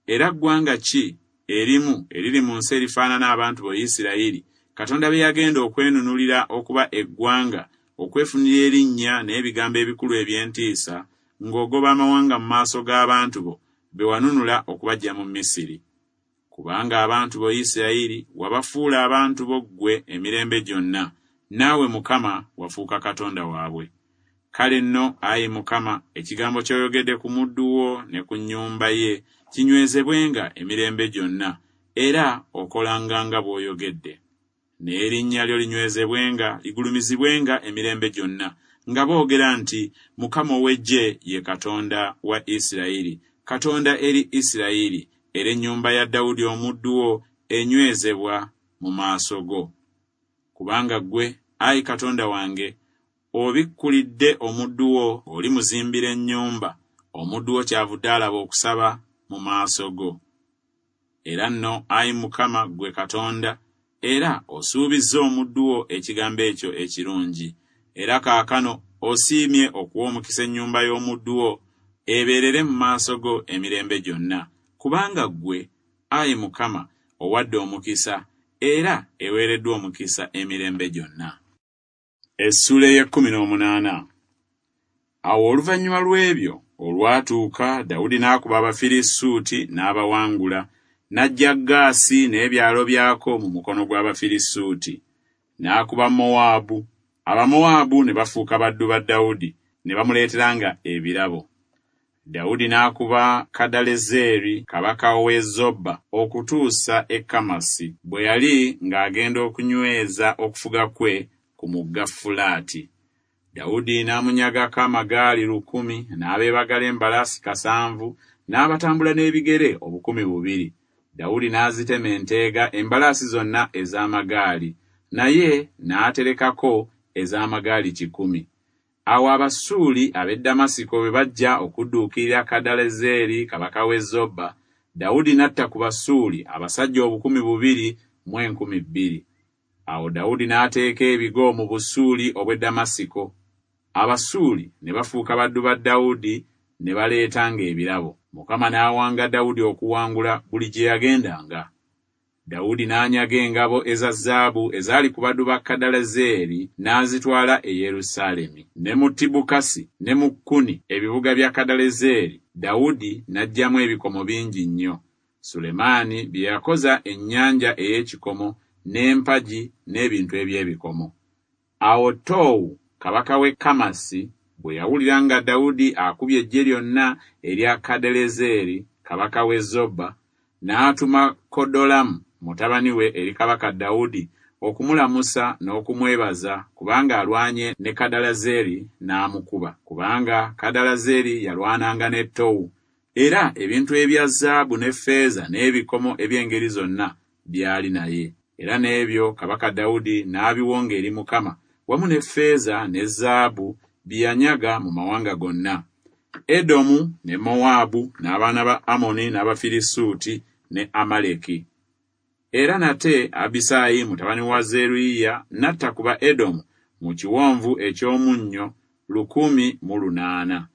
Speaker 1: Era ggwanga ki erimu eriri mu nsi erifaanana abantu bo Isirayiri, Katonda be yagenda okwenunulira okuba eggwanga, okwefunira erinnya n'ebigambo ebikulu eby'entiisa, ng'ogoba amawanga mu maaso g'abantu bo be wanunula okubaggya mu Misiri? Kubanga abantu bo Isirayiri wabafuula abantu bo ggwe emirembe gyonna, naawe Mukama wafuuka Katonda waabwe. Kale nno, ayi Mukama, ekigambo ky'oyogedde ku muddu wo ne ku nnyumba ye kinywezebwenga emirembe gyonna, era okolanga nga bw'oyogedde. N'erinnya lyo linywezebwenga, ligulumizibwenga emirembe gyonna, nga boogera nti, Mukama ow'eggye ye Katonda wa Isirayiri, Katonda eri Isirayiri, era ennyumba ya Dawudi omuddu wo enywezebwa mu maaso go. Kubanga ggwe, ayi Katonda wange, obikkulidde omuddu wo olimuzimbira ennyumba, omuddu wo kyavudde alaba okusaba mu maaso go. Era nno, ayi Mukama ggwe Katonda, era osuubizza omuddu wo ekigambo ekyo ekirungi. Era kaakano osiimye okuwa omukisa ennyumba y'omuddu wo ebeerere mu maaso go emirembe gyonna, kubanga ggwe, ayi Mukama, owadde omukisa, era eweereddwa omukisa emirembe gyonna. Essuula ey'ekkumi n'omunaana. Awo oluvannyuma lw'ebyo olwatuuka, Dawudi n'akuba Abafirisuuti n'abawangula, n'aggya Gaasi n'ebyalo byako mu mukono gw'Abafirisuuti. N'akuba Mowaabu, Abamowaabu ne bafuuka baddu ba Dawudi, ne bamuleeteranga ebirabo. Dawudi n'akuba Kadalezeri kabaka w'e Zoba okutuusa e Kamasi, bwe yali ng'agenda okunyweza okufuga kwe ku mugga Fulaati. Dawudi n'amunyagako amagaali lukumi, n'abeebagala embalaasi kasanvu, n'abatambula n'ebigere obukumi bubiri. Dawudi n'azitema enteega embalaasi zonna ez'amagaali, naye n'aterekako ez'amagaali kikumi. Awo Abasuuli ab'e Damasiko bwe bajja okudduukirira Kadalezeri kabaka w'e Zoba, Dawudi n'atta ku Basuuli abasajja obukumi bubiri mu enkumi bbiri. Awo Dawudi n'ateeka ebigo mu Busuuli obw'e Damasiko. Abasuuli ne bafuuka baddu ba Dawudi ne baleetanga ebirabo. Mukama n'awanga Dawudi okuwangula buli gye yagendanga. Dawudi n'anyaga engabo eza zaabu ezaali ku baddu ba Kadalezeri n'azitwala e Yerusaalemi. Ne mu Tibukasi ne mu Kuni, ebibuga bya Kadalezeri, Dawudi n'aggyamu ebikomo bingi nnyo. Sulemaani bye yakoza ennyanja ey'ekikomo n'empagi n'ebintu eby'ebikomo. Awo Toowu kabaka w'e Kamasi bwe yawulira nga Dawudi akubye eggye lyonna erya Kadalezeri kabaka w'e Zoba, n'atuma Kodolamu mutabani we eri kabaka Dawudi okumulamusa n'okumwebaza kubanga alwanye ne Kadalezeri n'amukuba, kubanga Kadalezeri yalwananga ne Towu. Era ebintu ebya zaabu ne ffeeza n'ebikomo eby'engeri zonna byali naye. Era n'ebyo kabaka Dawudi n'abiwonga eri Mukama, wamu ne ffeeza ne zaabu bye yanyaga mu mawanga gonna, Edomu ne Mowaabu n'abaana ba Amoni n'Abafirisuuti ne Amaleki. Era nate Abisaayi mutabani wa Zeruyiya n'atta ku ba Edomu mu kiwonvu eky'omunnyo lukumi mu lunaana.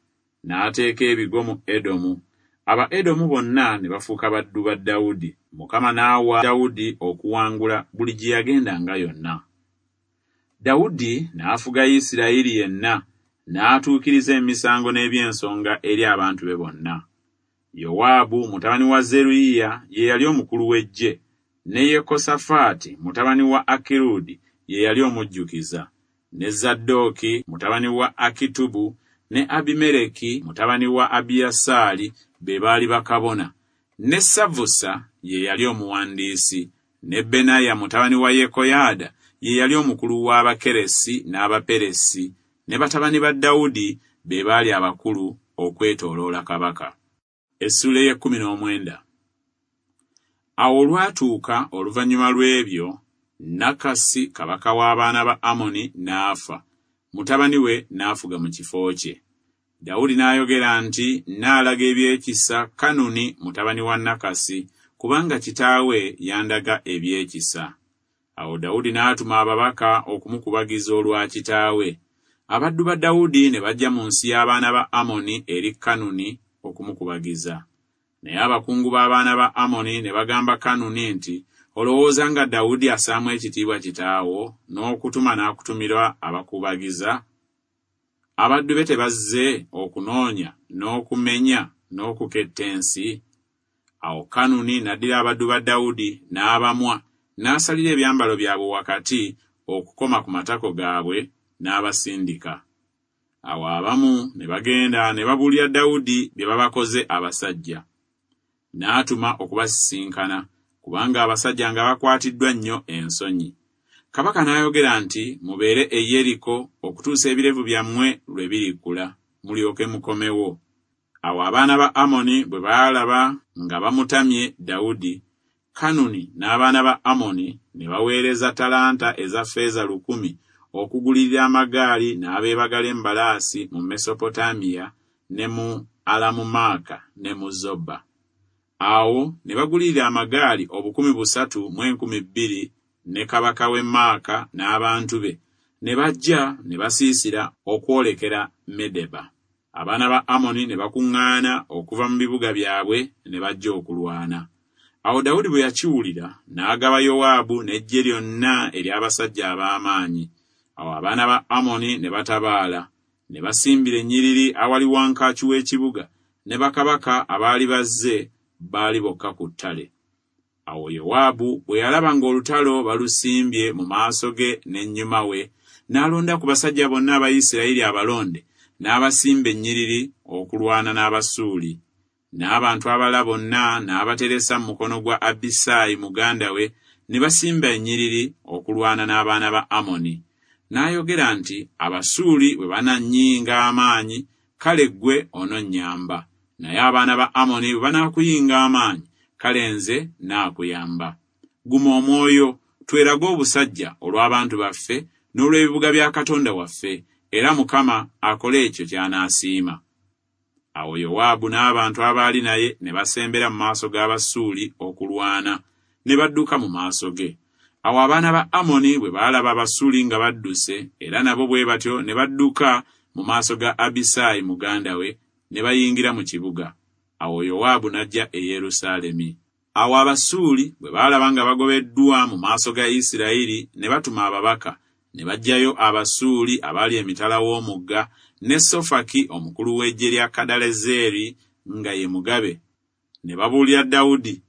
Speaker 1: N'ateeka ebigo mu Edomu. Aba Edomu bonna ne bafuuka baddu ba Dawudi. Mukama n'awa Dawudi okuwangula buli gye yagendanga yonna. Dawudi n'afuga Isirayiri yenna, n'atuukiriza emisango n'eby'ensonga eri abantu be bonna. Yowaabu mutabani wa Zeruyiya ye yali omukulu w'eggye, ne Yekosafaati mutabani wa Akirudi ye yali omujjukiza, ne Zadooki mutabani wa Akitubu ne Abimereki mutabani wa Abiyasaali be baali bakabona, ne Savusa ye yali omuwandiisi, ne Benaya mutabani wa Yekoyaada ye yali omukulu w'Abakeresi n'Abaperesi, ne batabani ba Dawudi be baali abakulu okwetooloola kabaka. Essuula ey'ekkumi n'omwenda. Awo olwatuuka oluvannyuma lw'ebyo, Nakasi kabaka w'abaana ba Amoni n'afa, mutabani we n'afuga mu kifo kye. Dawudi n'ayogera nti, Nnaalaga eby'ekisa Kanuni mutabani wa Nakasi, kubanga kitaawe yandaga eby'ekisa. Awo Dawudi n'atuma ababaka okumukubagiza olwa kitaawe. Abaddu ba Dawudi ne bajja mu nsi y'abaana ba Amoni eri Kanuni okumukubagiza. Naye abakungu b'abaana ba Amoni ne bagamba Kanuni nti, Olowooza nga Dawudi assaamu ekitiibwa kitaawo, n'okutuma n'akutumirwa abakubagiza? Abaddu be tebazze okunoonya n'okumenya n'okuketta ensi? Awo Kanuni n'addira abaddu ba Dawudi n'abamwa, n'asalira ebyambalo byabwe wakati okukoma ku matako gaabwe, n'abasindika. Awo abamu ne bagenda ne babuulira Dawudi bye babakoze abasajja. N'atuma okubasisinkana, kubanga abasajja nga bakwatiddwa nnyo ensonyi. Kabaka n'ayogera nti, Mubeere e Yeriko okutuusa ebirevu byammwe lwe birikula, mulyoke mukomewo. Awo abaana ba Amoni bwe baalaba nga bamutamye Dawudi, Kanuni n'abaana ba Amoni ne baweereza talanta eza ffeeza lukumi okugulirira amagaali n'abeebagala embalaasi mu Mesopotamiya ne mu Alamumaaka ne mu Zoba. Awo ne bagulirira amagaali obukumi busatu mu enkumi bbiri ne kabaka w'e Maaka n'abantu be, ne bajja ne basiisira okwolekera Medeba. Abaana ba Amoni ne bakuŋŋaana okuva mu bibuga byabwe ne bajja okulwana. Awo Dawudi bwe yakiwulira, n'agaba Yowaabu n'eggye lyonna ery'abasajja ab'amaanyi. Awo abaana ba Amoni ne batabaala, ne basimbira ennyiriri awali wankaaki w'ekibuga, ne bakabaka abaali bazze baali bokka ku ttale. Awo Yowaabu bwe yalaba ng'olutalo balusimbye mu maaso ge n'ennyuma we, n'alonda ku basajja bonna aba Isirayiri abalonde, n'abasimba ennyiriri okulwana n'Abasuuli. N'abantu abalala bonna n'abateresa mu mukono gwa Abisaayi muganda we, ne basimba ennyiriri okulwana n'abaana ba Amoni. N'ayogera nti, Abasuuli bwe banannyinga amaanyi, kale ggwe ononnyamba. Naye abaana ba Amoni bwe banaakuyinga amaanyi, kale nze naakuyamba. Guma omwoyo, twerage obusajja olw'abantu baffe n'olw'ebibuga bya Katonda waffe, era Mukama akole ekyo ky'anaasiima. Awo Yowaabu n'abantu abaali naye ne basembera mu maaso g'Abasuuli okulwana, ne badduka mu maaso ge. Awo abaana ba Amoni bwe baalaba Abasuuli nga badduse, era nabo bwe batyo ne badduka mu maaso ga Abisaayi muganda we, ne bayingira mu kibuga. Awo Yowaabu n'ajja e Yerusaalemi. Awo Abasuuli bwe baalaba nga bagobeddwa mu maaso ga Isirayiri, ne batuma ababaka, ne baggyayo Abasuuli abaali emitala w'omugga, ne Sofaki omukulu w'eggye lya Kadalezeri nga ye mugabe. Ne babuulira Dawudi,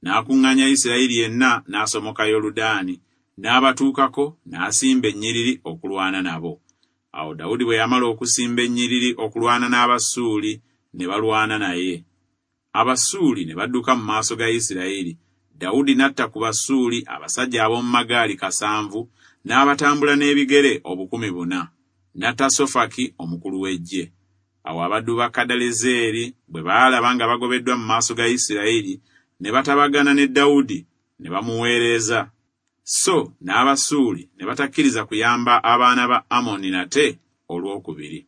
Speaker 1: n'akuŋŋaanya Isirayiri yenna n'asomoka Yoludaani, n'abatuukako n'asimba ennyiriri okulwana nabo. Awo Dawudi bwe yamala okusimba ennyiriri okulwana n'Abasuuli, ne balwana naye. Abasuuli ne badduka mu maaso ga Isirayiri. Dawudi n'atta ku Basuuli abasajja ab'omu magaali kasanvu, n'abatambula n'ebigere obukumi buna. N'atta Sofaki omukulu w'eggye. Awo abaddu ba Kadalezeri bwe baalaba nga bagobeddwa mu maaso ga Isirayiri, ne batabagana ne Dawudi ne bamuweereza. So n'Abasuuli ne batakkiriza kuyamba abaana ba Amoni nate olwokubiri.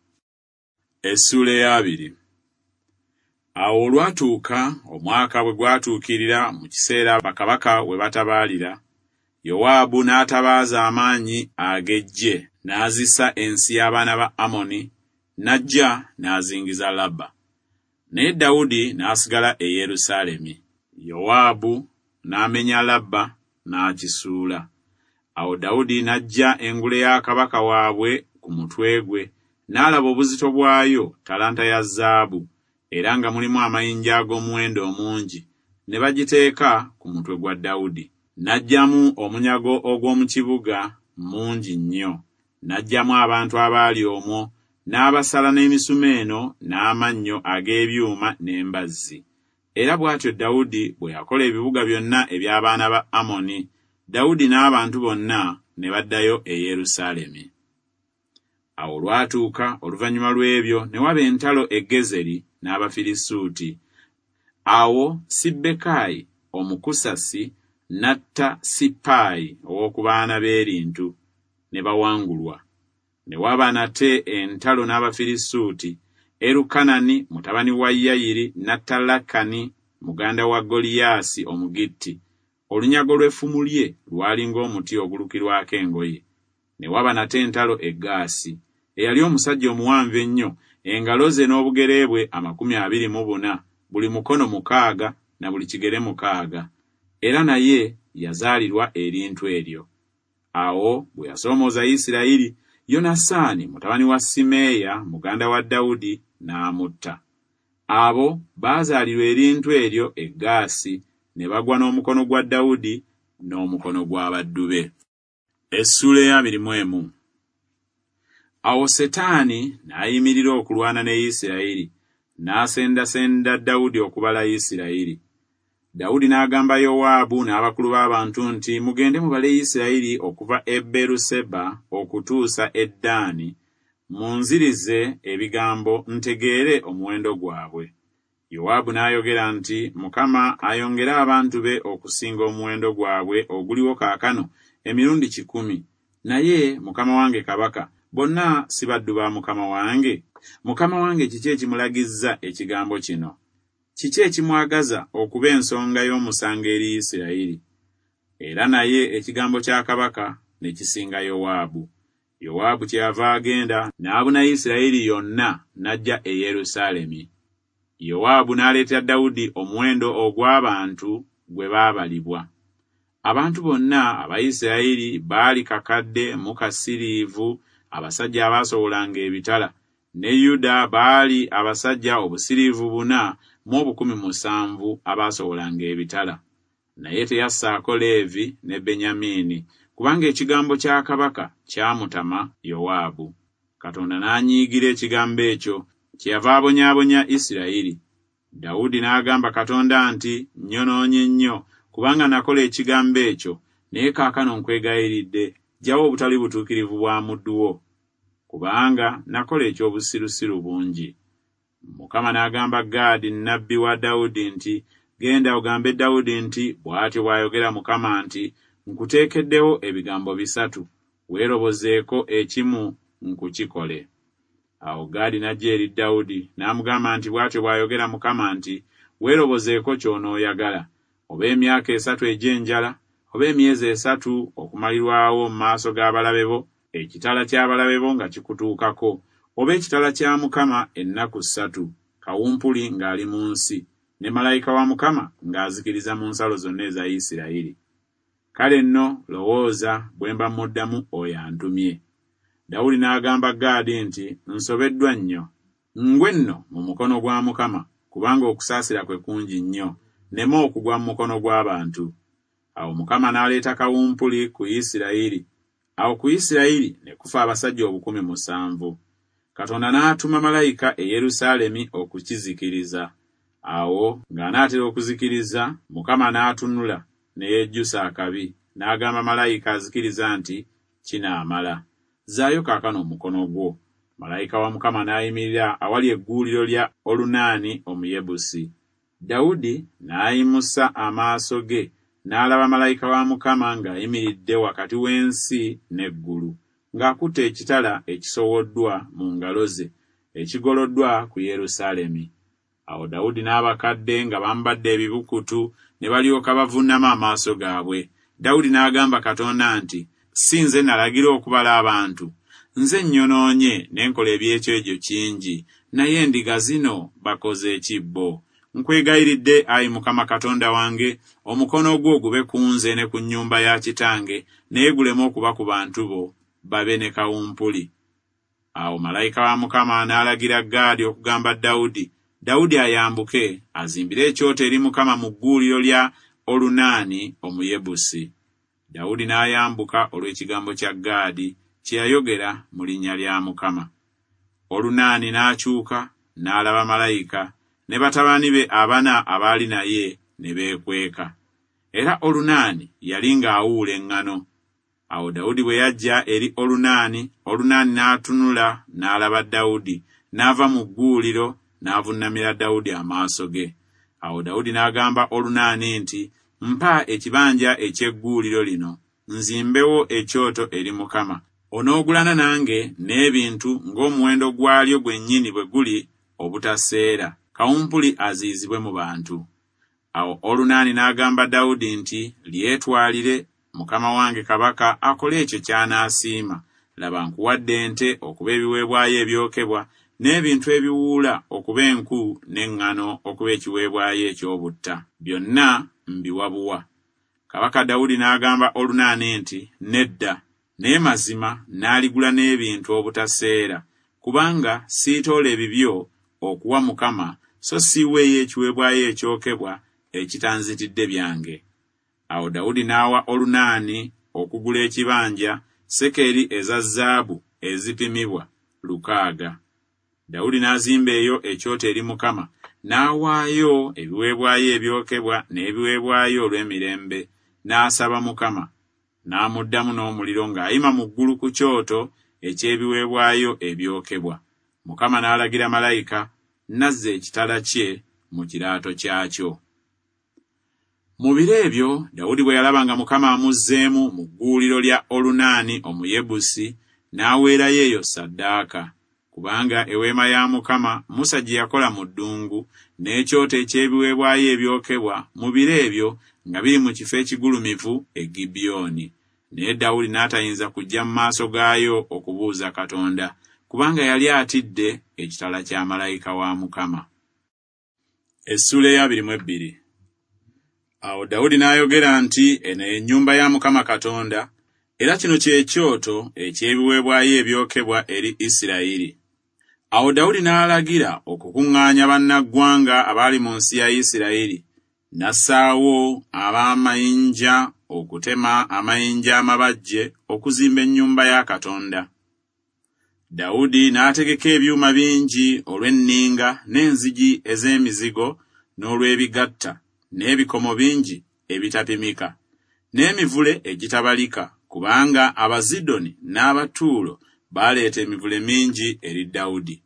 Speaker 1: Essuula ey'abiri. Awo olwatuuka omwaka bwe gwatuukirira mu kiseera bakabaka we batabaalira, Yowaabu n'atabaaza amaanyi ag'eggye n'azisa ensi y'abaana ba Amoni, n'ajja n'azingiza Labba. Naye Dawudi n'asigala e Yerusaalemi. Yowaabu n'amenya Labba n'akisuula. Awo Dawudi n'aggya engule ya kabaka waabwe ku mutwe gwe, n'alaba obuzito bwayo talanta ya zaabu, era nga mulimu amayinja ag'omuwendo omungi, ne bagiteeka ku mutwe gwa Dawudi. N'aggyamu omunyago ogw'omu kibuga mungi nnyo, n'aggyamu abantu abaali omwo, n'abasala n'emisumeeno n'amannyo ag'ebyuma n'embazzi. Era bw'atyo Dawudi bwe yakola ebibuga byonna eby'abaana ba Amoni. Dawudi n'abantu bonna ne baddayo e Yerusaalemi. Awo olwatuuka oluvannyuma lw'ebyo ne waba entalo e Gezeri n'Abafirisuuti. Awo Sibbekayi Omukusasi n'atta Sippaayi ow'oku baana b'erintu, ne bawangulwa. Ne waba nate entalo n'Abafirisuuti. Erukanani mutabani wa Yayiri n'atta Lakani muganda wa Goliyaasi Omugitti. Olunyago lw'effumu lye lwali ng'omuti ogulukirwako engoye. Ne waba nate entalo e Gaasi. Eyali omusajja omuwanvu ennyo, engalo ze n'obugere bwe amakumi abiri mu buna, buli mukono mukaaga na buli kigere mukaaga. Era naye yazaalirwa erintu eryo. Awo bwe yasoomooza Isirayiri, Yonasaani mutabani wa Simeeya muganda wa Dawudi n'amutta. Abo baazaalirwa erintu eryo e Gaasi, ne bagwa n'omukono gwa Dawudi n'omukono gw'abaddu be. Essuula ey'abiri mu emu. Awo Setaani n'ayimirira okulwana ne Isirayiri, n'asendasenda Dawudi okubala Isirayiri. Dawudi n'agamba Yowaabu n'abakulu b'abantu nti, mugende mubale Isirayiri okuva e Beeruseba okutuusa e Ddaani, munzirize ebigambo ntegeere omuwendo gwabwe. Yowaabu n'ayogera nti, Mukama ayongere abantu be okusinga omuwendo gwabwe oguliwo kaakano emirundi kikumi. Naye mukama wange kabaka, bonna si baddu ba mukama wange? Mukama wange kiki ekimulagizza ekigambo kino? Kiki ekimwagaza okuba ensonga y'omusango eri Isirayiri? Era naye ekigambo kya kabaka ne kisinga Yowaabu. Yowaabu kyeyava agenda n'abuna Isirayiri yonna n'ajja e Yerusaalemi. Yowaabu n'aleetera Dawudi omuwendo ogw'abantu gwe baabalibwa. Abantu bonna aba Isirayiri baali kakadde mu kasiriivu abasajja abaasowolanga ebitala, ne Yuda baali abasajja obusiriivu buna mu obukumi musanvu abaasowolanga ebitala. Naye teyassaako Leevi ne Benyamiini, kubanga ekigambo kya kabaka kyamutama Yowaabu. Katonda n'anyiigira ekigambo ekyo, kyeyava abonyaabonya Isirayiri. Dawudi n'agamba Katonda nti, nnyonoonye nnyo, kubanga nakola ekigambo ekyo, naye kaakano nkwegayiridde, ggyawo obutali butuukirivu bwa muddu wo, kubanga nakola eky'obusirusiru bungi. Mukama n'agamba Gaadi nnabbi wa Dawudi nti, genda ogambe Dawudi nti, bw'atyo bw'ayogera Mukama nti, nkuteekeddewo ebigambo bisatu, weerobozeeko ekimu nkukikole. Awo Gaadi n'ajja eri Dawudi n'amugamba nti, bw'atyo bw'ayogera Mukama nti, weerobozeeko ky'onooyagala, oba emyaka esatu egy'enjala, oba emyezi esatu okumalirwawo mu maaso g'abalabe bo, ekitala ky'abalabe bo nga kikutuukako, oba ekitala kya Mukama ennaku ssatu, kawumpuli ng'ali mu nsi, ne malayika wa Mukama ng'azikiriza mu nsalo zonna eza Isirayiri. Kale nno lowooza bwe mba muddamu oyo antumye. Dawudi n'agamba Gaadi nti, nsobeddwa nnyo. Ngwe nno mu mukono gwa Mukama, kubanga okusaasira kwe kungi nnyo, nneme okugwa mu mukono gw'abantu. Awo Mukama n'aleeta kawumpuli ku Isirayiri. Awo ku Isirayiri ne kufa abasajja obukumi musanvu. Katonda n'atuma malayika e Yerusaalemi okukizikiriza. Awo ng'anaatera okuzikiriza, Mukama n'atunula ne yejjusa akabi, n'agamba malayika azikiriza nti, kinaamala. Zzaayo kaakano omukono gwo. Malayika wa Mukama n'ayimirira awali egguuliro lya Olunaani Omuyebusi. Dawudi n'ayimusa amaaso ge n'alaba malayika wa Mukama ng'ayimiridde wakati w'ensi n'eggulu, ng'akutte ekitala ekisowoddwa mu ngalo ze, ekigoloddwa ku Yerusaalemi. Awo Dawudi n'abakadde nga bambadde ebibukutu ne balyoka bavuunama amaaso gaabwe. Dawudi n'agamba Katonda nti, Si nze nalagira okubala abantu? Nze nnyonoonye ne nkola eby'ekyejo kingi, naye endiga zino bakoze ki bo? Nkwegayiridde, ayi Mukama Katonda wange, omukono gwo gube ku nze ne ku nnyumba ya kitange, naye guleme okuba ku bantu bo, babe ne kawumpuli. Awo malayika wa Mukama n'alagira Gaadi okugamba Dawudi, Dawudi ayambuke azimbire ekyoto eri Mukama mu gguuliro lya Olunaani Omuyebusi. Dawudi n'ayambuka olw'ekigambo kya Gaadi kye yayogera mu linnya lya Mukama. Olunaani n'akyuka n'alaba malayika ne batabani be abana abaali naye ne beekweka. Era Olunaani yali ng'awuula eŋŋano. Awo Dawudi bwe yajja eri Olunaani, Olunaani n'atunula n'alaba Dawudi, n'ava mu gguuliro n'avunnamira Dawudi amaaso ge. Awo Dawudi n'agamba Olunaani nti, Mpa ekibanja eky'egguuliro lino, nzimbewo ekyoto eri Mukama. Onoogulana nange n'ebintu ng'omuwendo gwalyo gwennyini bwe guli obutaseera, kawumpuli aziyizibwe mu bantu. Awo Olunaani n'agamba Dawudi nti, Lyetwalire, mukama wange kabaka akole ekyo ky'anaasiima. Laba nkuwadde ente okuba ebiweebwayo ebyokebwa, n'ebintu ebiwuula okuba enku n'eŋŋano okuba ekiweebwayo eky'obutta. Byonna mbiwa buwa. Kabaka Dawudi n'agamba Olunaani nti, Nedda, naye mazima n'aligula n'ebintu obutaseera, kubanga siitoola ebibyo okuwa Mukama, so siiweeyo ekiweebwayo ekyokebwa ekitanzitidde byange. Awo Dawudi n'awa Olunaani okugula ekibanja sekeri eza zaabu ezipimibwa lukaaga. Dawudi n'azimba eyo ekyoto eri Mukama, n'awaayo ebiweebwayo ebyokebwa n'ebiweebwayo olw'emirembe, n'asaba Mukama. N'amuddamu n'omuliro ng'ayima mu ggulu ku kyoto eky'ebiweebwayo ebyokebwa. Mukama n'alagira malayika, n'azza ekitala kye mu kiraato kyakyo. Mu biro ebyo Dawudi bwe yalaba nga Mukama amuzzeemu mu gguuliro lya Olunaani Omuyebusi, n'aweerayo eyo ssaddaaka. Kubanga eweema ya Mukama Musa gye yakola mu ddungu, n'ekyoto eky'ebiweebwayo ebyokebwa mu biro ebyo nga biri mu kifo ekigulumivu e Gibyoni. Naye Dawudi n'atayinza kujja mu maaso gaayo okubuuza Katonda, kubanga yali atidde ekitala kya malayika wa Mukama. Essuula ey'abiri mu ebbiri. Awo Dawudi n'ayogera nti, Eno ye nnyumba ya Mukama Katonda, era kino kye kyoto eky'ebiweebwayo ebyokebwa eri Isirayiri. Awo Dawudi n'alagira okukuŋŋaanya bannaggwanga abaali mu nsi ya Isirayiri, n'assaawo ab'amayinja okutema amayinja amabajje okuzimba ennyumba ya Katonda. Dawudi n'ategeka ebyuma bingi olw'enninga n'enzigi ez'emizigo n'olw'ebigatta, n'ebikomo bingi ebitapimika, n'emivule egitabalika, kubanga Abazidoni n'Abatuulo baaleeta emivule mingi eri Dawudi.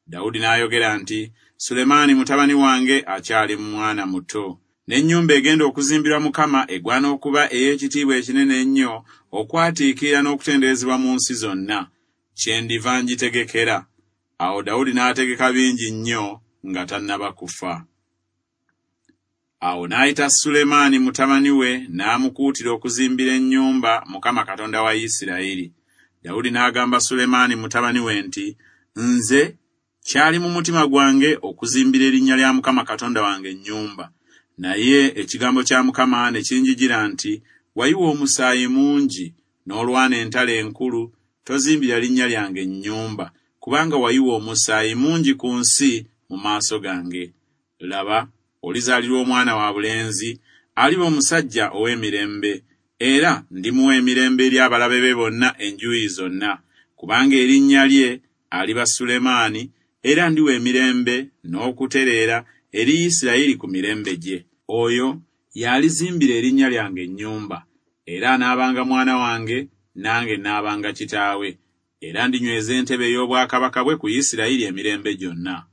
Speaker 1: Dawudi n'ayogera nti, Sulemaani mutabani wange akyali mwana muto, n'ennyumba egenda okuzimbirwa Mukama egwana okuba ey'ekitiibwa ekinene ennyo, okwatiikirira n'okutenderezebwa mu nsi zonna. Kyendiva ngitegekera. Awo Dawudi n'ategeka bingi nnyo nga tannaba kufa. Awo n'ayita Sulemaani mutabani we n'amukuutira okuzimbira ennyumba Mukama Katonda wa Isirayiri. Dawudi n'agamba Sulemaani mutabani we nti, Nze kyali mu mutima gwange okuzimbira erinnya lya Mukama Katonda wange ennyumba. Naye ekigambo kya Mukama ne kinjijira nti, Wayiwa omusaayi mungi, n'olwana entalo enkulu, tozimbira linnya lyange nnyumba, kubanga wayiwa omusaayi mungi ku nsi mu maaso gange. Laba, olizaalirwa omwana wa bulenzi, aliba omusajja ow'emirembe, era ndimuwa emirembe eri abalabe be bonna enjuuyi zonna, kubanga erinnya lye aliba Sulemaani, era ndiwa emirembe n'okutereera eri Isirayiri ku mirembe gye. Oyo y'alizimbira erinnya lyange ennyumba, era anaabanga mwana wange, nange naabanga kitaawe, era ndinyweza entebe ey'obwakabaka bwe ku Isirayiri emirembe gyonna.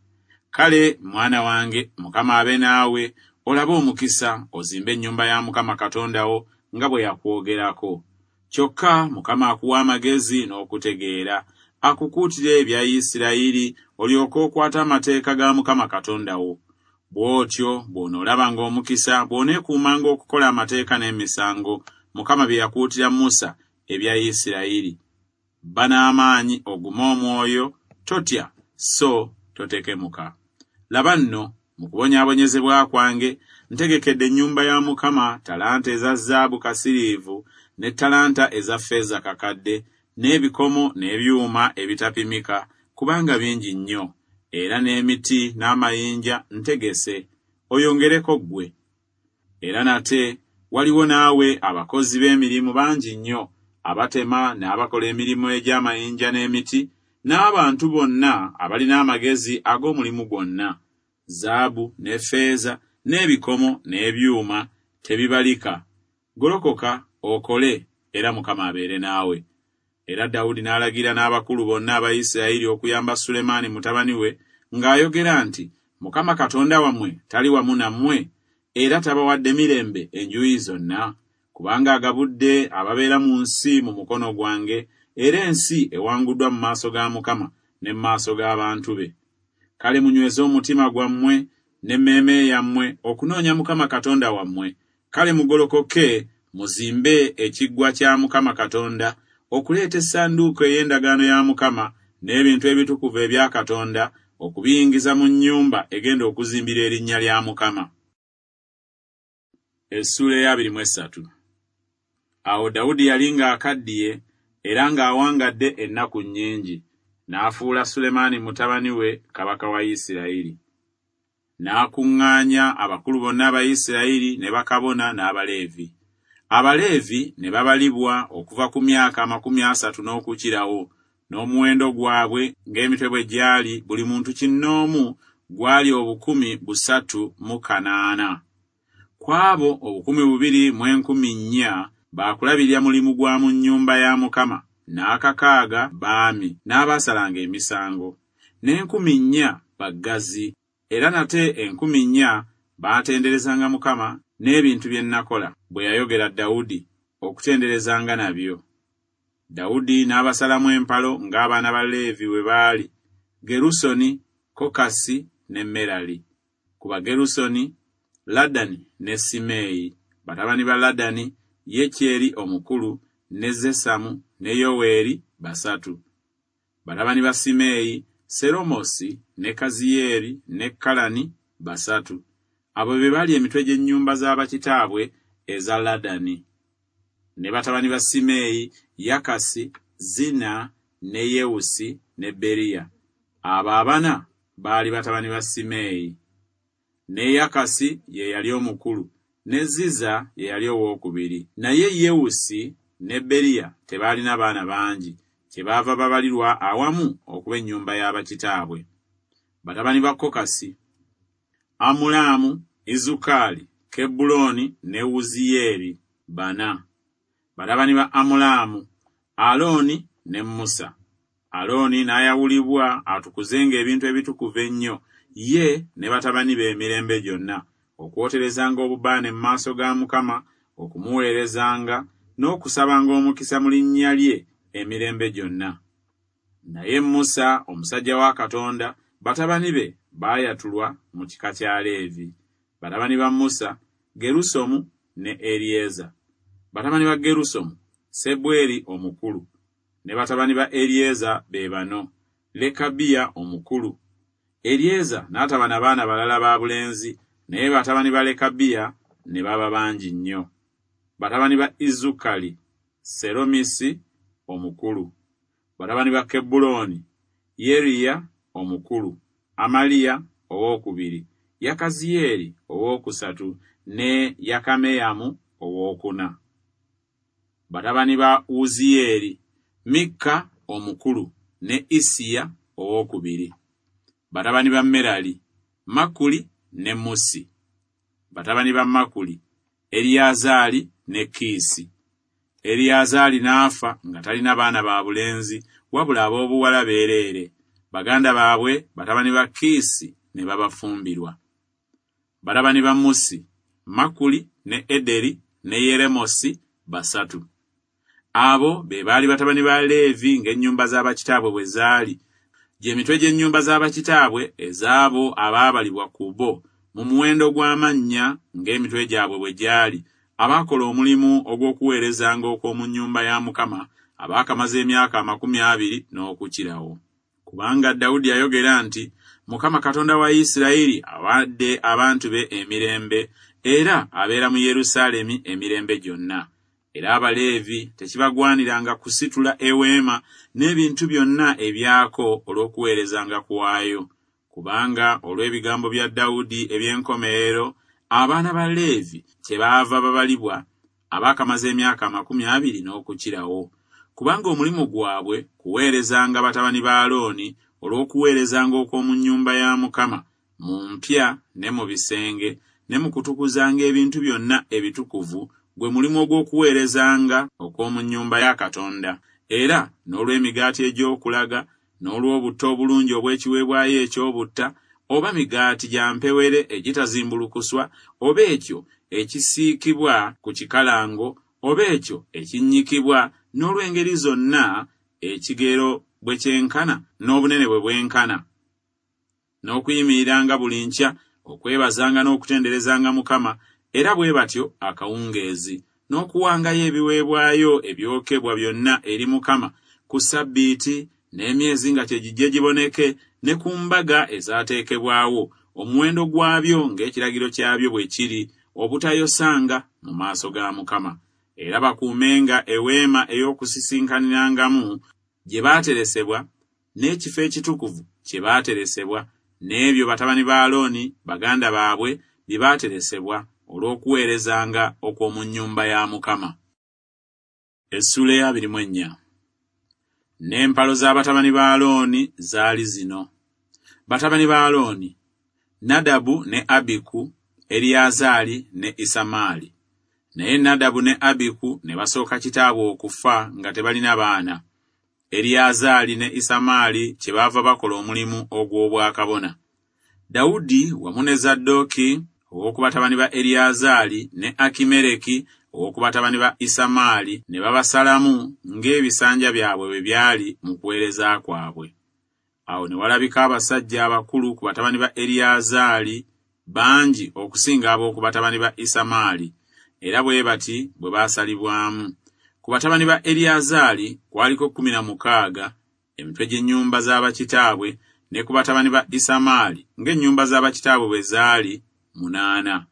Speaker 1: Kale mwana wange, Mukama abe naawe, olabe omukisa, ozimbe ennyumba ya Mukama Katonda wo nga bwe yakwogerako. Kyokka Mukama akuwa amagezi n'okutegeera, akukuutire ebya Isirayiri, olyoke okwate amateeka ga Mukama Katonda wo. Bw'otyo bw'onoolabanga omukisa, bw'oneekuumanga okukola amateeka n'emisango Mukama bye yakuutira Musa ebya Isirayiri. Ba n'amaanyi, ogume omwoyo, totya so totekemuka. Laba nno, mu kubonyaabonyezebwa kwange ntegekedde ennyumba ya Mukama talanta eza zaabu kasiriivu ne talanta eza ffeeza kakadde, n'ebikomo n'ebyuma ebitapimika, kubanga bingi nnyo, era n'emiti n'amayinja ntegese, oyongereko ggwe. Era nate waliwo naawe abakozi b'emirimu bangi nnyo, abatema n'abakola emirimu egy'amayinja n'emiti, n'abantu bonna abalina amagezi ag'omulimu gwonna. Zaabu ne ffeeza n'ebikomo n'ebyuma tebibalika. Golokoka okole, era Mukama abeere naawe. Era Dawudi n'alagira n'abakulu bonna aba Isirayiri okuyamba Sulemaani mutabani we, ng'ayogera nti, Mukama Katonda wammwe tali wamu nammwe, era tabawadde mirembe enjuyi zonna, kubanga agabudde ababeera mu nsi mu mukono gwange, era ensi ewanguddwa mu maaso ga Mukama ne mu maaso g'abantu be. Kale munyweze omutima gwammwe n'emmeeme yammwe okunoonya Mukama Katonda wammwe. Kale mugolokoke muzimbe ekiggwa kya Mukama Katonda, okuleeta essanduuko ey'endagaano ya Mukama n'ebintu ebitukuvu ebya Katonda, okubiyingiza mu nnyumba egenda okuzimbira erinnya lya Mukama. Essuula ey'abiri mu essatu. Awo Dawudi yali ng'akaddiye era ng'awangadde ennaku nnyingi, n'afuula Sulemaani mutabani we kabaka wa Isirayiri. N'akuŋŋaanya abakulu bonna aba Isirayiri ne bakabona n'Abaleevi. Abaleevi ne babalibwa okuva ku myaka amakumi asatu n'okukirawo, n'omuwendo gwabwe ng'emitwe bwe gyali buli muntu kinnoomu gwali obukumi busatu mu kanaana. Ku abo obukumi bubiri mu enkumi nnya baakulabirira mulimu gwa mu nnyumba ya Mukama, n'akakaaga baami n'abaasalanga emisango, n'enkumi nnya baggazi, era nate enkumi nnya baatenderezanga Mukama n'ebintu bye nnakola, bwe yayogera Dawudi, okutenderezanga nabyo. Dawudi n'abasalamu empalo ng'abaana ba Leevi bwe baali, Gerusoni, Kokasi ne Merali. Ku Bagerusoni, Ladani ne Simeeyi. Batabani ba Ladani, Yekyeri omukulu, ne Zesamu ne Yoweeri basatu. Batabani ba Simeeyi, Seromosi ne Kaziyeeri ne Kalani basatu. Abo be baali emitwe gy'ennyumba z'abakitaabwe eza Ladani. Ne batabani ba Simeeyi, Yakasi, Zina ne Yewusi ne Beriya. Abo abana baali batabani ba Simeeyi. Ne Yakasi ye yali omukulu, ne Ziza ye yali owookubiri. Naye Yewusi ne Beriya tebaalina baana bangi, kyebaava babalirwa awamu okuba ennyumba y'abakitaabwe. Batabani ba Kokasi, Amulaamu, Izukali, Kebbulooni ne Wuziyeeri bana. Batabani ba Amulaamu, Alooni ne Musa. Alooni n'ayawulibwa atukuzenga ebintu ebitukuvu ennyo, ye ne batabani be emirembe gyonna, okwoterezanga obubaane mu maaso ga Mukama, okumuweerezanga n'okusabanga omukisa mu linnya lye emirembe gyonna. Naye Musa omusajja wa Katonda, batabani be baayatulwa mu kika kya Leevi. Batabani ba Musa, Gerusomu ne Eryeza. Batabani ba Gerusomu, Sebweri omukulu, ne batabani ba Eryeza be bano, Lekabiya omukulu. Eryeza n'ataba na baana balala ba bulenzi, naye batabani ba Lekabiya ne baba bangi nnyo. Batabani ba Izukali, Seromisi omukulu. Batabani ba Kebbulooni, Yeriya omukulu, Amaliya owookubiri, Yakaziyeeri owookusatu ne Yakameyamu owookuna. Batabani ba Wuziyeeri, Mikka omukulu ne Isiya owookubiri. Batabani ba Merali, Makuli ne Musi. Batabani ba Makuli, Eriyazaali ne Kiisi. Eriyazaali n'afa nga talina baana ba bulenzi, wabula ab'obuwala beereere. Baganda baabwe batabani ba Kiisi ne babafumbirwa. Batabani ba Musi, Makuli ne Ederi ne Yeremosi basatu. Abo be baali batabani ba Leevi ng'ennyumba z'abakitaabwe bwe zaali, gy'emitwe gy'ennyumba z'abakitaabwe ez'abo abaabalibwa ku bo mu muwendo gw'amannya ng'emitwe gyabwe bwe gyali, abaakola omulimu ogw'okuweerezanga okw'omu nnyumba ya Mukama, abaakamaze emyaka amakumi abiri n'okukirawo. Kubanga Dawudi yayogera nti, Mukama Katonda wa Isirayiri awadde abantu be emirembe, era abeera mu Yerusaalemi emirembe gyonna. Era Abaleevi tekibagwaniranga kusitula eweema n'ebintu byonna ebyako olw'okuweerezanga kwayo. Kubanga olw'ebigambo bya Dawudi eby'enkomerero, abaana ba Leevi kyebaava babalibwa abaakamaze emyaka amakumi abiri n'okukirawo. Kubanga omulimu gwabwe kuweerezanga batabani ba Alooni olw'okuweerezanga okw'omu nnyumba ya Mukama mu mpya ne mu bisenge ne mu kutukuzanga ebintu byonna ebitukuvu, gwe mulimu ogw'okuweerezanga okw'omu nnyumba ya Katonda, era n'olw'emigaati egy'okulaga, n'olw'obutta obulungi obw'ekiweebwayo eky'obutta, oba migaati gya mpewere egitazimbulukuswa, oba ekyo ekisiikibwa ku kikalango, oba ekyo ekinnyikibwa, n'olw'engeri zonna ekigero bwe kyenkana n'obunene bwe bwenkana, n'okuyimiriranga buli nkya okwebazanga n'okutenderezanga Mukama, era bwe batyo akawungeezi, n'okuwangayo ebiweebwayo ebyokebwa byonna eri Mukama ku Ssabbiiti n'emyezi nga kye gijje giboneke, ne ku mbaga ezaateekebwawo, omuwendo gwabyo ng'ekiragiro kyabyo bwe kiri, obutayosanga mu maaso ga Mukama. Era bakuumenga eweema ey'okusisinkanirangamu gye baateresebwa, n'ekifo ekitukuvu kye baateresebwa, n'ebyo batabani ba Alooni baganda baabwe bye baateresebwa olw'okuweerezanga okw'omu nnyumba ya Mukama. Essuula ey'abiri mu ennya. N'empalo z'abatabani ba Alooni zaali zino. Batabani ba Alooni, Nadabu ne Abiku, Eriyazaali ne Isamaali. Naye Nadabu ne Abiku ne basooka kitaabwe okufa nga tebalina baana. Eriyazaali ne Isamaali kyebaava bakola omulimu ogw'obwakabona. Dawudi wamu ne Zadooki ow'oku batabani ba Eriyazaali ne Akimereki ow'oku batabani ba Isamaali ne babasalamu ng'ebisanja byabwe bwe byali mu kuweereza kwabwe. Awo ne walabika abasajja abakulu ku batabani ba Eriyazaali bangi okusinga ab'oku batabani ba Isamaali, era bwe bati bwe baasalibwamu. Ku batabani ba Eriyazaali kwaliko kkumi na mukaaga, emitwe gy'ennyumba z'abakitaabwe, ne ku batabani ba Isamaali ng'ennyumba z'abakitaabwe bwe zaali munaana.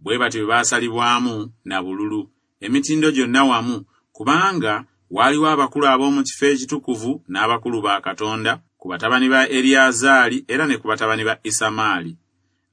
Speaker 1: Bwe batyo bwe baasalibwamu na bululu, emitindo gyonna wamu, kubanga waaliwo abakulu ab'omu kifo ekitukuvu n'abakulu ba Katonda ku batabani ba Eriyazaali era ne ku batabani ba Isamaali.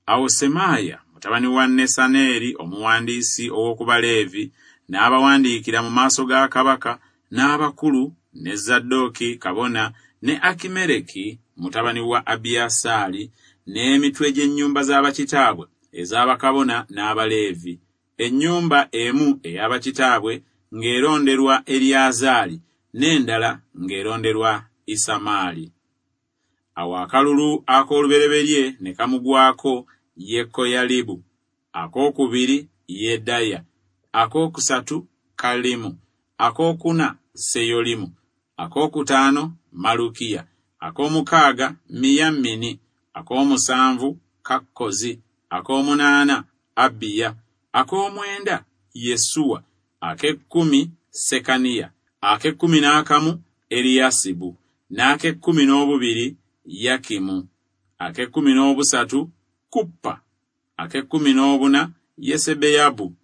Speaker 1: Awo Semaaya mutabani wa Nesaneeri omuwandiisi ow'oku Baleevi n'abawandiikira mu maaso ga kabaka n'abakulu ne Zadooki kabona ne Akimereki mutabani wa Abiyasaali n'emitwe gy'ennyumba z'abakitaabwe ez'abakabona n'Abaleevi, ennyumba emu ey'abakitaabwe ng'eronderwa Eriyazaali n'endala ng'eronderwa Isamaali. Awo akalulu ak'olubereberye ne kamugwako Yekoyalibu, akookubiri Yedaya, akookusatu Kalimu, akookuna Seyolimu, akookutaano Malukiya, ak'omukaaga Miyamini, ak'omusanvu Kakkozi, ak'omunaana Abiya, ak'omwenda Yesuwa, ak'ekkumi Sekaniya, ak'ekkumi n'akamu Eriyasibu, n'ak'ekkumi n'obubiri Yakimu, ak'ekkumi n'obusatu Kuppa, ak'ekkumi n'obuna Yesebeyabu,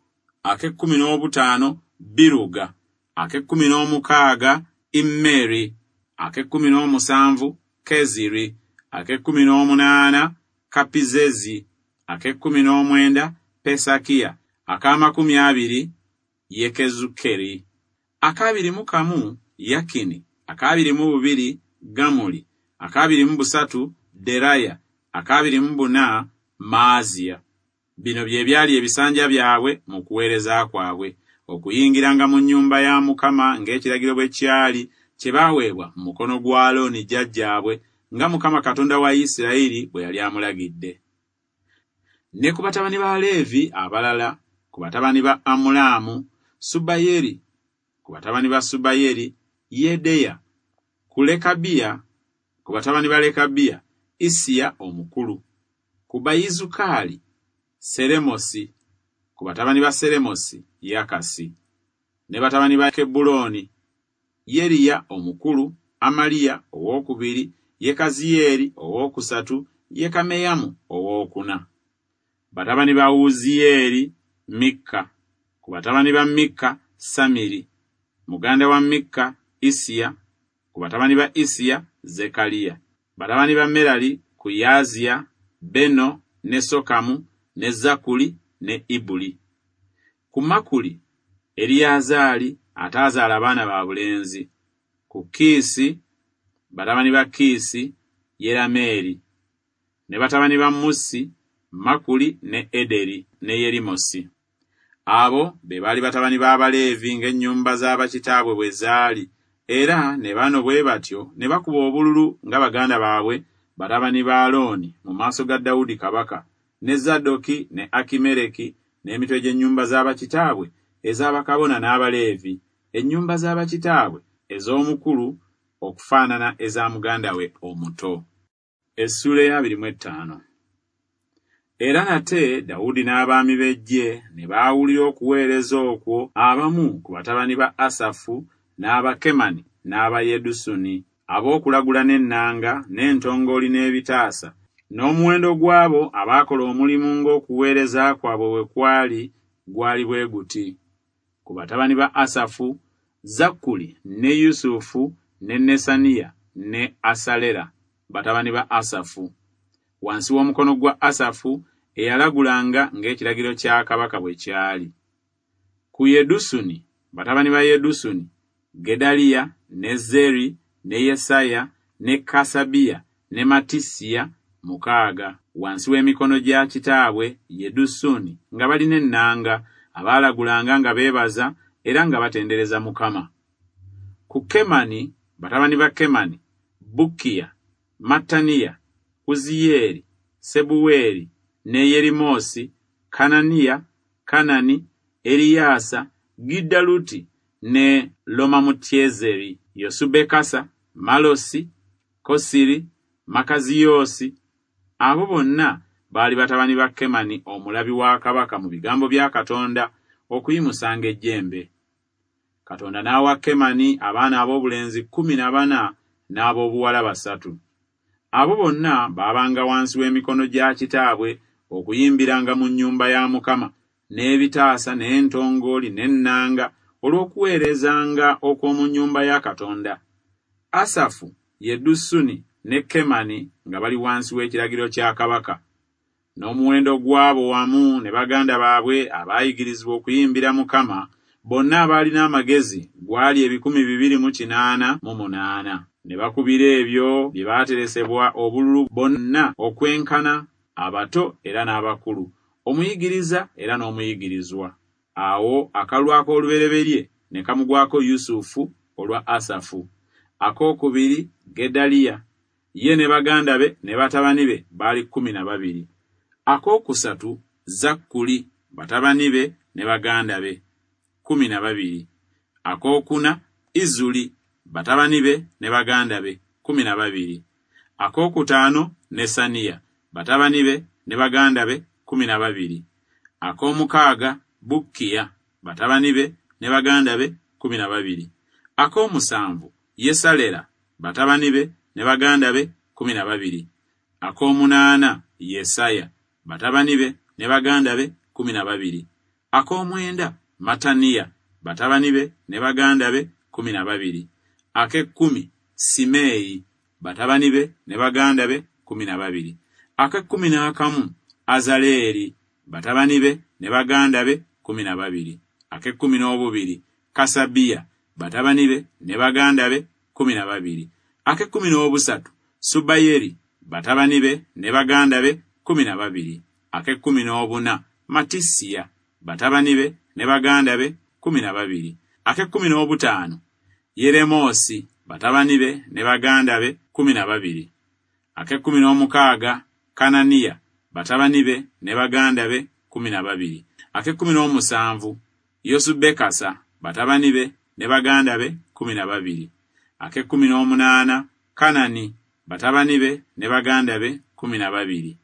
Speaker 1: ak'ekkumi n'obutaano Biruga, ak'ekkumi n'omukaaga Immeri, ak'ekkumi n'omusanvu Keziri, ak'ekkumi n'omunaana Kapizezi, ak'ekkumi n'omwenda Pesakiya, ak'amakumi abiri Yekezukeri, ak'abiri mu kamu Yakini, ak'abiri mu bubiri Gamuli, ak'abiri mu busatu Deraya, ak'abiri mu buna Maaziya. Bino bye byali ebisanja byabwe mu kuweereza kwabwe, okuyingiranga mu nnyumba ya Mukama ng'ekiragiro bwe kyali kye baaweebwa mu mukono gwa Alooni jjajjaabwe, nga Mukama Katonda wa Isirayiri bwe yali amulagidde. Ne ku batabani ba Leevi abalala, ku batabani ba Amulaamu, Subayeri, ku batabani ba Subayeri, Yedeya, ku Lekabiya, ku batabani ba Lekabiya, Isiya omukulu, ku Bayizukaali, Seremosi, ku batabani ba Seremosi, Yakasi, ne batabani ba Kebbulooni, Yeriya omukulu, Amaliya owookubiri, Yekaziyeeri owookusatu, Yekameyamu owookuna. Batabani ba Wuziyeeri, Mikka, ku batabani ba Mikka, Samiri, muganda wa Mikka, Isiya, ku batabani ba Isiya, Zekaliya. Batabani ba Merali, ku Yaaziya, Beno, ne Sokamu, ne Zakuli, ne Ibuli. Ku Makuli, Eriyazaali ataazaala abaana ba bulenzi. Ku Kiisi, batabani ba Kiisi, Yerameeri. Ne batabani ba Musi, Makuli ne Ederi ne Yerimosi. Abo be baali batabani b'Abaleevi ng'ennyumba z'abakitaabwe bwe zaali, era ne bano bwe batyo ne bakuba obululu nga baganda baabwe batabani ba Alooni mu maaso ga Dawudi kabaka, ne Zadooki ne Akimereki n'emitwe gy'ennyumba z'abakitaabwe ez'abakabona n'Abaleevi, ennyumba z'abakitaabwe ez'omukulu okufaanana eza muganda we omuto. Essuula ey'abiri mu ettaano. Era nate Dawudi n'abaami b'eggye ne baawulira okuweereza okwo abamu ku batabani ba Asafu n'aba Kemani n'aba Yedusuni ab'okulagula n'ennanga n'entongooli n'ebitaasa, n'omuwendo gw'abo abaakola omulimu ng'okuweereza kwabwe bwe kwali gwali bwe guti: ku batabani ba Asafu, Zakkuli ne Yusufu ne Nesaniya ne Asalera, batabani ba Asafu. Wansi w'omukono gwa Asafu eyalagulanga ng'ekiragiro kya kabaka bwe kyali. Ku Yedusuni, batabani ba Yedusuni, Gedaliya ne Zeri ne Yesaya ne Kasabiya ne Matisiya mukaaga, wansi w'emikono gya kitaabwe Yedusuni nga balina ennanga, abaalagulanga nga beebaza era nga batendereza Mukama. Ku Kemani, batabani ba Kemani, Bukkiya, Mattaniya, Uziyeeri, Sebuweeri ne Yerimosi, Kananiya, Kanani, Eriyaasa, Giddaluti ne Lomamutyezeri, Yosubekasa, Malosi, Kosiri, Makaziyoosi. Abo bonna baali batabani ba Kemani omulabi wa kabaka mu bigambo bya Katonda okuyimusanga ejjembe. Katonda n'awa Kemani abaana ab'obulenzi kkumi na bana n'ab'obuwala basatu. Abo bonna baabanga wansi w'emikono gya kitaabwe okuyimbiranga mu nnyumba ya Mukama n'ebitaasa n'entongooli n'ennanga olw'okuweerezanga okw'omu nnyumba ya Katonda. Asafu, Yedusuni ne Kemani nga bali wansi w'ekiragiro kya kabaka. N'omuwendo gw'abo wamu ne baganda baabwe abaayigirizibwa okuyimbira Mukama, bonna abaalina amagezi gwali ebikumi bibiri mu kinaana mu munaana. Ne bakubira ebyo bye baateresebwa obululu bonna okwenkana, abato era n'abakulu, omuyigiriza era n'omuyigirizwa. Awo akalulu ak'olubereberye ne kamugwako Yusufu olwa Asafu, akookubiri Gedaliya, ye ne baganda be ne batabani be baali kkumi na babiri. Akookusatu Zakkuli, batabani be ne baganda be kkumi na babiri. Akookuna Izuli, batabani be ne baganda be kkumi na babiri. Akookutaano Nesaniya, batabani be ne baganda be kkumi na babiri. Ak'omukaaga Bukkiya, batabani be ne baganda be kkumi na babiri. Ak'omusanvu Yesalera, batabani be ne baganda be kkumi na babiri. Ak'omunaana Yesaya, batabani be ne baganda be kkumi na babiri. Ak'omwenda Mataniya, batabani be ne baganda be kkumi na babiri. Ak'ekkumi Simeeyi, batabani be ne baganda be kkumi na babiri. Ak'ekkumi n'akamu Azaleeri, batabani be ne baganda be kkumi na babiri. Ak'ekkumi n'obubiri Kasabiya, batabani be ne baganda be kkumi na babiri. Ak'ekkumi n'obusatu Subayeri, batabani be ne baganda be kkumi na babiri. Ak'ekkumi n'obuna Matisiya, batabani be ne baganda be kkumi na babiri. Ak'ekkumi n'obutaano Yeremoosi, batabani be ne baganda be kkumi na babiri. Ak'ekkumi n'omukaaga Kananiya, batabani be ne baganda be kkumi na babiri. Ak'ekkumi n'omusanvu Yosubekasa, batabani be ne baganda be kkumi na babiri. Ak'ekkumi n'omunaana Kanani, batabani be ne baganda be kkumi na babiri.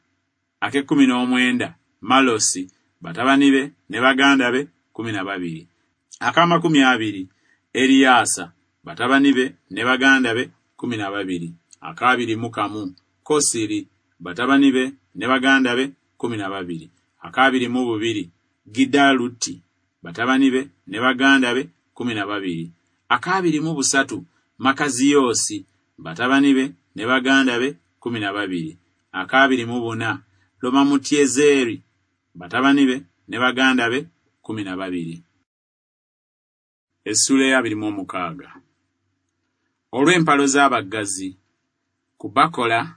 Speaker 1: Ak'ekkumi n'omwenda Malosi, batabani be ne baganda be kkumi na babiri. Ak'amakumi abiri Eriyaasa, batabani be ne baganda be kkumi na babiri. Ak'abiri mu kamu Kosiri, batabani be ne baganda be kkumi na babiri. Ak'abiri mu bubiri Gidaluti, batabani be ne baganda be kkumi na babiri. Ak'abiri mu busatu Makaziyoosi, batabani be ne baganda be kkumi na babiri. Ak'abiri mu buna Lomamutyezeri, batabani be ne baganda be kkumi na babiri. Essuula ey'abiri mu omukaaga. Olw'empalo z'abaggazi ku Bakola,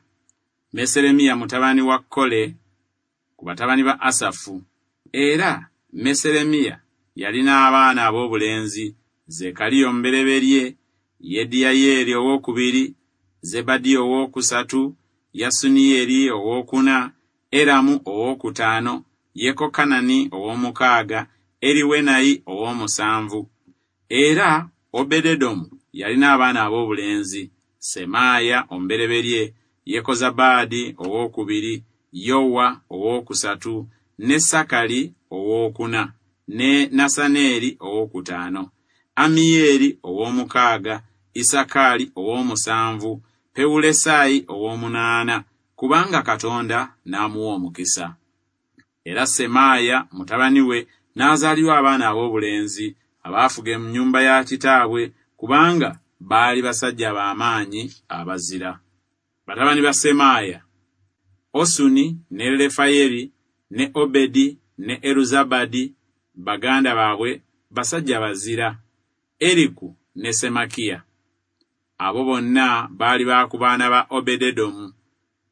Speaker 1: Meseremiya mutabani wa Kole, ku batabani ba Asafu. Era Meseremiya yalina abaana ab'obulenzi, Zekaliya omubereberye, Yediyayeeri owookubiri, Zebadiya owookusatu, Yasuniyeri owookuna, Eramu owookutaano, Yekokanani ow'omukaaga, Eriwenayi ow'omusanvu. Era Obededomu yalina abaana ab'obulenzi, Semaaya omubereberye, Yekozabaadi owookubiri, Yowa owookusatu, ne Sakali owookuna, ne Nasaneeri owookutaano, Amiyeeri ow'omukaaga, Isakaali ow'omusanvu, Pewulesaayi ow'omunaana, kubanga Katonda n'amuwa omukisa. Era Semaaya mutabani we n'azaalirwa abaana ab'obulenzi abaafuga ennyumba ya kitaabwe, kubanga baali basajja b'amaanyi abazira. Batabani ba Semaaya: Osuni ne Lefayeri ne Obedi ne Eruzabadi, baganda baabwe basajja bazira, Eriku ne Semakiya. Abo bonna baali ba ku baana ba Obededomu,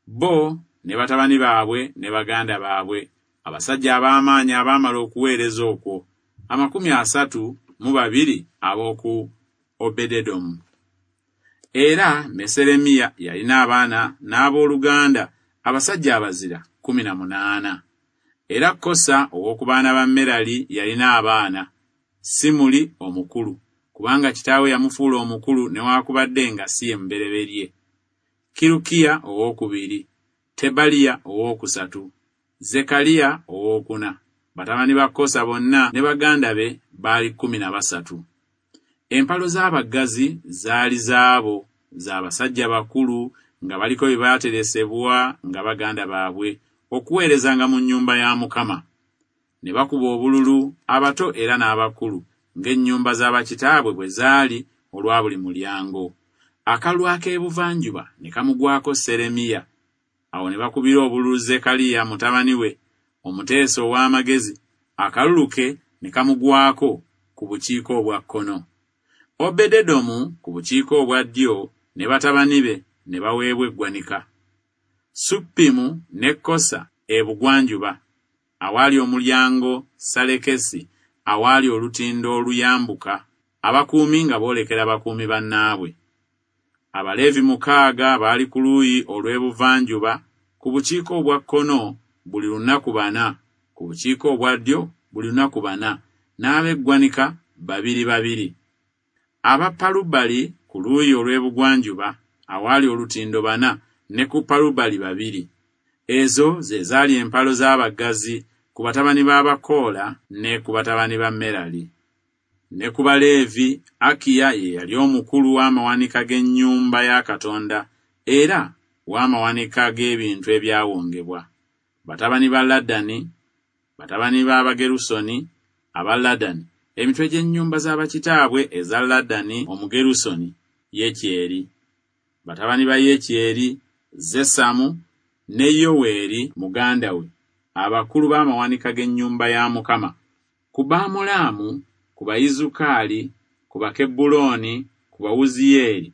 Speaker 1: bo ne batabani baabwe ne baganda baabwe, abasajja ab'amaanyi abaamala okuweereza okwo, amakumi asatu mu babiri ab'oku Obededomu. Era Meseremiya yalina abaana n'abooluganda abasajja abazira kkumi na munaana. Era Kosa ow'oku baana ba Merali yalina abaana, Simuli omukulu, kubanga kitaawe yamufuula omukulu newaakubadde nga si ye mubereberye, Kirukiya owookubiri, Tebaliya owookusatu, Zekaliya owookuna. Batabani ba Kosa bonna ne baganda be baali kkumi na basatu. Empalo z'abaggazi zaali zaabo, za basajja bakulu nga baliko bye baateresebwa nga baganda baabwe okuweerezanga mu nnyumba ya Mukama. Ne bakuba obululu abato era n'abakulu ng'ennyumba z'abakitaabwe bwe zaali olwa buli mulyango. Akalulu ak'ebuvanjuba ne kamugwako Seremiya. Awo ne bakubira obululu Zekaliya mutabani we, omuteesa ow'amagezi, akalulu ke ne kamugwako ku bukiika obwa kkono. Obededomu ku bukiika obwa ddyo ne batabani be ne baweebwa eggwanika. Suppimu ne Kosa ebugwanjuba, awaali omulyango Salekesi, awaali olutindo oluyambuka, abakuumi nga boolekera bakuumi bannaabwe. Abaleevi mukaaga baali ku luuyi olw'ebuvanjuba, ku bukiika obwa kkono buli lunaku bana, ku bukiika obwa ddyo buli lunaku bana, n'ab'eggwanika babiri babiri. Aba Palubali ku luuyi olw'ebugwanjuba, awaali olutindo bana, ne ku Palubali babiri. Ezo ze zaali empalo z'abaggazi ku batabani b'Abakoola ne ku batabani ba Merali. Ne ku Baleevi, Akiya ye yali omukulu w'amawanika g'ennyumba ya Katonda era w'amawanika g'ebintu ebyawongebwa. Batabani ba Ladani, batabani b'Abagerusoni aba Ladani, emitwe gy'ennyumba z'abakitaabwe eza Ladani Omugerusoni, Yekyeri. Batabani ba Yekyeri, Zesamu ne Yoweeri muganda we, abakulu b'amawanika g'ennyumba ya Mukama. Ku Baamulaamu, ku Bayizukaali, ku Bakebbulooni, ku Bawuziyeeri,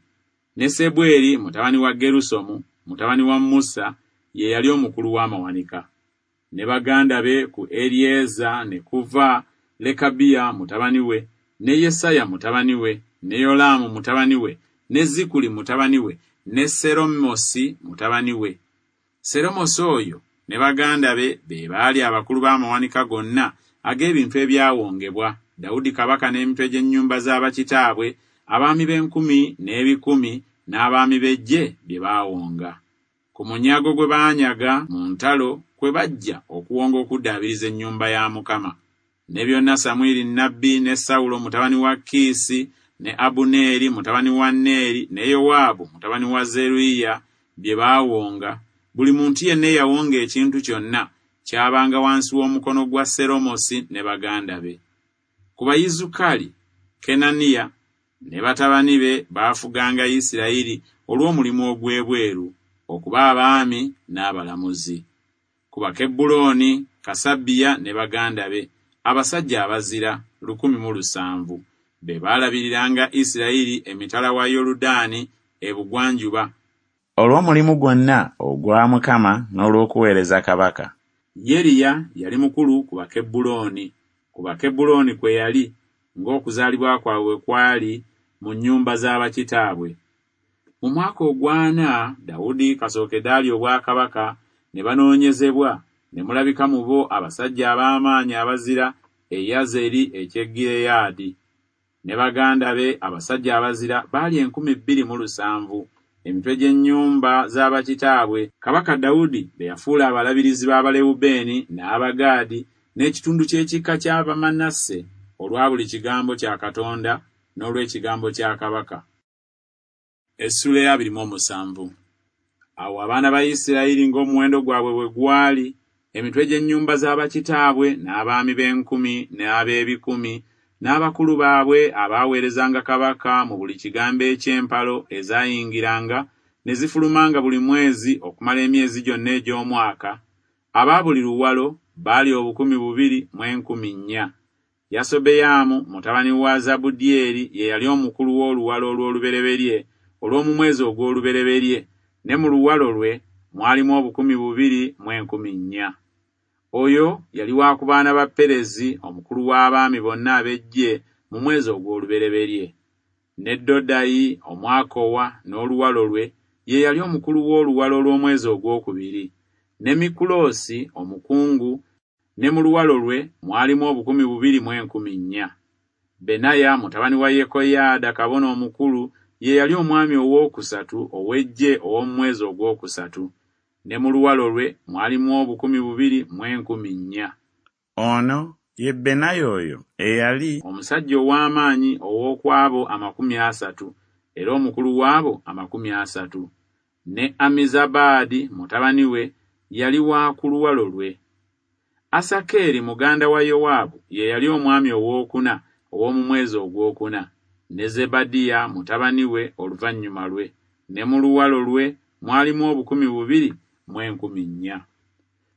Speaker 1: ne Sebweri mutabani wa Gerusomu, mutabani wa Musa, ye yali omukulu w'amawanika. Ne baganda be ku Eryeza ne kuva Lekabiya mutabani we, ne Yesaya mutabani we, ne Yolaamu mutabani we, ne Zikuli mutabani we, ne Seromosi mutabani we. Seromosi oyo ne baganda be be baali abakulu b'amawanika gonna ag'ebintu ebyawongebwa Dawudi kabaka n'emitwe gy'ennyumba z'abakitaabwe, abaami b'enkumi n'ebikumi n'abaami b'eggye bye baawonga. Ku munyago gwe baanyaga mu ntalo kwe bajja okuwonga okuddaabiriza ennyumba ya Mukama. Ne byonna Samwiri nnabbi ne Sawulo mutabani wa Kiisi ne Abuneeri mutabani wa Neeri ne Yowaabu mutabani wa Zeruyiya bye baawonga, buli muntu yenna eyawonga ekintu kyonna kyabanga wansi w'omukono gwa Seromosi ne baganda be. Ku Bayizukali, Kenaniya ne batabani be baafuganga Isirayiri olw'omulimu ogw'ebweru, okuba abaami n'abalamuzi. Ku Bakebbulooni, Kasabiya ne baganda be, abasajja abazira lukumi mu lusanvu, be baalabiriranga Isirayiri emitala wa Yoludaani ebugwanjuba,
Speaker 2: olw'omulimu gwonna ogwa Mukama n'olw'okuweereza kabaka.
Speaker 1: Yeriya yali mukulu ku Bakebbulooni, ku Bakebbulooni kwe yali, ng'okuzaalibwa kwabwe bwe kwali mu nnyumba z'abakitaabwe. Mu mwaka ogw'ana Dawudi kasookedde alya obwakabaka, ne banoonyezebwa, ne mulabika mu bo abasajja ab'amaanyi abazira e Yazeri eky'e Gireyaadi. Ne baganda be abasajja abazira baali enkumi bbiri mu lusanvu, emitwe gy'ennyumba z'abakitaabwe, kabaka Dawudi be yafuula abalabirizi b'Abalewubeeni n'Abagaadi n'ekitundu ky'ekika ky'Abamanase olwa buli kigambo kya Katonda n'olw'ekigambo kya kabaka. Essula ya abiri mu omusanvu. Awo abaana ba Isirayiri ng'omuwendo gwabwe bwe gwali, emitwe gy'ennyumba z'abakitaabwe n'abaami b'enkumi n'ab'ebikumi n'abakulu baabwe abaaweerezanga kabaka mu buli kigambo eky'empalo ezaayingiranga ne zifulumanga buli mwezi okumala emyezi gyonna egy'omwaka, aba buli luwalo baali obukumi bubiri mu enkumi nnya. Yasobeyamu mutabani wa Zabudyeri ye yali omukulu w'oluwalo olw'olubereberye olw'omu mwezi ogw'olubereberye, ne mu luwalo lwe mwalimu obukumi bubiri mu enkumi nnya. Oyo yali wa ku baana ba Perezi, omukulu w'abaami bonna ab'eggye mu mwezi ogw'olubereberye. Ne Dodayi Omwakowa n'oluwalo lwe ye yali omukulu w'oluwalo olw'omwezi ogwokubiri. Ne Mikuloosi omukungu, ne mu luwalo lwe mwalimu obukumi bubiri mu enkumi nnya. Benaya mutabani wa Yekoyaada kabona omukulu ye yali omwami owookusatu ow'eggye ow'omu mwezi ogwokusatu, ne mu luwalo lwe mwalimu obukumi bubiri mu enkumi nnya.
Speaker 2: Ono ye Benaya oyo eyali
Speaker 1: omusajja ow'amaanyi ow'oku abo amakumi asatu, era omukulu w'abo amakumi asatu. Ne Amizabaadi mutabani we yali wa ku luwalo lwe. Asakeeri muganda wa Yowaabu ye yali omwami owookuna ow'omu mwezi ogwokuna, ne Zebadiya mutabani we oluvannyuma lwe, ne mu luwalo lwe mwalimu obukumi bubiri mu enkumi nnya.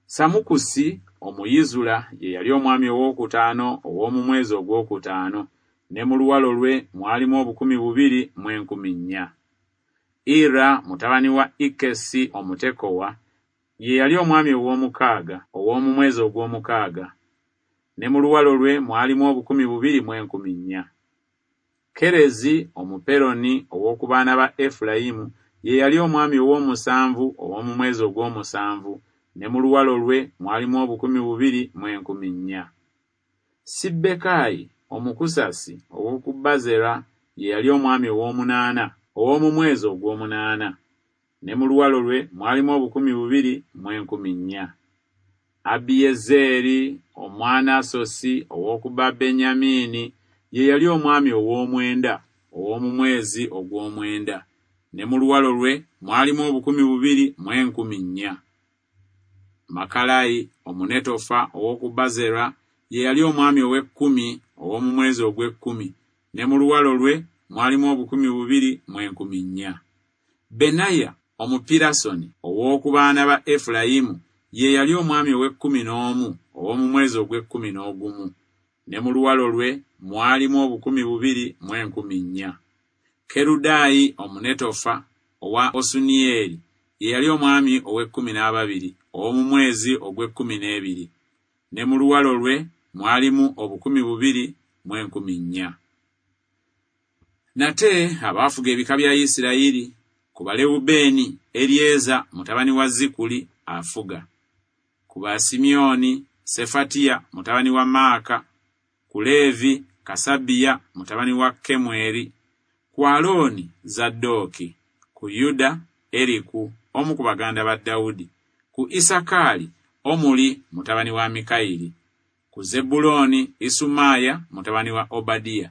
Speaker 1: Samukusi Omuyizula ye yali omwami owookutaano ow'omu mwezi ogwokutaano, ne mu luwalo lwe mwalimu obukumi bubiri mu enkumi nnya. Ira mutabani wa Ikesi Omutekowa ye yali omwami ow'omukaaga ow'omu mwezi ogw'omukaaga, ne mu luwalo lwe mwalimu obukumi bubiri mu enkumi nnya. Kerezi Omuperoni ow'oku baana ba Efulayimu ye yali omwami ow'omusanvu ow'omu mwezi ogw'omusanvu, ne mu luwalo lwe mwalimu obukumi bubiri mu enkumi nnya. Sibbekayi Omukusasi ow'oku Bazera ye yali omwami ow'omunaana ow'omu mwezi ogw'omunaana, ne mu luwalo lwe mwalimu obukumi bubiri mu enkumi nnya. Abiyezeeri Omwanasosi ow'oku Babenyamini ye yali omwami ow'omwenda ow'omu mwezi ogw'omwenda, ne mu luwalo lwe mwalimu obukumi bubiri mu enkumi nnya. Makalayi Omunetofa ow'oku Bazera ye yali omwami ow'ekkumi ow'omu mwezi ogw'ekkumi, ne mu luwalo lwe mwalimu obukumi bubiri mu enkumi nnya. Benaya Omupirasoni ow'oku baana ba Efulayimu ye yali omwami ow'ekkumi n'omu ow'omu mwezi ogw'ekkumi n'ogumu, ne mu luwalo lwe mwalimu obukumi bubiri mu enkumi nnya. Kerudayi Omunetofa owa Osuniyeri ye yali omwami ow'ekkumi n'ababiri ow'omu mwezi ogw'ekkumi n'ebiri, ne mu luwalo lwe mwalimu obukumi bubiri mu enkumi nnya. Nate abaafuga ebika bya Isirayiri, ku Balewubeeni Eryeza mutabani wa Zikuli afuga, ku Basimyoni Sefatiya mutabani wa Maaka, ku Leevi Kasabiya mutabani wa Kemweri, ku Alooni Zadooki, ku Yuda Eriku omu ku baganda ba Dawudi, ku Isakaali Omuli mutabani wa Mikayiri, ku Zebbulooni Isumaaya mutabani wa Obadiya,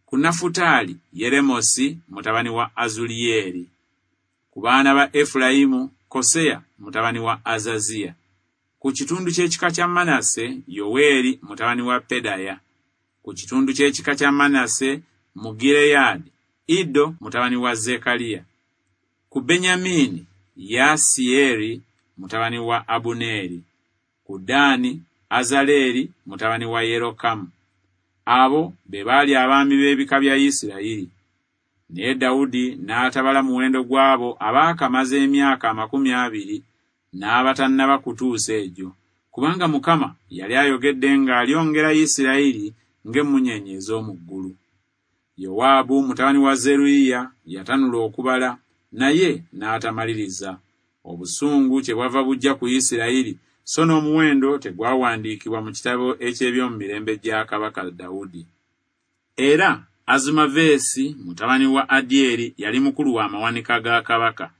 Speaker 1: ku Nafutaali Yeremosi mutabani wa Azuliyeri, ku baana ba Efulayimu Koseya mutabani wa Azaziya, ku kitundu ky'ekika kya Manase Yoweeri mutabani wa Pedaya, ku kitundu ky'ekika kya Manase mu Gireyaadi Iddo mutabani wa Zekaliya, ku Benyamini Yasiyeri mutabani wa Abuneeri, ku Ddaani Azaleeri mutabani wa Yerokamu. Abo be baali abaami b'ebika bya Isirayiri. Naye Dawudi n'atabala muwendo gw'abo abaakamaze emyaka amakumi abiri n'abatannaba kutuusa egyo, kubanga Mukama yali ayogedde ng'alyongera Isirayiri ng'emmunyeenye ez'omu ggulu. Yowaabu mutabani wa Zeruyiya yatanula okubala, naye n'atamaliriza. Obusungu kyebwava bujja ku Isirayiri, so n'omuwendo tegwawandiikibwa mu kitabo eky'eby'omu mirembe gya Kabaka Dawudi. Era Azumaveesi mutabani wa Adyeri yali mukulu wa mawanika ga kabaka,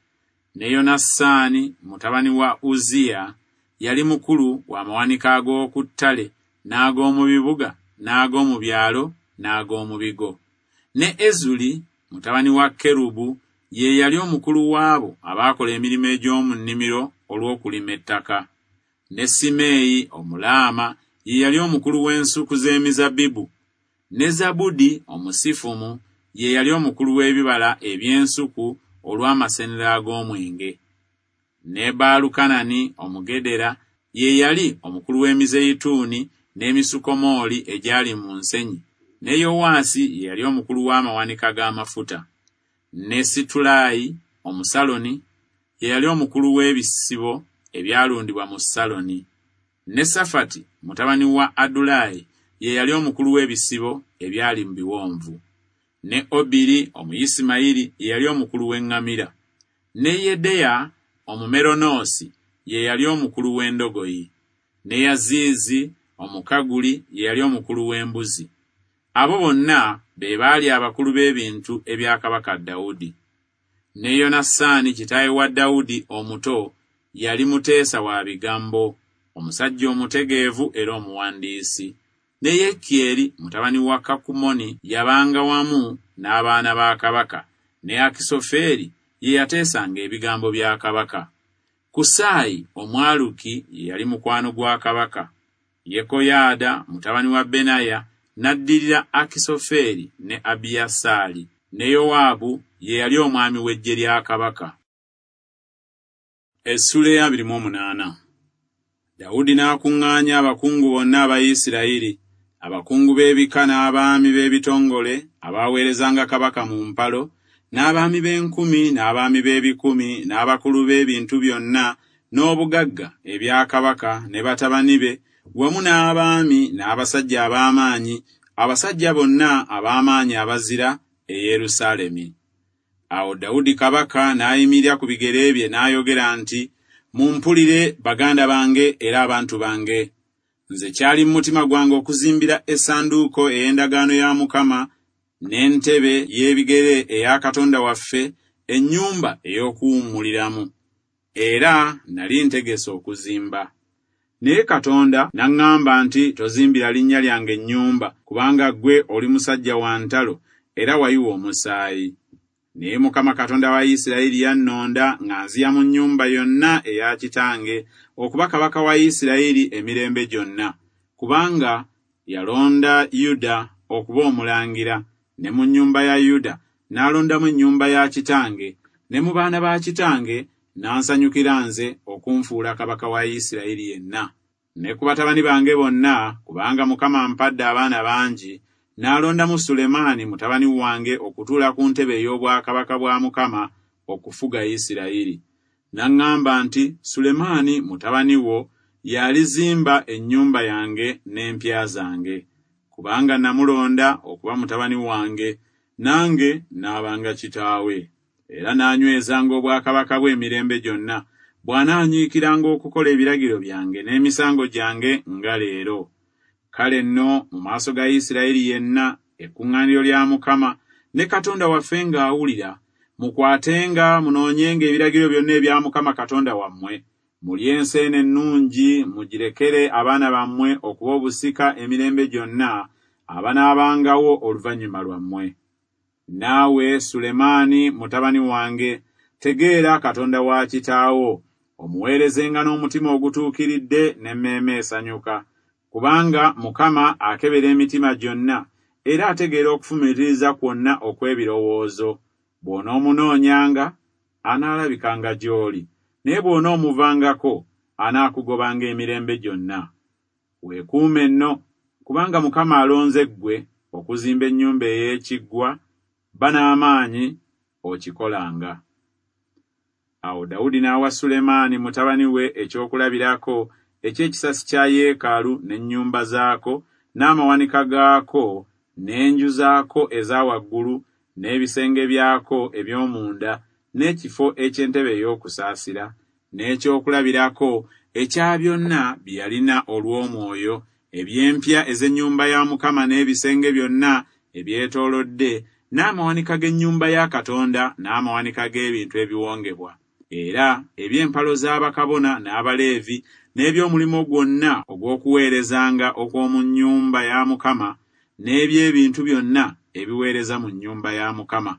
Speaker 1: ne Yonasaani mutabani wa Uzziya yali mukulu wa mawanika ag'oku ttale n'ag'omu bibuga n'ag'omu byalo n'ag'omu bigo. Ne Ezuli mutabani wa Kerubu ye yali omukulu waabo abaakola emirimu egy'omu nnimiro olw'okulima ettaka. Ne Simeeyi Omulaama ye yali omukulu w'ensuku z'emizabbibu. Ne Zabudi Omusifumu ye yali omukulu w'ebibala eby'ensuku olw'amasenero ag'omwenge. Ne Baalukanani Omugedera ye yali omukulu w'emizeyituuni n'emisukomooli egyali mu nsenyi. Ne Yowaasi ye yali omukulu w'amawanika g'amafuta. Ne Situlayi Omusaloni ye yali omukulu w'ebisibo ebyalundibwa mu Saloni. Ne Safati mutabani wa Adulayi ye yali omukulu w'ebisibo ebyali mu biwonvu. Ne Obiri Omuyisimayiri ye yali omukulu w'eŋŋamira. Ne Yedeya Omumeronoosi ye yali omukulu w'endogoyi. Ne Yaziizi Omukaguli ye yali omukulu w'embuzi. Abo bonna be baali abakulu b'ebintu ebya Kabaka Dawudi. Ne Yonasaani kitaawe wa Dawudi omuto yali muteesa wa bigambo, omusajja omutegeevu era omuwandiisi. Ne Yekyeri mutabani wa Kakumoni yabanga wamu n'abaana ba kabaka, ne Akisofeeri ye yateesanga ebigambo bya kabaka. Kusaayi Omwaluki ye yali mukwano gwa kabaka. Yekoyaada mutabani wa Benaya n'addirira Akisofeeri ne Abiyasaali, ne Yowaabu ye yali omwami w'eggye lya kabaka. Essula ey'abiri mu omunaana. Dawudi n'akuŋŋaanya abakungu bonna aba Isirayiri, abakungu b'ebika n'abaami b'ebitongole abaaweerezanga kabaka mu mpalo, n'abaami b'enkumi n'abaami b'ebikumi n'abakulu b'ebintu byonna n'obugagga ebya kabaka ne batabani be, wamu n'abaami n'abasajja ab'amaanyi, abasajja bonna ab'amaanyi abazira e Yerusaalemi. Awo Dawudi kabaka n'ayimirira ku bigere bye n'ayogera nti, Mumpulire baganda bange era abantu bange. Nze kyali mu mutima gwange okuzimbira essanduuko ey'endagaano ya Mukama n'entebe y'ebigere eya Katonda waffe, ennyumba ey'okuwummuliramu. Era nali ntegese okuzimba. Naye Katonda n'aŋŋamba nti, Tozimbira linnya lyange ennyumba, kubanga ggwe oli musajja wa ntalo era wayiwa omusaayi. Naye Mukama Katonda wa Isirayiri yannonda nga nziya mu nnyumba yonna eya kitange okuba kabaka wa Isirayiri emirembe gyonna, kubanga yalonda Yuda okuba omulangira, ne mu nnyumba ya Yuda n'alondamu ennyumba ya kitange, ne mu baana ba kitange n'ansanyukira nze okunfuula kabaka wa Isirayiri yenna. Ne ku batabani bange bonna, kubanga Mukama ampadde abaana bangi, n'alondamu Sulemaani mutabani wange okutuula ku ntebe ey'obwakabaka bwa Mukama okufuga Isirayiri. N'aŋŋamba nti, Sulemaani mutabani wo y'alizimba ennyumba yange n'empya zange, kubanga namulonda okuba mutabani wange, nange naabanga kitaawe. Era n'anywezanga obwakabaka bwe emirembe gyonna, bw'anaanyiikiranga okukola ebiragiro byange n'emisango gyange nga leero. Kale nno mu maaso ga Isirayiri yenna, ekkuŋŋaaniro lya Mukama ne Katonda waffe ng'awulira, mukwatenga munoonyenga ebiragiro byonna ebya Mukama Katonda wammwe, mulye ensi eno ennungi, mugirekere abaana bammwe okuba obusika emirembe gyonna abanaabangawo oluvannyuma lwammwe. Naawe Sulemaani mutabani wange, tegeera Katonda wa kitaawo, omuweerezenga n'omutima ogutuukiridde n'emmeeme esanyuka, kubanga Mukama akebera emitima gyonna, era ategeera okufumiitiriza kwonna okw'ebirowoozo. Bw'onoomunoonyanga, anaalabikanga gy'oli, naye bw'onoomuvangako, anaakugobanga emirembe gyonna. Weekuume nno, kubanga Mukama alonze ggwe okuzimba ennyumba ey'ekiggwa, ba n'amaanyi okikolanga. Awo Dawudi n'awa Sulemaani mutabani we ekyokulabirako eky'ekisasi kya yeekaalu n'ennyumba zaako, n'amawanika gaako, n'enju zaako eza waggulu, n'ebisenge byako eby'omunda, n'ekifo eky'entebe ey'okusaasira, n'ekyokulabirako ekya byonna bye yalina olw'omwoyo, eby'empya ez'ennyumba ya Mukama n'ebisenge byonna ebyetoolodde, n'amawanika g'ennyumba ya Katonda n'amawanika g'ebintu ebiwongebwa, era eby'empalo z'abakabona n'Abaleevi, n'eby'omulimu gwonna ogw'okuweerezanga okw'omu nnyumba ya Mukama, n'eby'ebintu byonna ebiweereza mu nnyumba ya Mukama.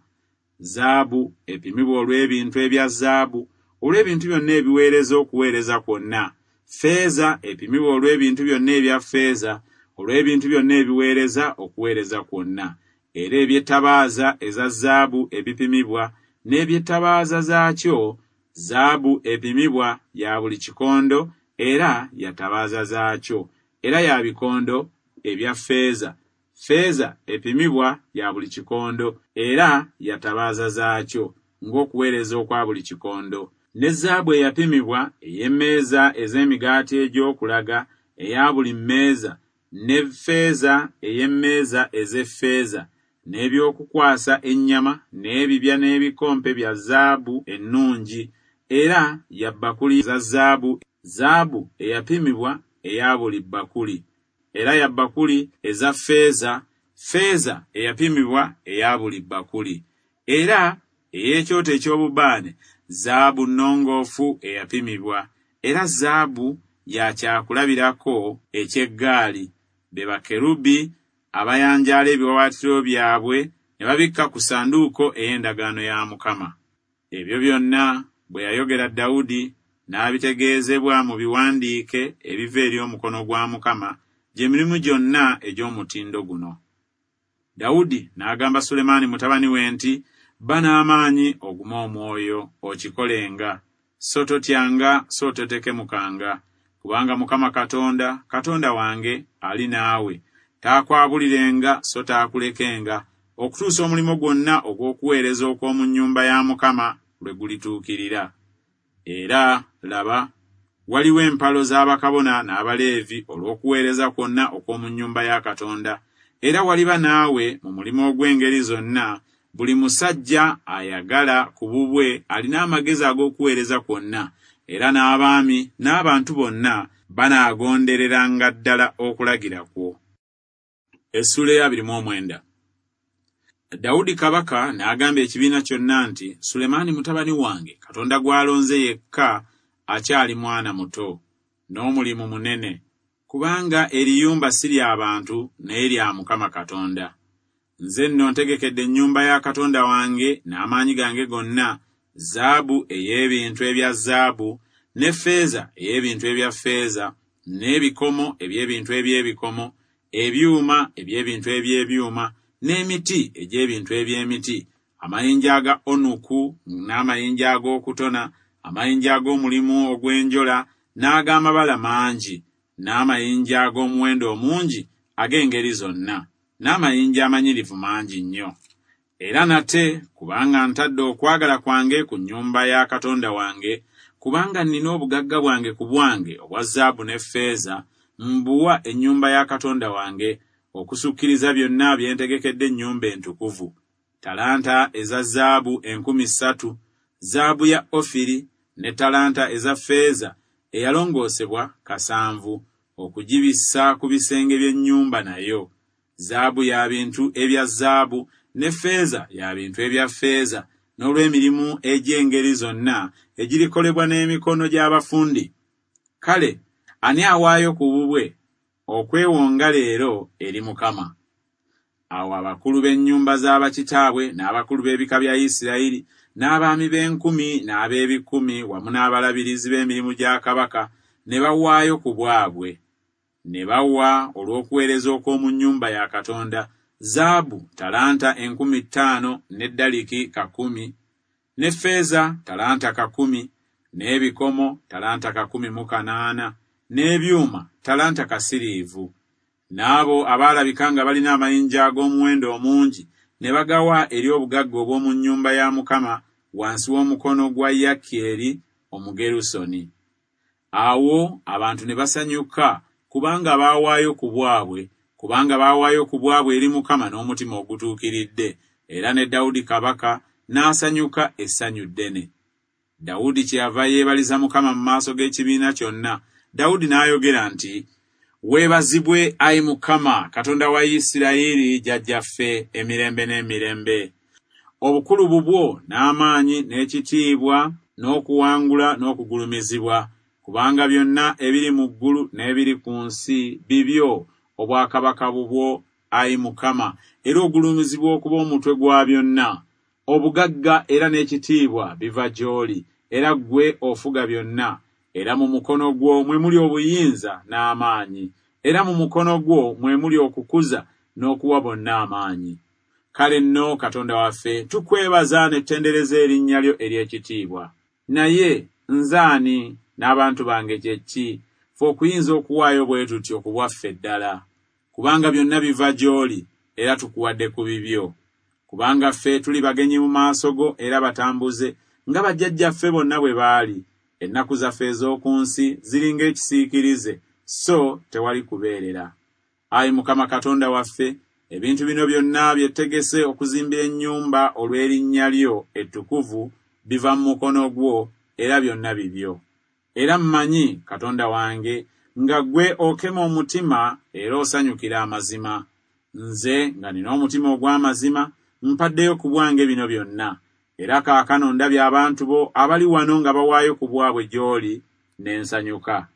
Speaker 1: Zaabu epimibwa olw'ebintu ebya zaabu, olw'ebintu byonna ebiweereza okuweereza kwonna, ffeeza epimibwa olw'ebintu byonna ebya ffeeza, olw'ebintu byonna ebiweereza okuweereza kwonna, era eby'ettabaaza eza zaabu ebipimibwa, n'eby'ettabaaza zaakyo, zaabu epimibwa ya buli kikondo, era ya ttabaaza zaakyo, era ya bikondo ebya ffeeza, ffeeza epimibwa ya buli kikondo, era ya ttabaaza zaakyo, ng'okuweereza okwa buli kikondo. Ne zaabu eyapimibwa ey'emmeeza ez'emigaati egy'okulaga eya buli mmeeza, ne ffeeza ey'emmeeza ez'effeeza, n'ebyokukwasa ennyama, n'ebibya n'ebikompe bya zaabu ennungi, era ya bbakuli za zaabu, zaabu eyapimibwa eya buli bbakuli, era ya bbakuli eza ffeeza, ffeeza eyapimibwa eya buli bbakuli, era ey'ekyoto eky'obubaane, zaabu nnongoofu eyapimibwa, era zaabu ya kyakulabirako eky'eggaali, be bakerubi abayanjaala ebiwaawaatiro byabwe ne babikka ku ssanduuko ey'endagaano ya Mukama. Ebyo byonna bwe yayogera Dawudi n'abitegeezebwa mu biwandiike ebiva eri omukono gwa Mukama, gye mirimu gyonna egy'omutindo guno. Dawudi n'agamba Sulemaani mutabani we nti, Ba n'amaanyi ogume omwoyo, okikolenga, so totyanga, so totekemukanga, kubanga Mukama Katonda, Katonda wange, ali naawe, taakwabulirenga so taakulekenga, okutuusa omulimu gwonna ogw'okuweereza okw'omu nnyumba ya Mukama lwe gulituukirira. Era laba, waliwo empalo z'abakabona n'Abaleevi olw'okuweereza kwonna okw'omu nnyumba ya Katonda, era waliba naawe mu mulimu ogw'engeri zonna, buli musajja ayagala ku bubwe alina amagezi ag'okuweereza kwonna, era n'abaami n'abantu bonna banaagondereranga ddala okulagira kwo. Essuula ey'abiri mu omwenda. Dawudi kabaka n'agamba ekibiina kyonna nti, Sulemaani mutabani wange, Katonda gw'alonze yekka, akyali mwana muto, n'omulimu munene, kubanga eriyumba si lya bantu naye lya Mukama Katonda. Nze nno ntegekedde ennyumba ya Katonda wange n'amaanyi gange gonna, zaabu ey'ebintu ebya zaabu, ne ffeeza ey'ebintu ebya ffeeza, n'ebikomo eby'ebintu eby'ebikomo, ebyuma eby'ebintu eby'ebyuma, n'emiti egy'ebintu eby'emiti, amayinja aga onuku n'amayinja ag'okutona, amayinja ag'omulimu ogw'enjola n'ag'amabala mangi, n'amayinja ag'omuwendo omungi ag'engeri zonna, n'amayinja amanyirivu mangi nnyo. Era nate, kubanga ntadde okwagala kwange ku nnyumba ya Katonda wange, kubanga nnina obugagga bwange ku bwange obwa zaabu ne ffeeza, mbuwa ennyumba ya Katonda wange, okusukkiriza byonna bye ntegekedde ennyumba entukuvu. Talanta eza zaabu enkumi ssatu, zaabu ya Ofiri, ne talanta eza ffeeza eyalongoosebwa kasanvu, okugibissa ku bisenge by'ennyumba nayo. Zaabu ya bintu ebya zaabu, ne ffeeza ya bintu ebya ffeeza, n'olw'emirimu egy'engeri zonna egirikolebwa n'emikono gy'abafundi. Kale ani awaayo ku bubwe okwewonga leero eri Mukama? Awo abakulu b'ennyumba z'abakitaabwe n'abakulu b'ebika bya Isirayiri n'abaami b'enkumi n'ab'ebikumi wamu n'abalabirizi b'emirimu gya kabaka ne bawaayo ku bwabwe. Ne bawa olw'okuweereza okw'omu nnyumba ya Katonda zaabu talanta enkumi ttaano ne daliki kakumi, ne ffeeza talanta kakumi, n'ebikomo talanta kakumi mu kanaana, n'ebyuma talanta kasiriivu. N'abo abaalabika nga balina amayinja ag'omuwendo omungi ne bagawa eri obugagga obw'omu nnyumba ya Mukama wansi w'omukono gwa Yakyeri Omugerusoni. Awo abantu ne basanyuka kubanga baawaayo ku bwabwe, kubanga baawaayo ku bwabwe eri Mukama n'omutima ogutuukiridde, era ne Dawudi kabaka n'asanyuka essanyu ddene. Dawudi kyeyava yeebaliza Mukama mu maaso g'ekibiina kyonna. Dawudi n'ayogera nti, Weebazibwe ayi Mukama Katonda wa Isirayiri jjajjaffe emirembe n'emirembe. Obukulu bubwo n'amaanyi n'ekitiibwa n'okuwangula n'okugulumizibwa, kubanga byonna ebiri mu ggulu n'ebiri ku nsi bibyo, obwakabaka bubwo ayi Mukama, era ogulumizibwa okuba omutwe gwa byonna. Obugagga era n'ekitiibwa biva gy'oli, era ggwe ofuga byonna. Era mu mukono gwo mwe muli obuyinza n'amaanyi, era mu mukono gwo mwe muli okukuza n'okuwa bonna amaanyi. Kale nno Katonda waffe, tukwebaza ne tutendereza erinnya lyo ery'ekitiibwa. Naye nze ani n'abantu bange kye ki, ffe okuyinza okuwaayo bwe tutyo ku bwaffe ddala? Kubanga byonna biva gy'oli, era tukuwadde ku bibyo. Kubanga ffe tuli bagenyi mu maaso go era batambuze, nga bajjajjaffe bonna bwe baali. Ennaku zaffe ez'oku nsi ziringa ekisiikirize, so tewali kubeerera. Ayi Mukama Katonda waffe, ebintu bino byonna bye tutegese okuzimbira ennyumba olw'erinnya lyo ettukuvu biva mu mukono gwo, era byonna bibyo. Era mmanyi, Katonda wange, nga ggwe okema omutima era osanyukira amazima. Nze nga nina omutima ogw'amazima, mpaddeyo ku bwange bino byonna. Era kaakano ndabye abantu bo abali wano nga bawaayo ku bwabwe gy'oli, ne nsanyuka.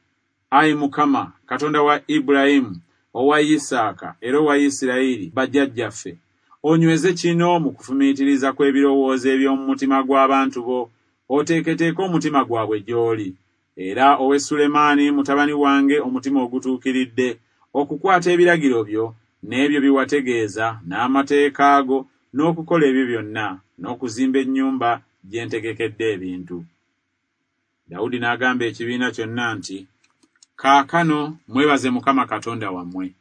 Speaker 1: Ayi Mukama, Katonda wa Ibulayimu, owa Isaaka era owa Isirayiri bajjajjaffe, onyweze kino mu kufumiitiriza kw'ebirowoozo eby'omu mutima gw'abantu bo, oteeketeeke omutima gwabwe gy'oli. Era owe Sulemaani mutabani wange omutima ogutuukiridde, okukwata ebiragiro byo n'ebyo bye wategeeza n'amateeka go, n'okukola ebyo byonna, n'okuzimba ennyumba gye ntegekedde ebintu. Dawudi n'agamba ekibiina kyonna nti, Kaakano mwebaze Mukama Katonda wammwe.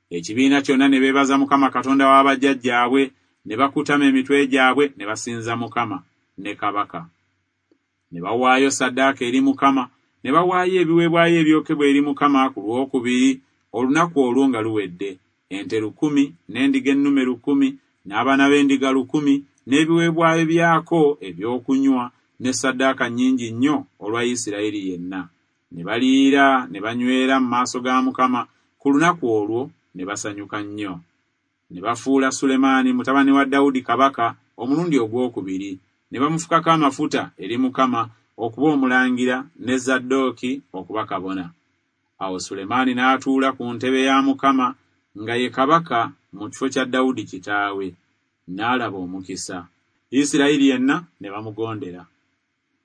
Speaker 1: Ekibiina kyonna ne beebaza Mukama Katonda wa bajjajjaabwe, ne bakutama emitwe gyabwe ne basinza Mukama ne kabaka. Ne bawaayo ssaddaaka eri Mukama, ne bawaayo ebiweebwayo ebyokebwa eri Mukama ku lwokubiri olunaku olwo nga luwedde, ente lukumi, n'endiga ennume lukumi, n'abaana b'endiga lukumi, n'ebiweebwayo byako ebyokunywa, ne ssaddaaka nnyingi nnyo olwa Isirayiri yenna. Ne baliira ne banywera mu maaso ga Mukama ku lunaku olwo, ne basanyuka nnyo. Ne bafuula Sulemaani mutabani wa Dawudi kabaka omulundi ogwokubiri, ne bamufukako amafuta eri Mukama okuba omulangira, ne Zadooki okuba kabona. Awo Sulemaani n'atuula ku ntebe ya Mukama nga ye kabaka mu kifo kya Dawudi kitaawe, n'alaba omukisa. Isirayiri yenna ne bamugondera.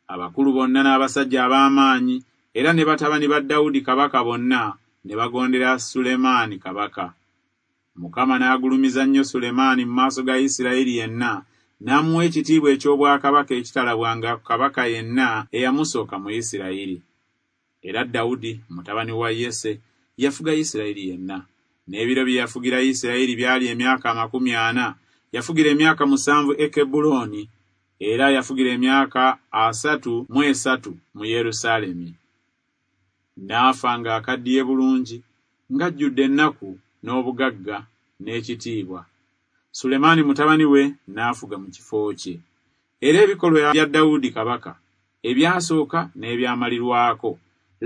Speaker 1: Abakulu bonna n'abasajja ab'amaanyi era ne batabani ba Dawudi kabaka bonna ne bagondera Sulemaani kabaka. Mukama n'agulumiza nnyo Sulemaani mu maaso ga Isirayiri yenna, n'amuwa ekitiibwa eky'obwakabaka ekitalabwanga kabaka yenna eyamusooka mu Isirayiri. Era Dawudi mutabani wa Yese yafuga Isirayiri yenna. N'ebiro bye yafugira Isirayiri byali emyaka amakumi ana. Yafugira emyaka musanvu e Kebbulooni, era yafugira emyaka asatu mu esatu mu Yerusaalemi. N'afa ng'akaddiye bulungi, ng'ajjudde ennaku n'obugagga n'ekitiibwa. Sulemaani mutabani we n'afuga mu kifo kye. Era ebikolwa bya Dawudi kabaka ebyasooka n'ebyamalirwako,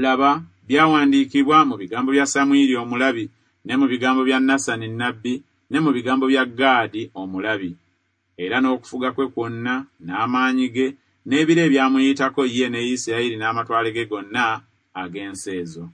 Speaker 1: laba, byawandiikibwa mu bigambo bya Samwiri omulabi, ne mu bigambo bya Nasani nnabbi, ne mu bigambo bya Gaadi omulabi. Era n'okufuga kwe kwonna, n'amaanyi ge, n'ebiro ebyamuyitako ye ne Isirayiri n'amatwale ge gonna ag'ensi ezo.